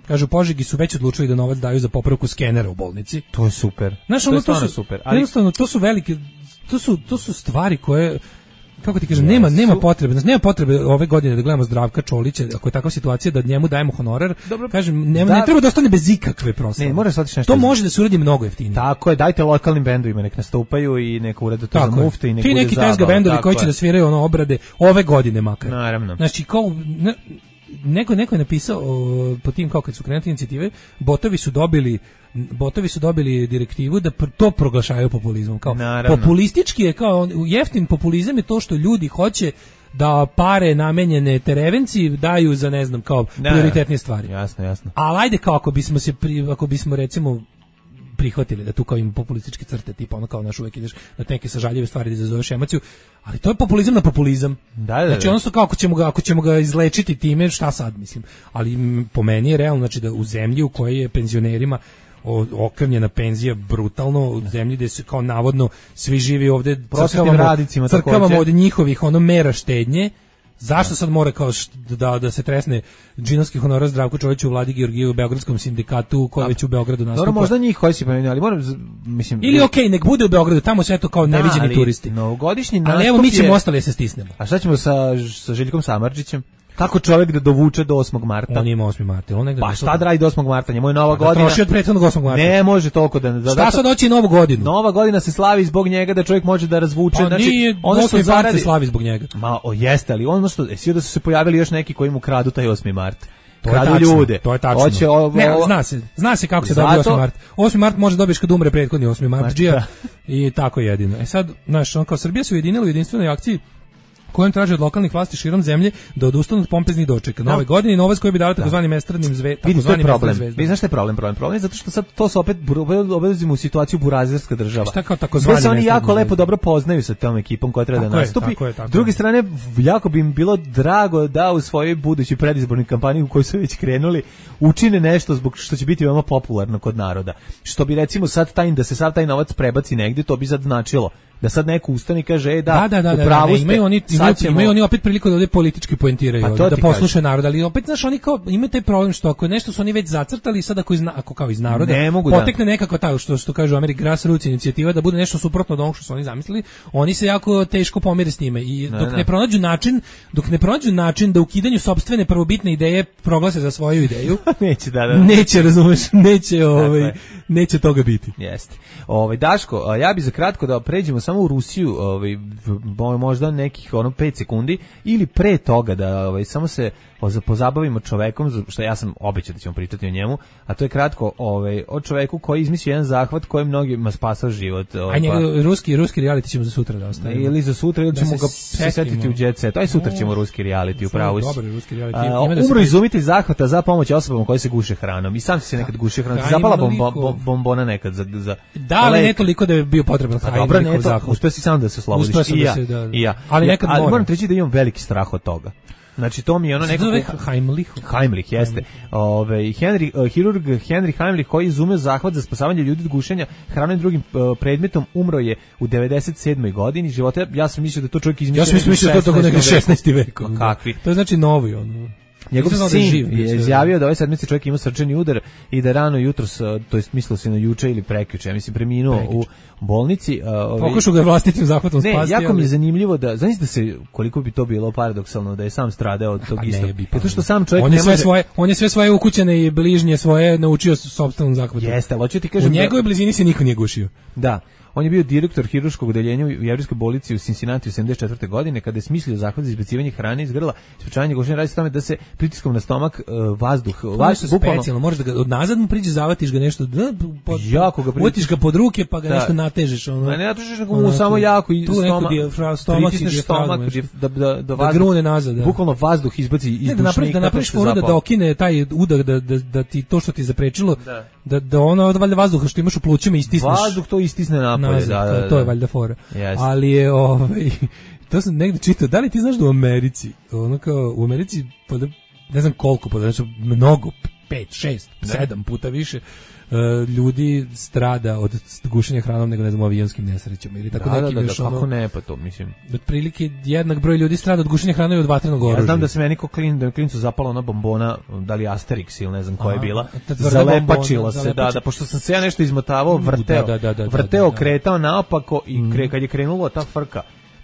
Kažu, Požegi su već odlučili da novac daju za popravku skenera u bolnici. To je super. Znaš, to je stvarno super. Jednostavno, to su velike, to su stvari koje, kako ti kažem, nema potrebe. Znači, nema potrebe ove godine da gledamo Zdravka Čolića, ako je takva situacija da njemu dajemo honorar. Dobro, kažem, ne treba da ostane bez ikakve proslave. Ne, mora se otići nešto. To može da se uradi mnogo jeftinije. Tako je, dajte lokalnim bendovima, nek nastupaju i neka urade to za mufte i nek bude zabava. Ti neki tezga bendovi koji će da sviraju ono obrade ove godine makar. Naravno. Znači, kao neko je napisao po tim kao kad su krenuli inicijative, botovi su dobili direktivu da to proglašavaju populizmom. Kao populistički je, kao jeftin populizam je to što ljudi hoće da pare namenjene terevenci daju za, ne znam, kao prioritetnije stvari. Jasno. Ali ajde, kao ako bismo recimo prihvatili da tu kao ima populističke crte, tipa ono kao naš uvek ideš na neke sažaljive stvari da izazoveš emociju, ali to je populizam na populizam. Znači ono kao ako ćemo ga izlečiti time, šta sad, mislim. Ali po meni je realno, znači da u zemlji u kojoj je penzionerima okrnjena penzija brutalno, u zemlji gde se kao navodno svi živi ovde crkavamo od njihovih mera štednje. Zašto sad mora kao da se tresne džinovski honorar Zdravku Čoliću u Vladi Georgiju u Beogradskom sindikatu koji već u Beogradu nastupa? Dobro, možda njih koji si pomenuo, ali moram, mislim... Ili nek bude u Beogradu, tamo sve to kao neviđeni turisti. Novogodišnji nastup je... Ali evo, mi ćemo ostali se stisnemo. A šta ćemo sa Željkom Samardžićem? Kako čovjek da dovuče do 8. marta? On ima 8. marta. Pa šta da radi do 8. marta? Njemu je Nova godina. Troši od prethodnog 8. marta. Ne može toliko da... Šta sad doći Novu godinu? Nova godina se slavi zbog njega da čovjek može da razvuče. Pa nije 8. mart se slavi zbog njega. Jeste, ali ono što... Svi da su se pojavili još neki koji mu kradu taj 8. mart. Kradu ljude. To je tačno. Zna se kako se dobije 8. mart. 8. mart može dobiješ kad umre prethodni 8. martđija i tako jedino. Sad, znaš, on kao Srbija se ujedinila u jedinstvenoj akciji kojem traže od lokalnih vlasti širom zemlje da odustanu od pompeznih dočeka nove godine i novac koji bi dao takozvanim estradnim zvezdama. Vidiš, to je problem. Vi znaš šta je problem? Problem je zato što sad to se opet obezimo u situaciju burazerska država. Šta kao takozvani se oni jako lepo dobro poznaju sa tom ekipom koja treba da nastupi. S druge strane, jako bi im bilo drago da u svojoj budućoj predizbornoj kampanji u kojoj su već krenuli učine nešto zbog što će biti veoma popularno kod naroda. Što bi recimo sad da se sav taj novac prebaci negdje, to bi sad značilo Da sad neko ustane i kaže, Da, imaju oni opet priliku da ovde politički poentiraju, pa da poslušaju narod, ali opet, znaš, oni kao, imaju taj problem što ako nešto su oni već zacrtali, sad ako kao iz naroda, potekne nekako tako, što kažu Amerika grassroots inicijativa, da bude nešto suprotno od onog što su oni zamislili, oni se jako teško pomire s njime i dok ne pronađu način da ukidanju sopstvene prvobitne ideje proglase za svoju ideju, neće, razumeš, neće toga biti. Jeste. Daško, ja bi za kratko da pređemo samo u Rusiju, možda nekih 5 sekundi ili pre toga da samo se pozabavimo čovekom, što ja sam obećao da ćemo pričati o njemu, a to je kratko o čoveku koji izmislio jedan zahvat koji mnogima spasao život. A njega ruski reality ćemo za sutra da ostavimo. Ili za sutra, ili ćemo ga setiti u Jet Set. Aj sutra ćemo ruski reality, upravo si. Dobar ruski reality. Umro izumitelj zahvata za pomoć osobama koje se guše hranom. I sam se nekad gušio hranom. Zapala bombona nekad za da, ali ne toliko da je bio potreban hajde. Dobro, ne to, uspio si sam da se oslobodiš. I ja. Ali nekad moram reći da imam veliki strah od toga. Znači to mi je ono nekako Heimlich jeste. Hirurg Henry Heimlich koji je izumeo zahvat za spasavanje ljudi od gušenja hranom i drugim predmetom, umro je u 97. godini života. Ja sam mislio da to čovjek izmislio. Ja sam mislio da to u 16. veku. Kakvi? To je znači novi ono. Njegov sin je izjavio da ovaj sedmici čovjek ima srčani udar i da rano jutros, to jest mislilo se na juče ili prekjuče, ja mislim preminuo u bolnici. Pokušao ga vlastitim zahvatom spasti. Ne, jako mi je zanimljivo da, znaš da se, koliko bi to bilo paradoksalno da je sam stradao od tog istog. Zato što sam čovjek on je sve svoje ukućene i bližnje svoje naučio sopstvenom zahvatom. Jeste, ali hoću ti kažem, u njegovoj blizini se niko nije gušio. Da. On je bio direktor hirurškog odeljenja u jevrejskoj bolnici u Cincinnati u 74. godine kada je smislio zahvat za izbacivanje hrane iz grla. Sprečavanje gušenja radi se tome da se pritiskom na stomak vazduh, specijalno, možeš da ga odnazad mu priđe, zavatiš ga nešto, utiš ga pod ruke pa ga nešto natežeš. Ne natežeš, nego mu samo jako i pritisneš stomak da grune nazad. Bukvalno vazduh izbaci iz dušnika. Da napraviš foru da okine taj udar, da ti to što ti zaprečilo, da ono valjda vazduha što imaš u plućima istisneš. Vazduh to istisne napolje. To je valjda fora. Yes. Ali je to sam negdje čitao. Da li ti znaš da u Americi, u Americi ne znam koliko, znači mnogo, 5, 6, 7 puta više ljudi strada od gušenja hranom nego ne znam avionskim nesrećama ili tako neki još ono. Kako ne, pa to mislim. Otprilike jednak broj ljudi strada od gušenja hrane i od vatrenog oružja. Ja znam da se meni klincu zapala ona bombona, da li Asterix ili ne znam koja je bila. Zalepačila se, da, pošto sam se ja nešto izmotavao, vrteo, kretao naopako i kad je krenulo ta frka.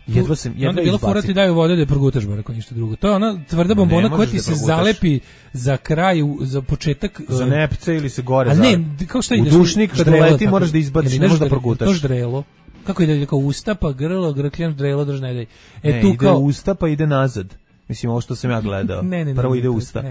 Jedva onda bilo fora ti daju vode da je progutaš bar ako ništa drugo. To je ona tvrda bombona koja ti se zalepi za kraj, za početak. Za nepce ili se gore. A ne, kao šta ideš? U dušnik kad leti moraš da izbaciš, ne možeš da progutaš. To ždrelo. Kako ide kao usta pa grlo, grkljan, ždrelo, drž ne daj. Ide usta pa ide nazad. Mislim, ovo što sam ja gledao. Prvo ide usta.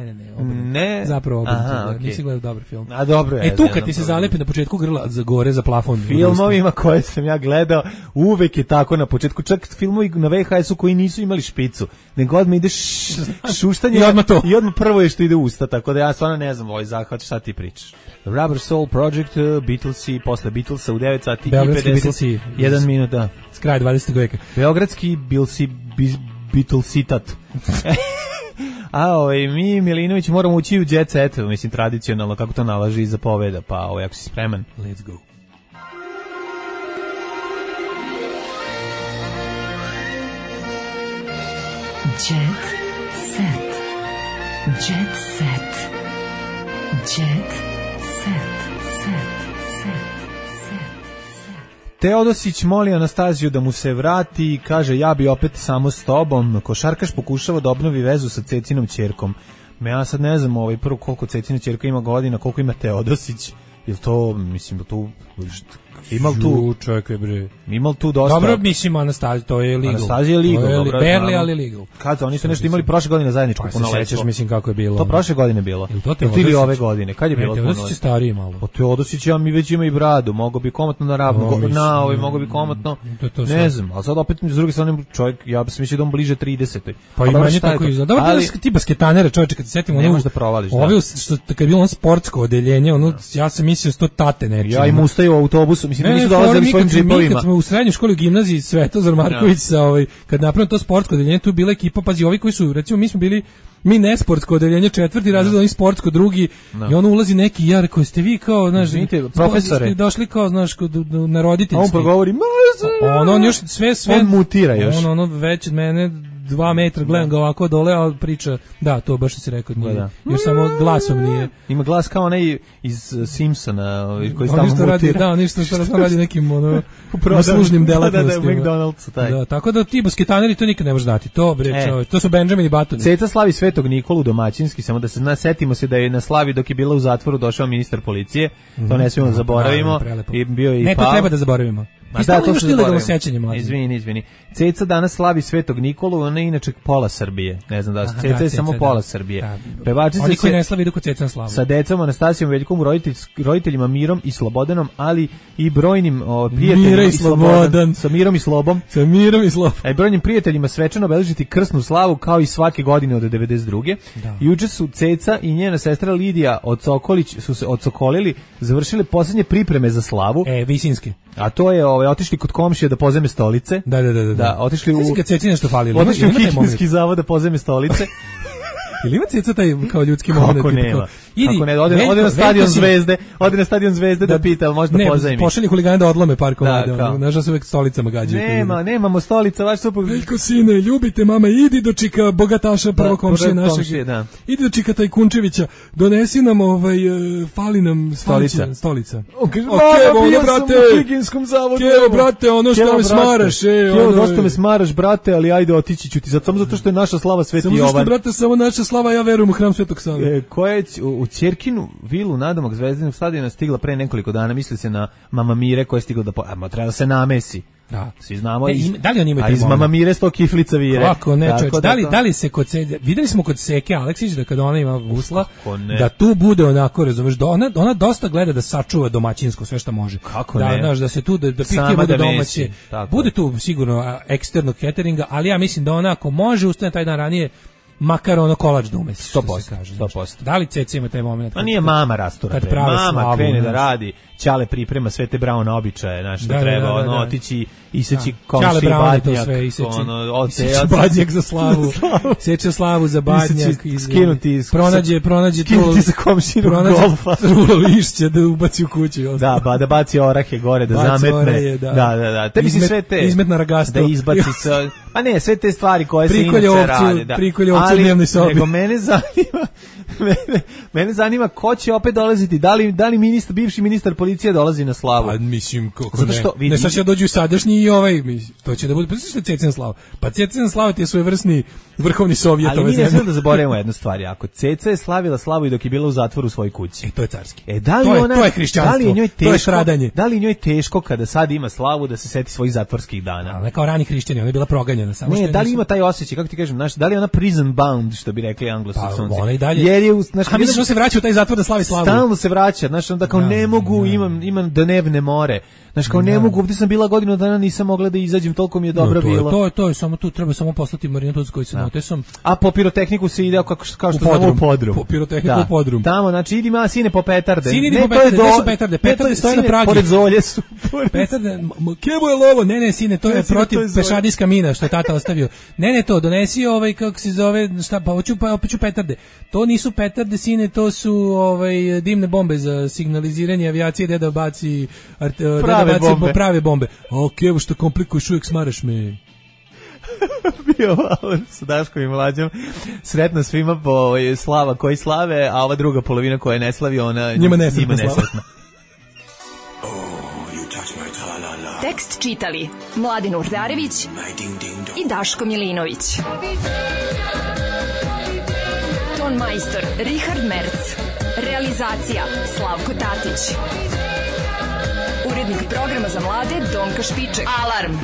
Ne. Zapravo obrnuto. Nisi gledao dobar film. A dobro je. Tu kad ti se zalepi na početku grla za gore za plafon. Filmovima koje sam ja gledao, uvek je tako na početku. Čak filmovi na VHS-u koji nisu imali špicu. Nego odmah ideš šuštanje i odmah prvo je što ide usta. Tako da ja stvarno ne znam ovaj zahvat šta ti pričaš. Rubber Soul Project, Beatlesi, posle Beatlesa u 9 sati i 51 minut. S kraja 20. veka. Beogradski Beatlesitat. A mi Milinović moramo ući u Jet Set, mislim tradicionalno kako to nalaži i zapoveda, pa ako si spreman, let's go. Jet Set. Jet Set. Jet Set. Teodosić moli Anastaziju da mu se vrati i kaže ja bi opet samo s tobom. Košarkaš pokušava da obnovi vezu sa Cecinom ćerkom. Ja sad ne znam prvo koliko Cecina ćerka ima godina, koliko ima Teodosić. Jel to, mislim, da tu čovjek je bre. Imal tu dosta. Dobro, mislim Anastazija, to je legal. Anastazija je legal, dobro. Barely, ali legal. Kad oni su nešto imali prošle godine zajedničko punoletstvo. Sećaš, mislim kako je bilo. To prošle godine bilo. Ili ove godine. Kad je bilo punoletstvo? Teodosić je stariji malo. Pa Teodosić mi već ima i bradu, mogao bi komotno na ravno, mogao bi komotno. Ne znam, al sad opet s druge strane čovjek, ja bih mislio da on bliže 30. Pa i manje tako izgleda. Dobro, ti basketanere, čovječe, kad se setimo, ne možeš da provališ. Ovi što kad je bilo on sportsko odeljenje, ja sam mislio sto tate nečije. Ja im ustaju u autobusu, mislim nisu dolazili svojim džipovima. Kad smo u srednjoj školi u gimnaziji Svetozar Marković sa kad napravimo to sportsko odeljenje, tu bila ekipa, pazi, ovi koji su, recimo mi smo bili mi nesportsko odeljenje 4. razred, oni sportsko 2. I ono ulazi neki jar koji ste vi kao, znaš, profesore, ste došli kao, znaš, na roditeljski. A on progovori, on još sve on mutira još. On već od mene 2 metra, gledam ga ovako dole, a priča, da, to baš si rekao, nije. Još samo glasom nije. Ima glas kao onaj iz Simpsona, koji stalno mutira. Da, ništa što radi nekim uslužnim delatnostima. Da, McDonald'su taj. Da, tako da ti basketaneri to nikad ne možeš znati. To, bre, čovjek, to su Benjamin i Batoni. Ceca slavi Svetog Nikolu domaćinski, samo da se setimo se da je na slavi dok je bila u zatvoru došao ministar policije, to ne smijemo da zaboravimo. I bio i ne, to treba da zaboravimo. Ma da, to što ilegalno sećanje, mlađe. Izvini. Ceca danas slavi Svetog Nikolu, ona je inače pola Srbije. Ne znam da li Ceca je samo pola Srbije. Pevačica oni koji ne slavi idu kod Ceca na slavu. Sa decom Anastasijom Veljkom, roditeljima Mirom i Slobodanom, ali i brojnim prijateljima i Slobodan. Sa Mirom i Slobom. Sa Mirom i Slobom. A i brojnim prijateljima svečano obeležiti krsnu slavu kao i svake godine od 92. Juče su Ceca i njena sestra Lidija Ocokolić su se odsokolili, završili posljednje pripreme za slavu. Visinski. A to je otišli kod komšije da pozeme stolice. Da, otišli u kad Ceci nešto falilo. Otišli u higijenski zavod da pozeme stolice. Ili ima Ceca taj kao ljudski moment? Kako nema? Kako ne? Ode na stadion Zvezde, da pita, ali možda pozajmi. Ne, pošalji huligane da odlome par komada. Nažal se uvek stolicama gađaju. Nemamo stolica, vaš suprug. Veljko, sine, ljubite mama, idi do čika bogataša prvog komšije našeg. Idi do čika Tajkunčevića, donesi nam fali nam stolica. Bio sam u higijenskom zavodu. Kevo, brate, ono što me smaraš. Kevo, dosta me smaraš, brate, ali ajde otići ću ti. Samo zato što je naša slava Sveti Jovan. Samo zato, brate, samo naša slava, ja verujem u hram Svetog Save. Koja je u Ćerkinu vilu nadomak Zvezdinog stadiona stigla pre nekoliko dana, misli se na Mama Mire koja je stigla da treba da se namesi. Da, svi znamo. Da li on ima a iz Mama Mire 100 kiflica vire. Kako ne, da li se kod videli smo kod Seke Aleksić da kada ona ima gusla, da tu bude onako, razumeš, da ona dosta gleda da sačuva domaćinsko sve što može. Kako ne? Znaš, da se tu da pitke bude domaće. Bude tu sigurno eksternog cateringa, ali ja mislim da ona ako može ustane taj dan ranije, makar ono kolač da umesi. 100%. Da li Ceca ima taj moment? Pa nije mama rastura. Mama krene da radi, Ćale priprema sve te Brauna običaje, znaš, da treba otići iseći komši badnjak, badnjak za slavu, seče slavu za badnjak, pronađe za komšinu golfa, trulo lišće da ubaci u kuću. Da baci orahe gore, da zametne, da, tebi si sve te, izmetna ragasto, da izbaci a ne, sve te stvari koje se inače rade, prikolje ovcu dnevnoj sobi. Nego mene zanima ko će opet dolaziti, da li bivši ministar policije dolazi na slavu. Pa mislim kako ne sad će dođu sadašnji i to će da bude, pa što je Cecina slava? Pa Cecina slava ti je svojevrsni vrhovni sovjet ove zemlje. Ali mi ne smijemo da zaboravimo jednu stvar, ako Ceca je slavila slavu i dok je bila u zatvoru u svojoj kući. To je carski. To je hrišćanstvo, to je stradanje. Da li njoj teško kada sad ima slavu da se seti svojih zatvorskih dana? Ali ne kao rani hrišćani, ona je bila proganjana. Ne, da li ima taj osjećaj, kako ti kažem, da li je ona prison bound, što bi rekli Anglosaksonci? Pa ona i dalje. Jer je, mislim se vraća u taj zatvor da slavi slavu. Stalno se vraća, znači onda kao ne mogu, imam dnevne more. Znači kao ne mogu, ovdje sam bila godinu dana, nisam mogla da izađem, toliko mi je dobro bilo. To je samo tu, treba samo poslati marinatuc koji se notesom. A po pirotehniku se ide kao što znamo u podrum. Po pirotehniku u podrum. Tamo, znači idi ma sine po petarde. Sine idi po petarde, gde su petarde? Petarde stoje na pragi. Pored zolje su. Petarde, kevo je lovo, ne sine, to je protiv pešadijska mina što je tata ostavio. Ne, to donesi kako se zove, šta, pa hoću petarde. To nisu petarde, sine, to su dimne bombe za signaliziranje avijacije, da baci prave bombe. Kevo što komplikuješ, uvijek smaraš me. Bio Valor sa Daškom i Mlađom. Sretno svima po slava koji slave, a ova druga polovina koja ne slavi, ona njima nesretna. Tekst čitali Mladin Urdarević i Daško Milinović. Ton majstor Richard Merc. Realizacija Slavko Tatić. Urednik programa za mlade Donka Špiček. Alarm!